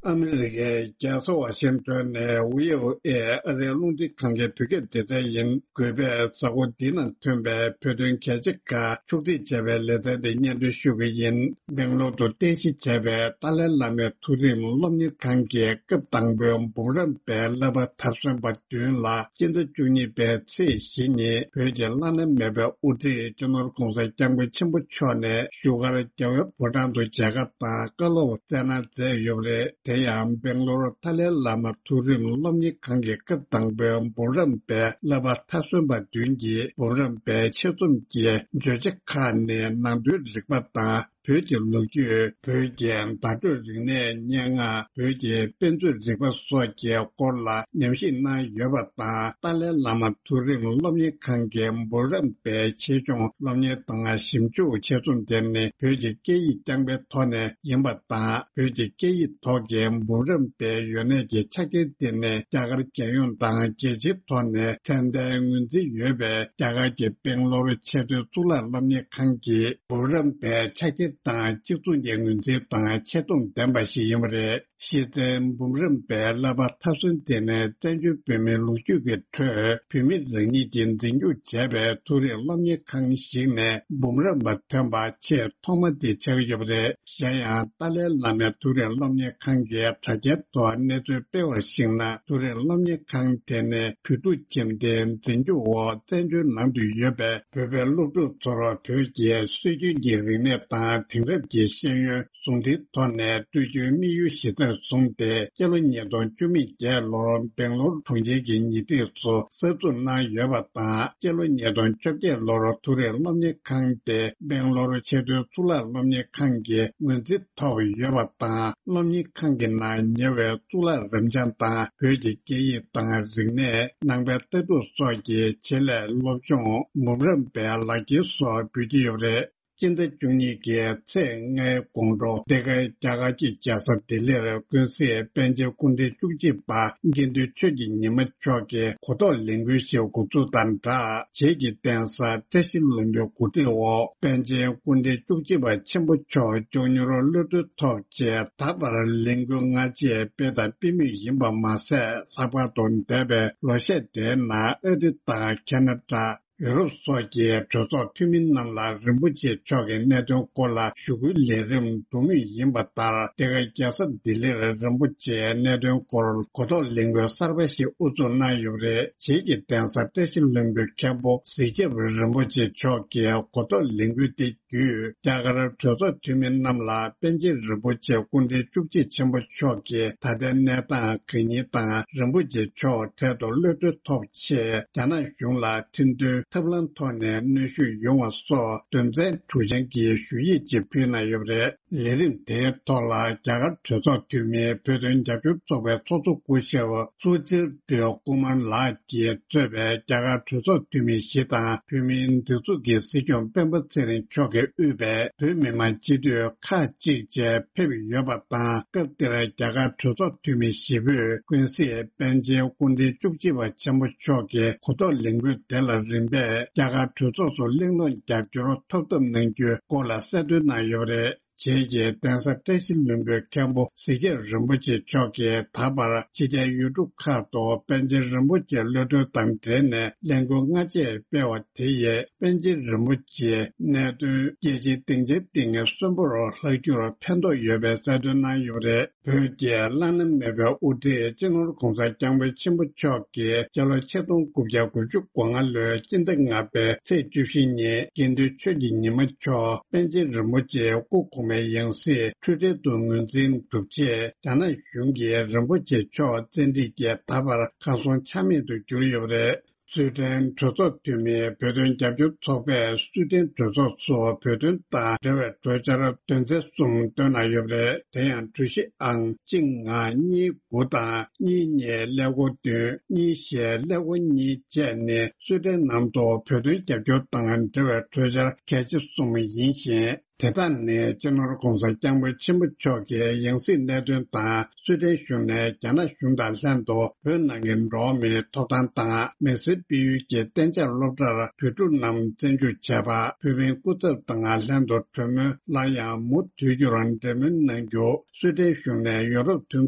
ཨ་མི་རི་ཀའི་རྒྱལ་ས་ཝ་ཤིང་ཊོན་ནས་བྷི་ཨོ་ཨེ་ཨ་རིའི་རླུང་འཕྲིན་ཁང་གི་བོད་སྐད་སྡེ་ཚན་ཡིན། གུས་པས་གཟའ་འཁོར་འདི་ནང་ཐོན་པའི་བོད་དོན་གལ་ཆེ་ཁག་ཕྱོགས་སྒྲིག་བྱས་པའི་ལེ་ཚན་འདི་སྙན་སྒྲོན་ཞུ་གི་ཡིན། སྦེང་ལོར་དུ་རྟེན་གཞི་བྱས་པའི་ཏཱ་ལའི་བླ་མའི་མཐོ་རིམ་སློབ་གཉེར་ཁང་གི་སྐབས་དང་པོའི་འབུམ་རམས་པའི་བསླབ་པ་མཐར་སོན་པ་བདུན་ལ་སྤྱི་ཟླ་བཅུ་གཉིས་པའི་ཚེས་བཞི་ཉིན་བོད་ཀྱི་བླ་ན་མེད་པའི་དབུ་ཁྲིད་སྤྱི་ནོར་༸གོང་ས་༸སྐྱབས་མགོན་ཆེན་པོ་མཆོག་ནས་བཞུགས་སྒར་རྒྱལ་བའི་ཕོ་བྲང་དུ་མཇལ་ཁ་དང་བཀའ་སློབ་སྩལ་གནང་མཛད་ཡོད་པ་རེད། དེ་ཡང་སྦེང་ལོར་ཏཱ་ལའི་བླ་མ་མཐོ་རིམ་སློབ་གཉེར་ཁང་གི་སྐབས་དང་པོའི་འབུམ་རམས་པའི་བསླབ་པ་མཐར་སོན་པ་བདུན་གྱིས་འབུམ་རམས་པའི་ཆེད་རྩོམ་གྱི་བརྗོད་བྱ་ཁག་ནི་ནང་དོན་རིག་པ་དང་། བོད་ཀྱི་ལོ་རྒྱུས། བོད་ཀྱི་བརྡ་སྤྲོད་རིག་གནས། སྙན་ངག་བོད་ཀྱི་དཔེ་མཛོད་རིག་པ་སོགས་ཀྱི་སྐོར་ལ་ཉམས་ཞིབ་གནང་ཡོད་པ་དང་། ཏཱ་ལའི་བླ་མ་མཐོ་རིམ་སློབ་གཉེར་ཁང་གི་འབུམ་རམས་པའི་ཆེད་སྦྱོང་སློབ་གཉེར་དང་ཞིབ་འཇུག་ཆེད་རྩོམ་དེ་ནི་བོད་ཀྱི་སྐད་ཡིག་རྐྱང་པའི་ཐོག་ནས་ཡིན་པ་དང་། བོད་ཀྱི་སྐད་ཡིག་ཐོག་གི་འབུམ་རམས་པའི་ཡོན་གནས་ཀྱི་ཆ་རྐྱེན་དེ་ནི་རྒྱ་གར་རྒྱལ་ཡོངས་དང་རྒྱལ་སྤྱིའི་ཐོག་ནས་ཚད་ལྡན་ངོས་འཛིན་ཡོད་པའི་རྒྱ་གར་གྱི་སྦེང་ལོར་ཆེས་མཐོའི་གཙུག་ལག་སློབ་གཉེར་ཁང་གི་འབུམ་རམས་པའི་ཆ་རྐྱེན་དང་གཅིག་མཚུངས་ཀྱི་ངོས་འཛིན་དང་ཆེ་མཐོང་ལྡན་པ་ཞིག་ཡིན་པ་རེད། གཞི་རྩའི་འབུམ་རམས་པའི་བསླབ་པ་མཐར་སོན་དེ་ནི་བཙན་བྱོལ་བོད་མིའི་ལོ་རྒྱུས་ཀྱི་ཁྲོད་བོད་མི་རང་ཉིད་ཀྱིས་འཛིན་སྐྱོང་བྱས་པའི་མཐོ་རིམ་སློབ་གཉེར་ཁང་ཞིག་ནས་འབུམ་རམས་པ་ཐོན་པ་ཆེས་ཐོག་མ་དེ་ཆགས་ཡོད་པ་རེད། གཞན་ཡང་ཏཱ་ལའི་བླ་མའི་མཐོ་རིམ་སློབ་གཉེར་ཁང་གི་དྲ་རྒྱའི་ཐོག་གནས་ཚུལ་སྤེལ་བར་གཞིགས་ན། མཐོ་རིམ་སློབ་གཉེར་ཁང་དེ་ནི་བོད་ཕྲུག་ཁྱིམ་སྡེའི་འཛིན་སྐྱོང་འོག་བཙན་བྱོལ་ནང་དུ་ཡོད་པའི་བོད་པའི་སློབ་ཕྲུག་ཚོར་བོད་ཀྱི་སྲོལ་རྒྱུན་གྱི་རིག་གནས་དང་ དེང་རབས་ཀྱི་ཤེས་ཡོན་ཟུང་འབྲེལ་ཐོག་ནས་སྤྲོད་རྒྱུའི་དམིགས་ཡུལ་གཞི་རྩར་བཟུང་སྟེ། སྤྱི་ལོ་ཉིས་སྟོང་བཅུ་མེད་བརྒྱད་ལོར་སྦེང་ལོར་གྲོང་ཁྱེར་གྱི་ཉེ་འཁྲིས་སུ་གསར་འཛུགས་གནང་ཡོད་པ་དང་། སྤྱི་ལོ་ཉིས་སྟོང་བཅོ་བརྒྱད་ལོར་མཐོ་རིམ་སློབ་གཉེར་ཁང་དེ་སྦེང་ལོར་ཆེས་མཐོའི་གཙུག་ལག་སློབ་གཉེར་ཁང་གི་ངོས་འཛིན་ཐོབ་ཡོད་པ་དང་། སློབ་གཉེར་ཁང་གི་ནང་ཉེ་བའི་གཙུག་ལག་རབ་འབྱམས་དང་། བོད་ཀྱི་སྐད་ཡིག་དང་རིག་གནས། ནང་པའི་ལྟ་གྲུབ་སོགས་ཀྱི་ཆེད་ལས་སློབ་སྦྱོང་། འབུམ་རམས་པའི་ལག་འཁྱེར་སོགས་འབུལ་གྱི་ཡོད་པ་རེད། སྤྱི་ཟླ་བཅུ་གཉིས་ཀྱི་ཚེས་ལྔའི་དགོང་དྲོ། འདི་ག་རྒྱ་གར་གྱི་རྒྱལ་ས་ལྡི་ལིར་ཀུན་གཟིགས་པཎ་ཆེན་སྐུ་ཕྲེང་བཅུ་གཅིག་པ་དགེ་འདུན་ཆོས་ཀྱི་ཉི་མ་མཆོག་གི་གོ་རྟོགས་ལས་འགུལ་ཞིག་འགོ་འཛུགས་དང་སྦྲགས། རྗེས་ཀྱི་གདན་ས་བཀྲ་ཤིས་ལྷུན་པོའི་གོ་སྒྲིག་འོག་པཎ་ཆེན་སྐུ་ཕྲེང་བཅུ་གཅིག་པ་ཆེན་པོ་མཆོག་མགྱོགས་མྱུར་གློད་གྲོལ་ཐོབ་ཆེད། ད་བར་ལས་འགུལ་སྔ་རྗེས་སྤེལ་དང་སྤེལ་མུས་ཡིན་པ་མ་ཟད། ལྷག་པར་དུ་འདས་པའི་ལོ་ཤས་དེའི་ནང་ཨ་རི་དང་ཁ་ན་ཌ། ཡུ་རོབ་སོགས་ཀྱི་གྲོས་ཚོགས་འཐུས་མི་རྣམས་ལ་རིན་པོ་ཆེ་མཆོག་གི་གནད་དོན་སྐོར་ལ་ཞུ་སྐུལ་ལས་རིམ་འགྲོ་མུས་ཡིན་པ་ལྟར། འདི་ག་རྒྱལ་ས་ལྡི་ལིར་རིན་པོ་ཆེའི་གནད་དོན་སྐོར་གོ་རྟོགས་ལས་འགུལ་གསར་པ་ཞིག་དབུ་འཛུགས་གནང་ཡོད་པ་རེད། རྗེས་ཀྱི་གདན་ས་བཀྲ་ཤིས་ལྷུན་པོའི་མཁན་པོ་གཟི་ཆབ་རིན་པོ་ཆེ་མཆོག་གིས་གོ་རྟོགས་ལས་འགུལ་དེ་བརྒྱུད། རྒྱ་གར་གྲོས་ཚོགས་འཐུས་མི་རྣམས་ལ་པཎ་ཆེན་རིན་པོ་ཆེ་སྐུ་ཕྲེང་བཅུ་གཅིག་ཆེན་པོ་མཆོག་གི་ད་ལྟའི་གནས་སྟངས་གང་ཡིན་དང་། རིན་པོ་ཆེ་མཆོག་འཕྲལ་དུ་གློད་གྲོལ་ཐོབ་ཆེད། རྒྱ་ནག་གཞུང་ལ་ཁྲིམས་མཐུན་ཐབས་ལམ་ཐོག་ནས་གནོན་ཤུགས་ཡོང་བ་སོགས་དོན་ཚན་དྲུག་ཅན་གྱི་ཞུ་ཡིག་ཅིག་ཕུལ་གནང་ཡོད་པ་རེད། ལས་རིམ་དེའི་ཐོག་ལ། རྒྱ་གར་གྲོས་ཚོགས་འཐུས་མི་བོད་དོན་རྒྱབ་སྐྱོར་ཚོགས་པའི་ཚོགས་གཙོ་སྐུ་ཞབས་སུ་ཙིར་སྒྲོལ་ཀུ་མར་ལགས་ཀྱིས་གཙོས་པའི་རྒྱ་གར་གྲོས་ཚོགས་འཐུས་མི་བཞི་དང་། བོད་མིའི་སྒྲིག་འཛུགས་ཀྱི་སྲིད་སྐྱོང་སྤེན་པ་ཚེ་རིང་མཆོག་གིས་དབུས་པའི་བོད་མི་མང་སྤྱི་འཐུས་ཁག་ཅིག་བཅས་ཕེབས་ཡོད་པ་དང་། སྐབས་དེར་རྒྱ་གར་གྲོས་ཚོགས་འཐུས་མི་བཞི་པོས་ཀུན་གཟིགས་པཎ་ཆེན་སྐུ་ཕྲེང་བཅུ་གཅིག་པ་ཆེན་པོ་མཆོག་གི་གོ་རྟོགས་ལས་འགུལ་དེ་ལ་རིམ་པས་རྒྱ་གར་གྲོས་ཚོགས་སུ་གླེང་སློང་རྒྱབ་སྐྱོར་ཐོབ་ཐབས་གནང་རྒྱུའི་སྐོར་ལ་གསལ་སྟོན་གནང་ཡོད་པ་རེད། རྗེས་ཀྱི་གདན་ས་བཀྲ་ཤིས་ལྷུན་པོའི་མཁན་པོ་གཟི་བརྗིད་རིན་པོ་ཆེ་མཆོག་གིས། ད་བར་ཕྱི་རྒྱལ་ཡུལ་གྲུ་ཁག་ཏུ་པཎ་ཆེན་རིན་པོ་ཆེ་གློད་གྲོལ་དང་འབྲེལ་ནས་ལས་འགུལ་སྔ་རྗེས་སྤེལ་བ་དེ་ཡིས། པཎ་ཆེན་རིན་པོ་ཆེའི་གནད་དོན་རྒྱལ་སྤྱིའི་སྡིངས་ཆའི་སྟེང་གསོན་པོར་ལྷག་རྒྱུར་ཕན་ཐོགས་ཡོད་པའི་གསལ་སྟོན་གནང་ཡོད་པ་རེད། བོད་ཀྱི་བླ་ན་མེད་པའི་དབུ་ཁྲིད་སྤྱི་ནོར་༧གོང་ས་༧སྐྱབས་མགོན་ཆེན་པོ་མཆོག་གིས་སྤྱི་ལོ་ཆིག་སྟོང་དགུ་བརྒྱ་དགུ་བཅུ་གོ་ལྔ་ལོའི་སྤྱི་ཟླ་ལྔ་པའི་ཚེས་བཅུ་བཞི་ཉིན། དགེ་འདུན་ཆོས་ཀྱི་ཉི་མ་མཆོག་པཎ་ཆེན་རིན་པོ་ཆེའི་སྐུ་གོང་མའི་ཡང་སྲིད་འཁྲུལ་བྲལ་དུ་ངོས་འཛིན་གྲུབ་ཆེད། རྒྱ་ནག་གཞུང་གིས་རིན་པོ་ཆེ་མཆོག་བཙན་ཁྲིད་ཀྱིས་ད་བར་གར་སོང་ཆ་མེད་དུ་གྱུར་ཡོད་པ་རེད། སུའེ་ཏེན་གྲོས་ཚོགས་འཐུས་མིའི་བོད་དོན་རྒྱབ་སྐྱོར་ཚོགས་པས་སུའེ་ཏེན་གྲོས་ཚོགས་སུ་བོད་དོན་དང་འབྲེལ་བའི་གྲོས་འཆར་དོན་ཚན་གསུམ་བཏོན་གནང་ཡོད་པ་རེད། དེ་ཡང་གྲོས་གཞི་ཨང་གཅིག་ལྔ་གཉིས་དགུ་དང་གཉིས་གཉིས་ཀླད་ཀོར་བདུན། གཉིས་བཞི་ཀླད་ཀོར་གཉིས་བཅས་ནི་སུའེ་ཏེན་ནང་དུ་བོད་དོན་རྒྱབ་སྐྱོར་དང་འབྲེལ་བའི་གྲོས་འཆར་གལ་ཆེ་གསུམ་ཡིན་ཞིང་། དེ་དག་ནི་སྤྱི་ནོར་༧གོང་ས་༧སྐྱབས་མགོན་ཆེན་པོ་མཆོག་གི་ཡང་སྲིད་གནད་དོན་དང་། སུའེ་ཏེན་གཞུང་ནས་རྒྱ་ནག་གཞུང་དང་ལྷན་དུ་བོད་ནང་གི་འགྲོ་བ་མིའི་ཐོབ་ཐང་དང་། མི་སེར་སྤེལ་ཡུལ་གྱི་གཏན་འཇགས་སློབ་གྲྭར་བོད་ཕྲུག་རྣམས་བཙན་འཇུག་བྱས་པ། བོད་མིའི་སྐུ་ཚབ་དང་ལྷན་དུ་གྲོས་མོལ་སླར་ཡང་མུ་མཐུད་རྒྱུར་འབྲེལ་མོལ་གནང་རྒྱུ། སུའེ་ཏེན་གཞུང་ནས་ཡུ་རོབ་མཐུན་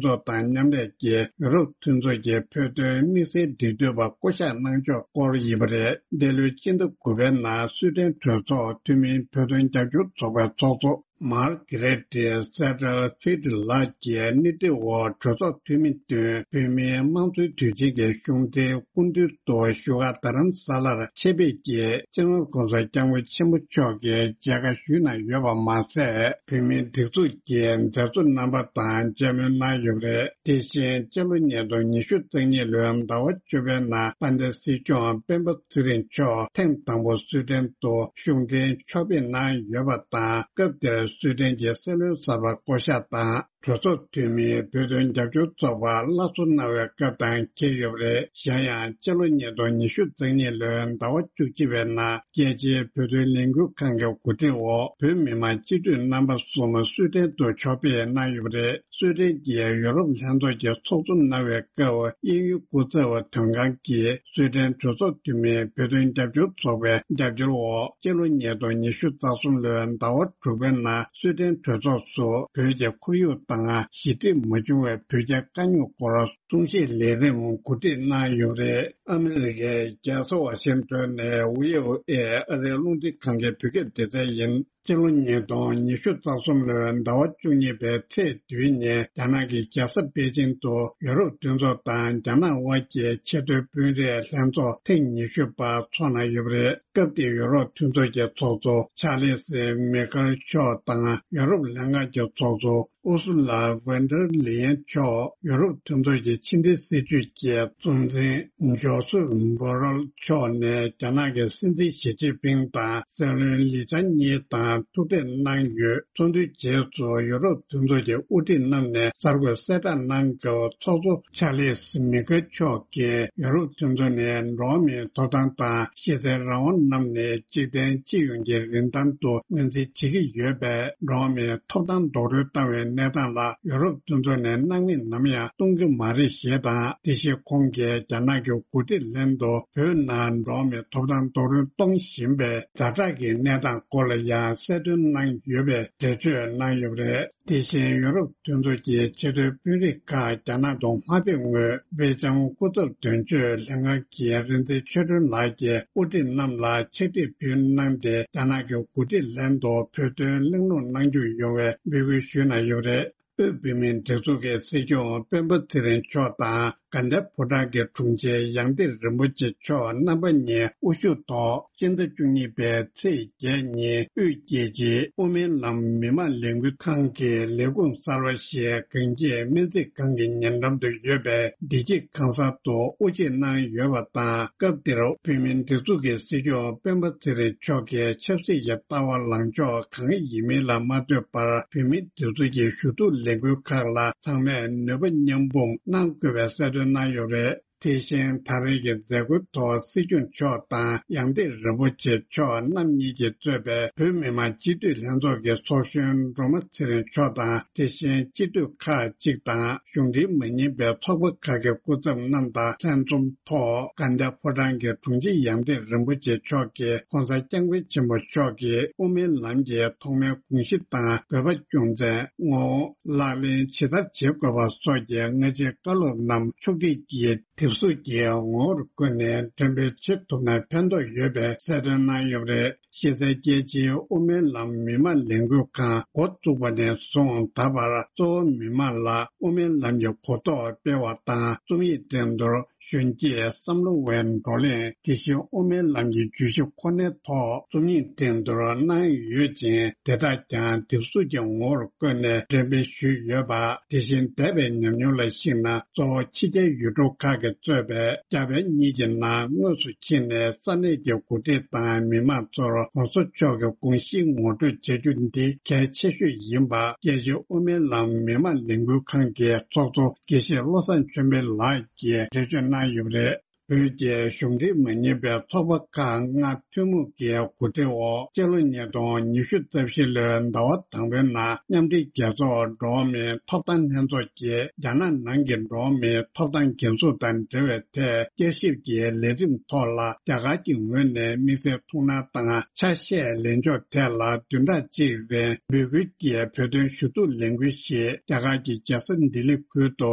ཚོགས་དང་མཉམ་ལས་ཀྱིས་ཡུ་རོབ་མཐུན་ཚོགས་ཀྱི་བོད་དོན་དམིགས་བསལ་འབྲེལ་མཐུད་པ་བསྐོ་གཞག་གནང་ཕྱོགས་སྐོར་ཡིན་པ་རེད། འདི་ལོའི་སྤྱི་ཟླ་དགུ་པའི་ནང་སུའེ་ཏེན་གྲོས་ཚོགས་འཐུས་མིའི་བོད་དོན་རྒྱབ་སྐྱོར་ཚོགས་པའི་ཚོགས་གཙོ་མར་གྷི་རེ་ཏི་སེ་ཏལ་ཕིལ་ལགས་ཀྱིས་སྣེ་ཁྲིད་འོག་གྲོས་ཚོགས་འཐུས་མི་བདུན། བོད་མིའི་དམངས་གཙོའི་དུས་ཆེན་གྱི་གཞུང་འབྲེལ་སྐུ་མདུན་དུ་བཞུགས་སྒར་རྡ་རམ་ས་ལར་ཆེད་ཕེབས་ཀྱིས་སྤྱི་ནོར་༧གོང་ས་༧སྐྱབས་མགོན་ཆེན་པོ་མཆོག་གི་མཇལ་ཁ་ཞུས་གནང་ཡོད་པ་མ་ཟད། བོད་མིའི་སྒྲིག་འཛུགས་ཀྱི་མཛད་གཙོ་རྣམ་པ་དང་མཇལ་མོལ་གནང་ཡོད་པ་རེད། དེ་བཞིན་སྤྱི་ལོ་ཉིས་སྟོང་ཉི་ཤུ་རྩ་གཉིས་ལོའི་ཟླ་བ་བཅུ་པའི་ནང་དཔལ་ལྡན་སྲིད་སྐྱོང་སྤེན་པ་ཚེ་རིང་མཆོག་ཐེངས་དང་པོ་སུའེ་ཏེན་དུ་གཞུང་འབྲེལ་ཕྱོགས་ཕེབས་གནང་ཡོད་པ་དང་། སྐབས་དེར་སུའེ་ཏེན་གྱི་སྲིད་བློན་གསར་པ་བསྐོ་གཞག་དང་། གྲོས་ཚོགས་འཐུས་མིའི་བོད་དོན་རྒྱབ་སྐྱོར་ཚོགས་པ་སླར་གསོ་གནང་བའི་སྐབས་དང་འཁེལ་ཡོད་པ་རེད། གཞན་ཡང་སྤྱི་ལོ་ཉིས་སྟོང་ཉི་ཤུ་རྩ་གཉིས་ལོའི་ཟླ་བ་བཅུ་གཅིག་པའི་ནང་རྒྱལ་སྤྱིའི་བོད་དོན་ལས་འགུལ་ཁང་གི་གོ་སྒྲིག་འོག་བོད་མི་མང་སྤྱི་འཐུས་རྣམ་པ་གསུམ་སུའེ་ཏེན་དུ་ཕྱོགས་ཕེབས་གནང་ཡོད་པ་རེད། སུའེ་ཏེན་གྱི་ཡུ་རོབ་ལྷན་ཚོགས་ཀྱི་ཚོགས་གཙོ་གནང་བའི་སྐབས། དབྱིན་ཡུལ་སྐུ་ཚབ་དོན་ཁང་གིས་སུའེ་ཏེན་གྲོས་ཚོགས་འཐུས་མིའི་བོད་དོན་རྒྱབ་སྐྱོར་ཚོགས་པའི་རྒྱབ་སྐྱོར་འོག་སྤྱི་ལོ་ཉིས་སྟོང་ཉི་ཤུ་རྩ་གསུམ་ལོའི་ཟླ་བ་དྲུག་པའི་ནང་སུའེ་ཏེན་གྲོས་ཚོགས་སུ་བོད་ཀྱི་ཁོར་ཡུག་དང་ཞི་འགྲིག་མ་བྱུང་བའི་བོད་རྒྱའི་དཀའ་རྙོག་སྐོར། གཏོང་བཤེར་ལས་རིམ་གོ་སྒྲིག་གནང་ཡོད་པ་རེད། ཨ་མི་རི་ཀའི་རྒྱལ་ས་ཝ་ཤིང་ཏོན་ནས་བྷི་ཨོ་ཨེ་ཨ་རིའི་རླུང་འཕྲིན་ཁང་གི་བོད་སྐད་སྡེ་ཚན་ཡིན། སྤྱི་ལོ་ཉིས་སྟོང་ཉི་ཤུ་རྩ་གསུམ་ལོའི་ཟླ་བ་བཅུ་གཉིས་པའི་ཚེས་བདུན་ཉིན་རྒྱ་ནག་གི་རྒྱལ་ས་པེ་ཅིང་དུ་ཡུ་རོབ་མཐུན་ཚོགས་དང་རྒྱ་ནག་དབར་གྱི་ཆེས་མཐོའི་དཔོན་རིགས་ལྷན་ཚོགས་ཐེངས་ཉི་ཤུ་པ་འཚོགས་གནང་ཡོད་པ་རེད། སྐབས་དེའི་ཡུ་རོབ་མཐུན་ཚོགས་ཀྱི་ཚོགས་གཙོ་ཆཱ་ལི་སི་མི་ཁེལ་མཆོག་དང་ཡུ་རོབ་ལྷན་ཁང་གི་ཚོགས་གཙོ་ཨུ་སུ་ལ་ཝན་ཌར་ལེ་ཡན་མཆོག་ཡུ་རོབ་མཐུན་ཚོགས་ཀྱི་ཕྱི་འབྲེལ་སྲིད་ཇུས་ཀྱི་གཙོ་འཛིན་ཇོ་སུབ་བྷོ་རལ་མཆོག་ནས་རྒྱ་ནག་གི་སྲིད་འཛིན་ཞི་ཅིན་ཕིང་དང་སྲིད་བློན་ལི་ཆང་གཉིས་དང་ཐུག་འཕྲད་གནང་ཡོད། ཚོགས་འདུའི་རྗེས་སུ་ཡུ་རོབ་མཐུན་ཚོགས་ཀྱི་དབུ་ཁྲིད་རྣམས་ནས་གསར་འགོད་གསལ་བསྒྲགས་གནང་སྐབས། ཚོགས་གཙོ་ཆཱ་ལིས་མི་ཁེལ་མཆོག་གིས་ཡུ་རོབ་མཐུན་ཚོགས་ནས་འགྲོ་བ་མིའི་ཐོབ་ཐང་དང་གཞི་རྩའི་རང་དབང་རྣམས་ནི་འཇིག་རྟེན་སྤྱི་ཡོངས་ཀྱི་རིན་ཐང་དུ་ངོས་འཛིན་བྱེད་ཀྱི་ཡོད་པས། འགྲོ་བ་མིའི་ཐོབ་ཐང་རྡོག་རོལ་བཏང་བའི་གནས་སྟངས་ལ་ཡུ་རོབ་མཐུན་ཚོགས་ནས་སྣང་མེད་ནམ་ཡང་གཏོང་གི་མ་རེད་ཞེས་དང་། དེ་བཞིན་ཁོང་གིས་རྒྱ་ནག་གི་འགོ་ཁྲིད་ལྷན་དུ་བོད་ནང་འགྲོ་བ་མིའི་ཐོབ་ཐང་རྡོག་རོལ་གཏོང་བཞིན་པའི་ཛ་དྲག་གི་གནས་སྟངས་སྐོར་ལ་ཡང་གསལ་སྟོན་གནང་ཡོད་པའི་འགྲེལ་བརྗོད་གནང་ཡོད་པ་རེད། དེ་བཞིན་ཡུ་རོབ་མཐུན་ཚོགས་ཀྱི་ཆེས་མཐོའི་དཔོན་རིགས་ཁག་རྒྱ་ནག་ཏུ་མ་ཕེབས་སྔོན། སྦེལ་ཇམ་སྐུ་ཚབ་དོན་གཅོད་ལྷན་ཁང་གི་རིག་འཛིན་ཆོས་སྒྲོན་ལགས་ཀྱིས་དབུ་ཁྲིད་རྣམས་ལ་ཕྱག་བྲིས་ཕུལ་གནང་སྟེ། རྒྱ་ནག་གི་འགོ་ཁྲིད་ལྷན་དུ་བོད་དོན་གླེང་སློང་གནང་རྒྱུ་ཡོང་བའི་འབོད་སྐུལ་ཞུས་གནང་ཡོད་པ་རེད། དབུས་བོད་མིའི་སྒྲིག་འཛུགས་ཀྱི་སྲིད་སྐྱོང་སྤེན་པ་ཚེ་རིང་མཆོག་དང་། དགའ་ལྡན་ཕོ་བྲང་གི་དྲུང་ཆེ་ཡང་ཏི་རིན་པོ་ཆེ་མཆོག་རྣམ་པ་གཉིས་དབུ་བཞུགས་ཐོག་སྤྱི་ཟླ་བཅུ་གཉིས་པའི་ཚེས་བརྒྱད་ཉིན་དབུས་རྒྱལ་སྤྱིའི་དབུ་མའི་ལམ་མི་མང་ལས་འགུལ་ཁང་གི་ལས་ཁུངས་གསར་པ་ཞིག་གངས་སྐྱིད་སྨན་རྩིས་ཁང་གི་ཉེ་འགྲམ་དུ་ཡོད་པའི་བདེ་སྐྱིད་ཁང་གསར་དུ་དབུ་འབྱེད་གནང་ཡོད་པ་དང་། སྐབས་དེར་བོད་མིའི་སྒྲིག་འཛུགས་ཀྱི་སྲིད་སྐྱོང་སྤེན་པ་ཚེ་རིང་མཆོག་གི་ཆབ་སྲིད་ཀྱི་ལྟ་བ་ལངས་ཕྱོགས་གང་ཡིན་མིན་ལ་མ་ལྟོས་པར། བོད་མིའི་སྒྲིག་འཛུགས་ཀྱི་ཞུ་གཏུག་ལས་འགུལ་ཁག་ལ་ཚང་མས་ནུས་པ་མཉམ་སྤུངས་གནང་དགོས་པའི་གསལ་སྟོན་གནང་ཡོད་རེད། དེ་བཞིན་ད་རེས་ཀྱི་མཛད་སྒོའི་ཐོག་སྲིད་སྐྱོང་མཆོག་དང་ཡང་ཏི་རིན་པོ་ཆེ་མཆོག་རྣམ་གཉིས་ཀྱིས་གཙོས་པའི་བོད་མི་མང་སྤྱི་འཐུས་ལྷན་ཚོགས་ཀྱི་ཚོགས་གཞོན་སྒྲོལ་མ་ཚེ་རིང་མཆོག་དང་། དེ་བཞིན་སྤྱི་འཐུས་ཁག་ཅིག་དང་གཞུང་འབྲེལ་མ་ཡིན་པའི་ཚོགས་པ་ཁག་གི་སྐུ་ཚབ་རྣམས་དང་ལྷན་འཛོམས་ཐོག་དགའ་ལྡན་ཕོ་བྲང་གི་དྲུང་ཆེ་ཡང་ཏི་རིན་པོ་ཆེ་མཆོག་གིས་༸གོང་ས་༸སྐྱབས་མགོན་ཆེན་པོ་མཆོག་གིས་དབུ་མའི་ལམ་གྱི་ཐོག་མའི་དགོངས་གཞི་དང་དགོས་པ་རྒྱུ་མཚན། ངོ་བོ། ལག་ལེན་ཇི་ལྟར་བྱེད་དགོས་པ་སོགས་ཀྱི་སྔ་ཕྱིའི་བཀའ་སློབ་རྣམས་ཕྱོགས་སྒྲིག་གིས་དེབ་གཟུགས་ཀྱི་ངོ་བོར་བཀོད་ནས་འགྲེམས་སྤེལ་བྱེད་ཐུབ་ན་ཕན་ཐོགས་ཡོད་པའི་གསལ་སྟོན་གནང་ཡོད་པ་རེད། གཞི་རྩའི་རྒྱལ་སྤྱིའི་དབུ་མའི་ལམ་མི་མང་ལས་འགུལ་ཁང་འགོ་བཙུགས་པ་ནས་བཟུང་ད་བར་གཙོ་བོ་མི་མང་ལ་དབུ་མའི་ལམ་གྱི་གོ་རྟོགས་སྤེལ་བ་དང་། རྩོམ་ཡིག་འགྲན་བསྡུར། གཞོན་སྐྱེས་བསམ་བློ་བའི་བགྲོ་གླེང་། དེ་བཞིན་དབུ་མའི་ལམ་གྱི་བརྗོད་གཞི་ཁོ་ནའི་ཐོག་རྩོམ་ཡིག་འགྲན་བསྡུར་གནང་ཡོད་ཅིང་། དེ་དག་ཀྱང་དེབ་གཟུགས་ཀྱི་ངོ་བོར་བཀོད་ནས་འགྲེམས་སྤེལ་ཞུས་ཡོད་པ། དེ་བཞིན་འདས་པའི་ཉམས་མྱོང་ལ་གཞིགས་ན། གཙོ་བོ་ཕྱི་རྒྱལ་ཡུལ་གྲུ་ཁག་གིས་གཙོས་པའི་རྒྱ་བལ་གཉིས་ཀྱི་ནང་དངོས་སུ་ཕྱིན་ནས་ས་གནས་ཀྱི་འགོ་ཁྲིད་དང་མི་མང་ཚོར་༸གོང་ས་མཆོག་གི་དགོངས་གཞི་ངོ་སྤྲོད་བྱ་རྒྱུ་འདི་གལ་ཆེ་ཤོས་ཡིན་པ། རྒྱལ་སྤྱིའི་དབུ་མའི་ལམ་མི་མང་ལས་འགུལ་ཁང་གི་ཚོགས་གཙོ་དགེ་བཤེས་བློ་བཟང་ཆོས་འཕེལ་ལགས་ཀྱིས་འགྲེལ་བརྗོད་གནང་ཡོད་པ་རེད། བོད་ཀྱི་གཞུང་འབྲེལ་མ་ཡིན་པའི་ཚོགས་པ་ཁག་ལྔ་ཐུན་མོང་གི་གོ་སྒྲིག་འོག་སྤྱི་ལོ་ཉིས་སྟོང་ཉི་ཤུ་རྩ་བཞི་ལོའི་ཟླ་བ་དང་པོའི་ནང་མཉམ་འབྲེལ་རྒྱལ་ཚོགས་འགྲོ་བ་མིའི་ཐོབ་ཐང་ལྷན་ཚོགས་ཀྱིས་རྒྱ་ནག་ནང་གི་འགྲོ་བ་མིའི་ཐོབ་ཐང་འགན་སྲུང་དང་འབྲེལ་བའི་ཐད་བསྐྱར་ཞིབ་ཀྱི་ལས་རིམ་ཐོག་ལ། རྒྱ་གར་གྱི་ངོས་ནས་དམིགས་བསལ་ཐུགས་སྣང་དང་ཆ་ཤས་ལེན་ཕྱོགས་ཐད་ལ་བདུན་ཕྲག་གཅིག་རིང་འབོད་སྐུལ་གྱི་བོད་དོན་ཞུ་གཏུག་ལས་འགུལ་ཞིག་རྒྱ་གར་གྱི་རྒྱལ་ས་ལྡི་ལི་ཁུལ་དུ་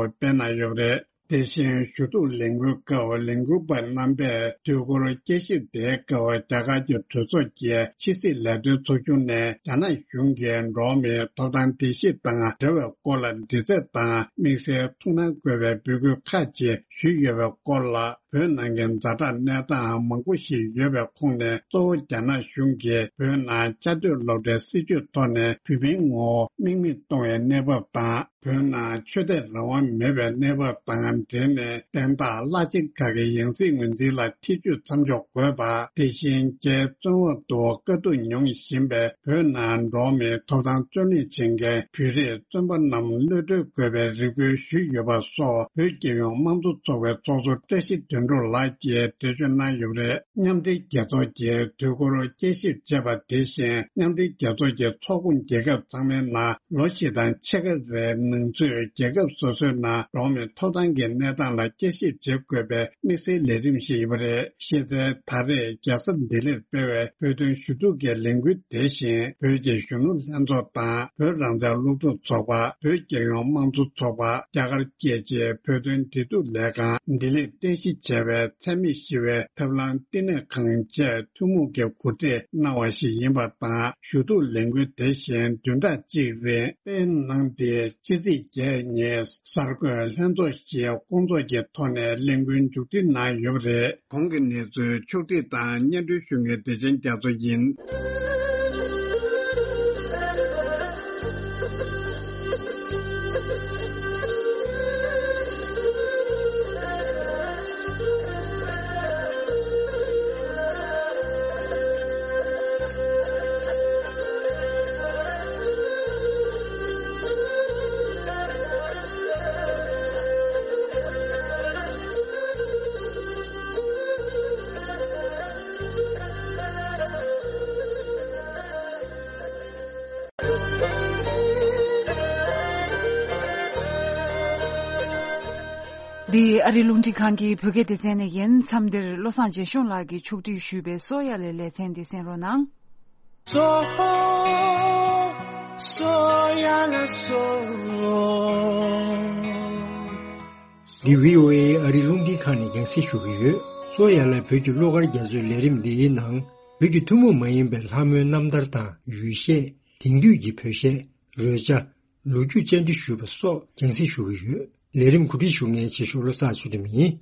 སྤེལ་གནང་ཡོད་པ་རེད། དེ་བཞིན་ཞུ་གཏུག་ལས་འགུལ་སྐབས་ལས་འགུལ་པ་རྣམ་པས་དུས་འཁོར་བསྐྱར་ཞིབ་དེའི་སྐབས་རྒྱ་གར་གྱི་གྲོས་ཚོགས་ཀྱི་ཕྱི་སྲིད་ལས་དོན་ཚོགས་ཆུང་ནས་རྒྱ་ནག་གཞུང་གིས་འགྲོ་བ་མིའི་ཐོབ་ཐང་བརྡལ་བཤིག་དང་འབྲེལ་བའི་སྐོར་ལ་འདྲི་རྩད་དང་དམིགས་བསལ་ཐུགས་སྣང་དགོས་པའི་འབོད་སྐུལ་ཁག་ཅིག་ཞུས་ཡོད་པའི་སྐོར་ལ། བོད་ནང་གི་ཛ་དྲག་གནས་སྟངས་མང་པོ་ཞིག་ཡོད་པའི་ཁོངས་ནས། གཙོ་བོ་རྒྱ་ནག་གཞུང་གིས་བོད་ནང་བཅའ་སྡོད་སློབ་གྲྭའི་སྲིད་བྱུས་ཐོག་ནས་བོད་མིའི་ངོ་བོ་རྨེག་མེད་གཏོང་བའི་གནས་བབ་དང་། བོད་ནང་ཆོས་དད་རང་དབང་མེད་པའི་གནས་བབ་དང་འབྲེལ་ནས། བསྟན་བདག་བླ་ཆེན་ཁག་གི་ཡང་སྲིད་ངོས་འཛིན་ལ་ཐེ་ཇུས་མཚམས་འཇོག་དགོས་པ། དེ་བཞིན་རྒྱའི་བཙོན་འོག་ཏུ་དཀའ་སྡུག་མྱོང་བཞིན་པའི་བོད་ནང་འགྲོ་བ་མིའི་ཐོབ་ཐང་རྩོད་ལེན་བྱེད་མཁན་བོད་རིགས་བཙོན་པ་རྣམས་གློད་གྲོལ་དགོས་པའི་རེ་སྐུལ་ཞུས་ཡོད་པ་སོགས། བོད་རྒྱལ་ཡོངས་དམངས་གཙོ་ཚོགས་པའི་ཚོགས་གཙོ་བཀྲ་ཤིས་དོན་ དོན་གྲུབ་ལགས་ཀྱིས་འགྲེལ་བརྗོད་གནང་ཡོད་པ་རེད། མཉམ་འབྲེལ་རྒྱལ་ཚོགས་ཀྱིས་དུས་འཁོར་དཔྱད་ཞིབ་བྱས་པ་དེ་བཞིན། མཉམ་འབྲེལ་རྒྱལ་ཚོགས་ཀྱི་ཚོགས་ཁོངས་རྒྱལ་ཁབ་ཚང་མའི་ནང་ལོ་བཞི་དང་ཕྱེད་ཀ་རེའི་ནང་ཚུད། རྒྱལ་ཁབ་སོ་སོའི་ནང་འགྲོ་བ་མིའི་ཐོབ་ཐང་གི་གནས་སྟངས་ལ་དཔྱད་ཞིབ་བྱེད་དགོས་པའི་དམིགས་བསལ་ལས་རིམ་ཞིག་ཡིན་པ་རེད། ཤེས་གསལ། ད་རེས་རྒྱལ་ས་ལྡི་ལིར་སྤེལ་བའི་བོད་དོན་ཞུ་གཏུག་གི་ལས་འགུལ་དེ་བཞིན། བོད་ཀྱི་གཞོན་ནུ་ལྷན་ཚོགས་དང་། བོད་རང་བཙན་སློབ་ཕྲུག་ཚོགས་པ། བོད་རྒྱལ་ཡོངས་དམངས་གཙོ་ཚོགས་པ། རྒྱ་གར་རྒྱལ་སྤྱིའི་བོད་དོན་འབྲེལ་གཏུག་ལས་ཁང་། ལྡི་ལིར་རྟེན་གཞི་བྱས་པའི་མཚན་སྨད་ཞི་བའི་ཐབས་ལམ་བསྟི་གནས་ཁང་བཅས་ཐུན་མོང་གི་གོ་སྒྲིག་གནང་བ་ཞིག་ཡིན་པ་དང་། ཞུ་གཏུག་ལས་འགུལ་དེ་བཞིན་བདུན་ཕྲག་གཅིག་རིང་སྤེལ་གནང་སྟེ། ཕྱི་ཚེས་བརྒྱད་ཉིན་གསར་འགོད་ལྷན་ཚོགས་ཤིག་སྐོང་ཚོགས་ཀྱི་ཐོག་ནས་ལས་འགུལ་མཇུག་སྒྲིལ་གནང་ཡོད་པ་རེད། གོང་གི་གནས་ཚུལ་ཕྱོགས་བསྒྲིགས་དང་སྙན་སྒྲོན་ཞུ་མཁན་བདེ་ཆེན་རྒྱ་མཚོ་ཡིན། འདི་ཨ་རི་རླུང་འཕྲིན་ཁང་གི་བོད་སྐད་སྡེ་ཚན་ནས་ཡིན། མཚམས་འདིར་བློ་བཟང་རྒྱལ་གཞུང་ལགས་ཀྱིས་ཕྱོགས་སྒྲིག་ཞུས་པའི་གསོ་ཡ་ལེ་ལེ་ཚན་འདི་གསན་རོགས་གནང་། གསོ་གསོ་ཡ་ལེ་གསོ། འདི་བྷི་ཨོ་ཨེ་ཨ་རི་རླུང་འཕྲིན་ཁང་ནས་རྒྱང་སྲིང་ཞུ་གི་ཡོད། གསོ་ཡ་ལེ་བོད་ཀྱི་བློ་དཀར་རྒྱ་མཚོའི་ལས་རིམ་འདིའི་ནང་། བོད་ཀྱི་ཐུན་མོང་མ་ཡིན་པའི་ལྷ་མོའི་རྣམ་ཐར་དང་ཡུལ་གཞས། དེང་དུས་ཀྱི་བོད་གཞས། རོལ་ཆ། ལོ་རྒྱུས་བཅར་འདྲི་ཞུས་པ་སོགས་རྒྱང་སྲིང་ཞུ་གི་ཡོད། ལས་རིམ་གོ་སྒྲིག་ཞུ་མཁན་རྗེ་ཤོག་བློ་བཟང་ཚུལ་ཁྲིམས་ཡིན།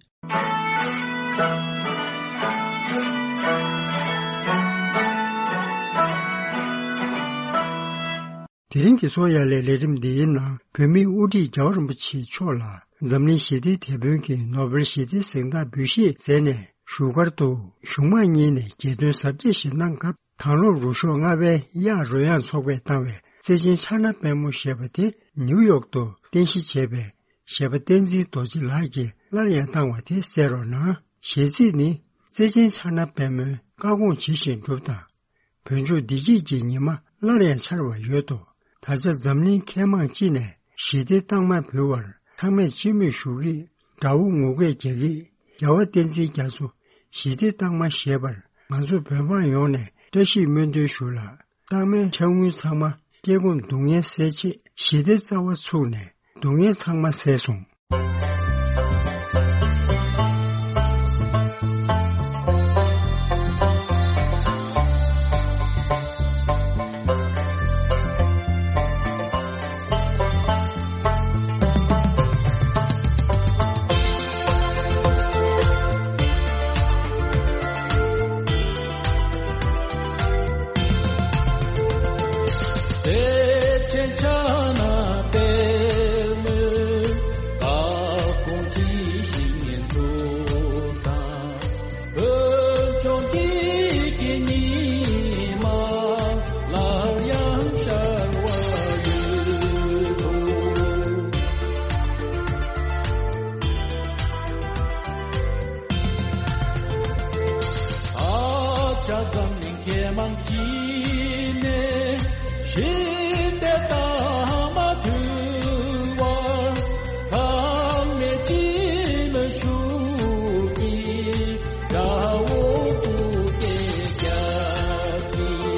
དེ་རིང་གི་གསོ་ཡ་ལེ་ལས་རིམ་འདིའི་ནང་། བོད་མིའི་དབུ་ཁྲིད་རྒྱལ་བ་རིན་པོ་ཆེ་མཆོག་ལ་འཛམ་གླིང་ཞི་བདེའི་དེད་དཔོན་གྱི་ནོ་བེལ་ཞི་བདེའི་གཟེངས་རྟགས་འབུལ་བཞེས་མཛད་ནས། བཞུགས་སྒར་དུ་གཞུང་མང་གཉིས་ནས་རྒྱལ་དོན་གཟབ་རྒྱས་ཤིག་གནང་སྐབས། དྭང་བླངས་རུ་ཤོག་ལྔ་པའི་གཡག་རོལ་དབྱངས་ཚོགས་པས་བཏང་བའི་བརྩེ་ཆེན་ཕྱག་ན་པདྨོ་ཞེས་པ་དེ་ནིའུ་ཡོག་ཏུ་རྟེན་གཞི་བྱས་པའི་གཞས་པ་བསྟན་འཛིན་རྡོ་རྗེ་ལགས་ཀྱིས་སླར་ཡང་བཏང་བ་དེ་གསན་རོགས་གནང་། གཞས་ཚིག་ནི། བརྩེ་ཆེན་ཕྱག་ན་པདྨོའི་བཀའ་དགོངས་ཇི་བཞིན་སྒྲུབ་དང་། བོད་ལྗོངས་བདེ་སྐྱིད་ཀྱི་ཉི་མ་སླར་ཡང་འཆར་བར་འོས་ཤོག། ད་ཆ་འཛམ་གླིང་མཁས་མང་སྤྱི་ནས་ཞི་བདེའི་རྟགས་མ་འབུལ་བར་ཚང་མས་སྤྱི་མོས་ཞུ་གི། དགྲ་བོ་ངུ་སྐད་རྒྱག་གི། རྒྱལ་བ་བསྟན་འཛིན་རྒྱ་མཚོ་ཞི་བདེའི་རྟགས་མ་བཞེས་པར་ང་ཚོ་བོད་འབངས་ཡོངས་ནས་བཀྲ་ཤིས་སྨོན་འདུན་ཞུ་ལ། རྟགས་མའི་ཕྱག་དངུལ་ཚང་མ་སྐྱེ་ཁམས་སྡུག་བསྔལ་སེལ་ཆེད་ཞི་བདེའི་རྩ་བ་ཚུགས་ནས་སྡུག་བསྔལ་ཚང་མ་སེལ་སོང་། ད་ཆ་འཛམ་གླིང་མཁས་མང་སྤྱི་ནས་ཞི་བདེའི་རྟགས་མ་ཕུལ་བར་ཚང་མས་སྤྱི་མོས་ཞུ་གི། དགྲ་བོ་སྡུག་སྐད་རྒྱག་གི།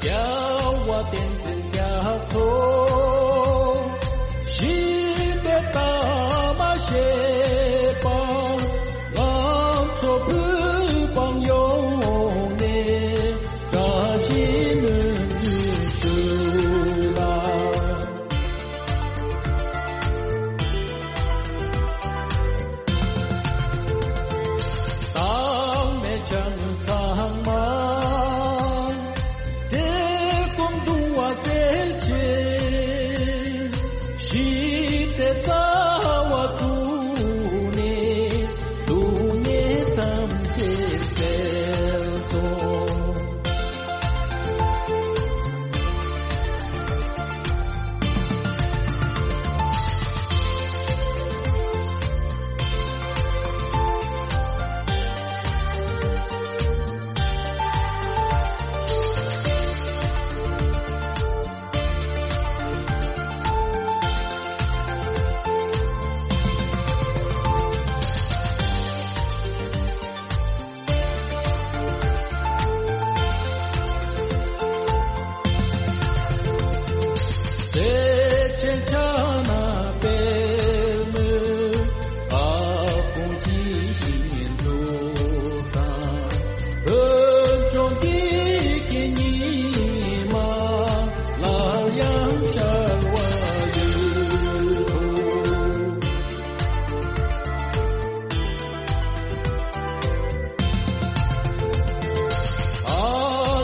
རྒྱལ་བ་བསྟན་འཛིན་རྒྱ་མཚོ་ཞི་བདེའི་རྟགས་མ་བཞེས་པ། ང་ཚོ་བོད་འབངས་ཡོངས་ནས་བཀྲ་ཤིས་སྨོན་འདུན་ཞུ་ལ།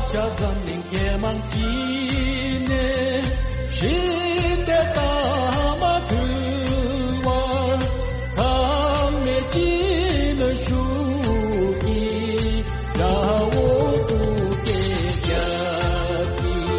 ཆ་འཛམ་གླིང་མཁས་མང་སྤྱི་ནས་ཞི་བདེ་དང་མ་མཐུན་བར་ཚང་མས་ཅི་ནུས་ཤུགས་ཀྱིས་དགྲ་བོ་ཐུག་འཕྲད་རྒྱག་གི།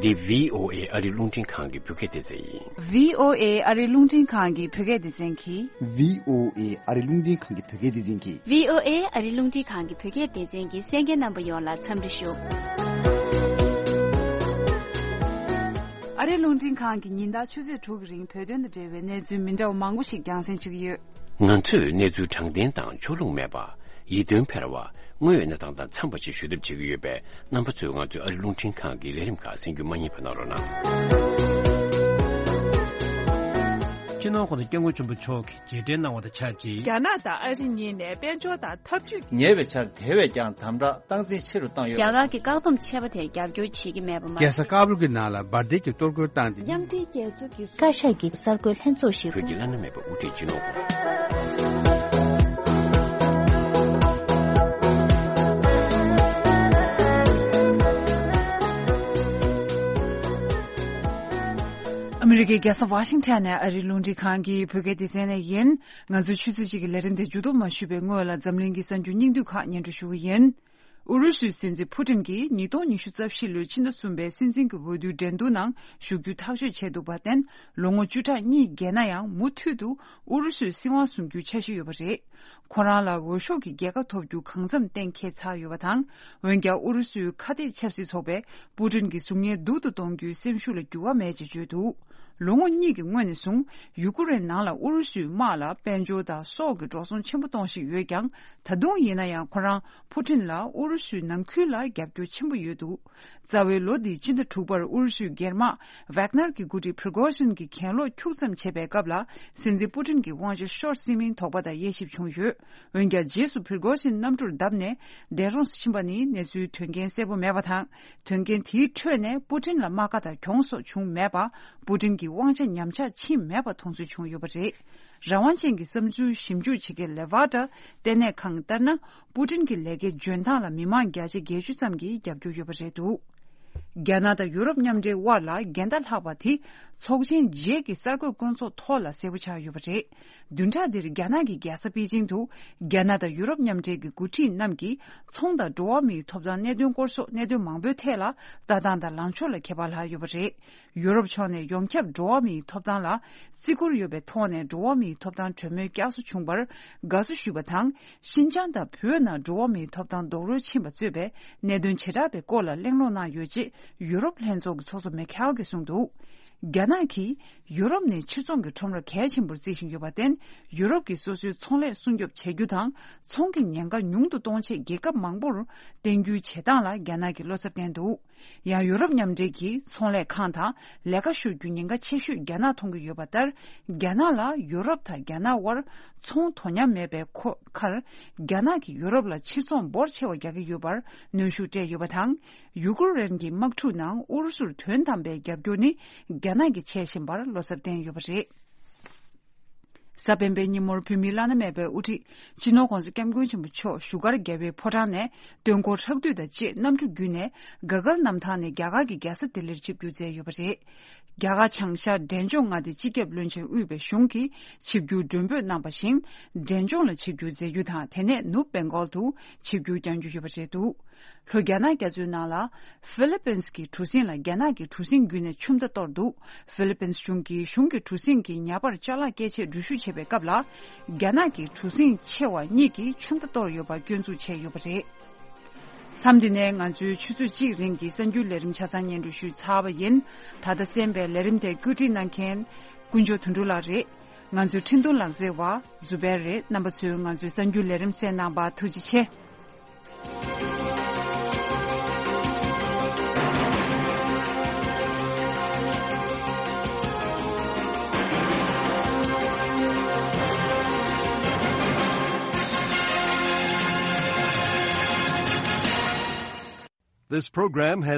འདི་བྷི་ཨོ་ཨེ་ཨ་རི་རླུང་འཕྲིན་ཁང་གི་བོད་སྐད་སྡེ་ཚན་ཡིན། བྷི་ཨོ་ཨེ་ཨ་རི་རླུང་འཕྲིན་ཁང་གི་བོད་སྐད་སྡེ་ཚན་གྱིས། བྷི་ཨོ་ཨེ་ཨ་རི་རླུང་འཕྲིན་ཁང་གི་བོད་སྐད་སྡེ་ཚན་གྱིས། བྷི་ཨོ་ཨེ་ཨ་རི་རླུང་འཕྲིན་ཁང་གི་བོད་སྐད་སྡེ་ཚན་གྱི་གསན་མཁན་རྣམ་པ་ཡོངས་ལ་འཚམས་འདྲི་ཞུ། ཨ་རི་རླུང་འཕྲིན་ཁང་གིས་ཉིན་ལྟར་ཆུ་ཚོད་དྲུག་གི་རིང་བོད་དོན་དང་འབྲེལ་བའི་གནས་ཚུལ་མི་འདྲ་བ་མང་པོ་ཞིག་རྒྱང་སྲིང་ཞུ་གི་ཡོད། ང་ཚོས་གནས་ཚུལ་དྲང་བདེན་དང་ཕྱོགས་ལྷུང་མེད་པ། ཡིད་རྟོན་འཕེར་བ། དངོས་ཡོད་གནས་སྟངས་དང་འཚམས་པ་ཞིག་ཞུ་ཐབས་བྱེད་ཀྱི་ཡོད་པས། རྣམ་པ་ཚོས་ང་ཚོའི་ཨ་རི་རླུང་འཕྲིན་ཁང་གི་ལས་རིམ་ཁག་གསན་རྒྱུ་མ་བསྙེལ་བ་གནང་རོགས་གནང་། སྤྱི་ནོར་༸གོང་ས་༸སྐྱབས་མགོན་ཆེན་པོ་མཆོག་གིས་རྗེས་དྲན་གནང་བ་དང་ཆབས་ཅིག་རྒྱ་ནག་དང་ཨ་རི་གཉིས་ནས་དཔལ་འབྱོར་དང་འཐབ་ཇུས། ཉེ་བའི་ཆར་དེ་བས་ཀྱང་དམ་དྲག་སྟངས་འཛིན་ཆེ་རུ་བཏང་ཡོད། རྒྱ་གར་གྱི་བཀག་སྡོམ་ཆད་པ་དེར་རྒྱབ་སྐྱོར་བྱེད་ཀྱི་མེད་པ་མ། རྒྱལ་ས་ཀ་བུལ་གྱི་ནང་ལ་འབར་མདེལ་གྱི་གཏོར་རྒོལ་བཏང་སྟེ། མཉམ་འབྲེལ་རྒྱལ་ཚོགས་ཀྱི་བཀའ་ཤག་གི་གསར་འགོད་ལྷན་ཚོགས་ཤིག་བོད་ཀྱི་བླ་ན་མེད་པ་དབུ་ཁྲིད་སྤྱི་ནོར་ཨ་མི་རི་ཀའི་རྒྱལ་ས་ཝ་ཤིང་ཊོན་ནས་ཨ་རིའི་རླུང་འཕྲིན་ཁང་གི་བོད་སྐད་སྡེ་ཚན་ནས་ཡིན། ང་ཚོའི་ཆུ་ཚོད་གཅིག་གི་ལས་རིམ་དེ་མཇུག་བསྡོམས་མ་ཞུས་པའི་སྔོན་ལ། འཛམ་གླིང་གི་གསར་འགྱུར་སྙིང་བསྡུས་ཁག་སྙན་སྒྲོན་ཞུ་གི་ཡིན། ཨུ་རུ་སུའི་སྲིད་འཛིན་ཕུ་ཊིན་གྱིས་ཉིས་སྟོང་ཉི་ཤུ་རྩ་བཞི་ལོའི་ཕྱི་ཟླ་གསུམ་པའི་སྲིད་འཛིན་གྱི་འོས་བསྡུའི་འགྲན་བསྡུར་ནང་ཞུགས་རྒྱུ་ཐག་གཅོད་བྱས་འདུག་པར་བརྟེན། ལོ་ངོ་བཅུ་ཕྲག་གཉིས་བརྒལ་ན་ཡང་མུ་མཐུད་དུ་ཨུ་རུ་སུའི་སྲིད་དབང་བཟུང་རྒྱུའི་འཆར་གཞི་ཡོད་པ་རེད། ཁོ་རང་ལ་འོས་ཤོག་གི་རྒྱལ་ཁ་ཐོབ་རྒྱུ་གང་འཚམ་གཏན་འཁེལ་ཚར་ཡོད་པ་དང་། འོན་ཀྱང་ཨུ་རུ་སུའི་ཁ་གཏད་ཆབ་སྲིད་ཚོགས་པས་པུ་ཏིན་གྱི་གཟུགས་བརྙན་སྡུག་ཏུ་གཏོང་རྒྱུའི་སེམས་ཤུགས་ལ་འགྱུར་བ་མེད་ཅེས་བརྗོད་འདུག་ལོ་ངོ་གཉིས་ཀྱི་སྔོན་ནས་བཟུང་ཡུ་ཀེ་རེན་ནང་ལ་ཨུ་རུ་སུའི་དམག་ལ་དཔལ་འབྱོར་དང་སྲོག་གི་འགྲོ་སོང་ཆེན་པོ་གཏོང་བཞིན་ཡོད་ཀྱང་། ད་དུང་ཡིན་ན་ཡང་ཁོ་རང་པུ་ཏིན་ལ་ཨུ་རུ་སུའི་ནང་ཁུལ་ལ་རྒྱབ་སྐྱོར་ཆེན་པོ་ཡོད་འདུག་རྩ་བའི་ལོ་འདིའི་སྤྱི་ཟླ་དྲུག་པར་ཨུ་རུ་སུའི་སྒེར་དམག་ཝག་ནར་གྱི་འགོ་ཁྲིད་པྲི་གོ་ཤིན་གྱི་གྱེན་ལོག་འཁྱུག་ཙམ་བྱེད་པའི་སྐབས་ལ། སྲིད་འཛིན་པུ་ཏིན་གྱི་དབང་ཆ་ཤོར་སྲིད་མིན་དོགས་པ་དང་དབྱེ་ཞིབ་བྱུང་ཡོད། འོན་ཀྱང་རྗེས་སུ་པྲི་གོ་ཤིན་གནམ་གྲུར་བརྡབས་ནས་འདས་གྲོངས་སུ་ཕྱིན་པ་ནི་གནས་ཚུལ་དོན་རྐྱེན་གསལ་པོ་མེད་པ་དང་། དོན་རྐྱེན་དེའི་ཁྲོད་ནས་པུ་ཏིན་ལ་རྨ་ཁ་དང་གྱོང་སོགས་བྱུང་མེད་པ། པུ་ཏིན་གྱི་དབང་ཆ་ཉམས་ཆག་ཕྱིན་མེད་པ་མཐོང་ཚུལ་བྱུང་ཡོད་པ་རེད། རང་དབང་ཅན་གྱི་བསམ་ཚུལ་ཞིབ་འཇུག་བྱེད་མཁན་ལེ་ཝར་ཊ་ལྟེ་གནས་ཁང་ལྟར་ན། པུ་ཏིན་གྱི་ལས་ཀའི་འཇོན་ཐང་ལ་མི་མང་བརྒྱ་ཆ་བརྒྱད་ཅུ་ཙམ་གྱིས་རྒྱབ་སྐྱོར་ཡོད་པ་རེད་འདུག་རྒྱ་ནག་དང་ཡུ་རོབ་མཉམ་འབྲེལ་དབར་ལ་འགལ་ཟླ་ལྷག་པ་དེ་ཚོགས་ཆེན་རྗེས་ཀྱི་གསར་འགོད་སྐོང་ཚོགས་ཐོག་ལ་གསལ་པོ་ཆགས་ཡོད་པ་རེད། བདུན་ཕྲག་འདིར་རྒྱ་ནག་གི་རྒྱལ་ས་པེ་ཅིང་དུ་རྒྱ་ནག་དང་ཡུ་རོབ་མཉམ་འབྲེལ་གྱི་འགོ་ཁྲིད་རྣམས་ཀྱིས་ཚོང་དང་འགྲོ་བ་མིའི་ཐོབ་ཐང་གནད་དོན་སྐོར་སོགས་གནད་དོན་མང་པོའི་ཐད་ལ་ལྟ་སྟངས་དང་ལངས་ཕྱོགས་ལ་ཁྱད་པར་ལྷག་ཡོད་པ་རེད། ཡུ་རོབ་ཕྱོགས་ནས་ཡོངས་ཁྱབ་འགྲོ་བ་མིའི་ཐོབ་ཐང་ལ་བརྩི་བཀུར་ཡོད་པའི་ཐོག་ནས་འགྲོ་བ་མིའི་ཐོབ་ཐང་གྲོས་མོལ་བསྐྱར་གསོ་བྱུང་བར་དགའ་བསུ་ཞུས་པ་དང་། ཤིན་ཅང་དང་བོད་ནང་འགྲོ་བ་མིའི་ཐོབ་ཐང་རྡོག་རོལ་ཕྱིན་པ་གཙོས་པའི་གནད་དོན་བྱེ་བྲག་པའི་སྐོར་ལ་གླེང་སློང་གནང་ཡོད་ཅེས་ཡུ་རོབ་ལྷན་ཚོགས་ཀྱི་ཚོགས་གཙོ་མེ་ཁལ་གྱིས་གསུངས་འདུག་རྒྱ་ནག་གིས་ཡུ་རོབ་ནས་ཕྱིར་ཚོང་གི་ཁྲོམ་ར་གལ་ཆེན་པོར་བརྩི་བཞིན་ཡོད་པར་བརྟེན། ཡུ་རོབ་ཀྱིས་སོ་སོའི་ཚོང་ལས་སྲུང་སྐྱོབ་བྱེད་རྒྱུ་དང་། ཚོང་གི་ཉེན་ཁ་ཉུང་དུ་གཏོང་ཆེད་རྒྱལ་ཁབ་མང་པོར་བརྟེན་རྒྱུའི་བྱེད་སྟངས་ལ་རྒྱ་ནག་གིས་བློ་འཚབ་བསྟན་འདུག་ཡང་ཡུ་རོབ་མཉམ་འབྲེལ་གྱིས་ཚོང་ལས་ཁང་དང་ལས་ཀ་ཞུགས་རྒྱུ་ཉེན་ཁ་ཆེ་ཤོས་རྒྱ་ནག་མཐོང་གི་ཡོད་པ་ལྟར། རྒྱ་ནག་ལ་ཡུ་རོབ་དང་རྒྱ་ནག་དབར་ཚོང་དོ་མཉམ་མེད་པའི་ཁོ་ཁར། རྒྱ་ནག་གིས་ཡུ་རོབ་ལ་ཕྱིར་ཚོང་འབོར་ཆེ་བ་རྒྱག་གི་ཡོད་པར་གནོན་ཤུགས་སྤྲད་ཡོད་པ་དང་། ཡུ་ཀེ་རེན་གྱི་དམག་འཁྲུག་ནང་ཨུ་རུ་སུར་དོན་དམ་པའི་རྒྱབ་སྐྱོར་ནི་རྒྱ་ནག་གིས་བྱེད་བཞིན་པར་བློ་འཚབ་བསྟན་ཡོད་པ་རེད། གཟའ་སྤེན་པའི་ཉིན་མོར་བོད་མིའི་བླ་ན་མེད་པའི་དབུ་ཁྲིད་སྤྱི་ནོར་༸གོང་ས་༸སྐྱབས་མགོན་ཆེན་པོ་མཆོག་བཞུགས་སྒར་རྒྱལ་བའི་ཕོ་བྲང་ནས་སྟོན་འཁོར་ཧྲག་བསྡུས་དང་བཅས་གནམ་གྲུ་བརྒྱུད་ནས་ག་གལ་གནམ་ཐང་ནས་རྒྱ་གར་གྱི་རྒྱལ་ས་ལྡི་ལིར་ཆིབས་བསྒྱུར་མཛད་ཡོད་པ་རེད། རྒྱ་གར་བྱང་ཤར་འབྲས་ལྗོངས་མངའ་སྡེའི་སྤྱི་ཁྱབ་བློན་ཆེན་དབུས་པའི་གཞུང་གིས་ཆིབས་བསྒྱུར་མགྲོན་འབོད་གནང་བ་བཞིན། འབྲས་ལྗོངས་ལ་ཆིབས་བསྒྱུར་མཛད་རྒྱུ་དང་། དེ་ནས་ནུབ་བེང་གོལ་དུ་ཆིབས་བསྒྱུར་བསྐྱང་རྒྱུ་ཡོད་པ་རེད་འདུག་ལྷོ་རྒྱ་ནག་རྒྱ་མཚོའི་ནང་ལ་ཧྥི་ལི་པིན་གྱི་གྲུ་གཟིངས་ལ་རྒྱ་ནག་གི་གྲུ་གཟིངས་བརྒྱུད་ནས་ཆུ་མདའ་གཏོར་འདུག་ཧྥི་ལི་པིན་གཞུང་གིས་གཞུང་གི་གྲུ་གཟིངས་ཀྱི་ཉ་པར་ཅ་ལག་སྐྱེལ་ཆེད་འགྲུལ་བཞུད་བྱེད་པའི་སྐབས་ལ། རྒྱ་ནག་གི་གྲུ་གཟིངས་ཆེ་བ་གཉིས་ཀྱིས་ཆུ་མདའ་གཏོར་ཡོད་པ་སྐྱོན་འཛུགས་བྱས་ཡོད་པ་རེད། མཚམས་འདི་ནས་ང་ཚོའི་ཆུ་ཚོད་གཅིག་རིང་གི་གསར་འགྱུར་ལས་རིམ་ཆ་ཚང་སྙན་སྒྲོན་ཞུས་ཚར་བ་ཡིན། ད་ལྟ་གསན་པའི་ལས་རིམ་དེ་བཀོད་སྒྲིག་གནང་མཁན་དཀོན་མཆོག་དོན་གྲུབ་ལགས་རེད། ང་ཚོའི་འཕྲིན་གཏོང་ལག་རྩལ་བ་ཟུ་བེར་རེད། རྣམ་པ་ཚོས་ང་ཚོའི་གསར་འགྱུར་ལས་རིམ་གསན་གནང་བར་ཐུགས་རྗེ་ཆེ། This program has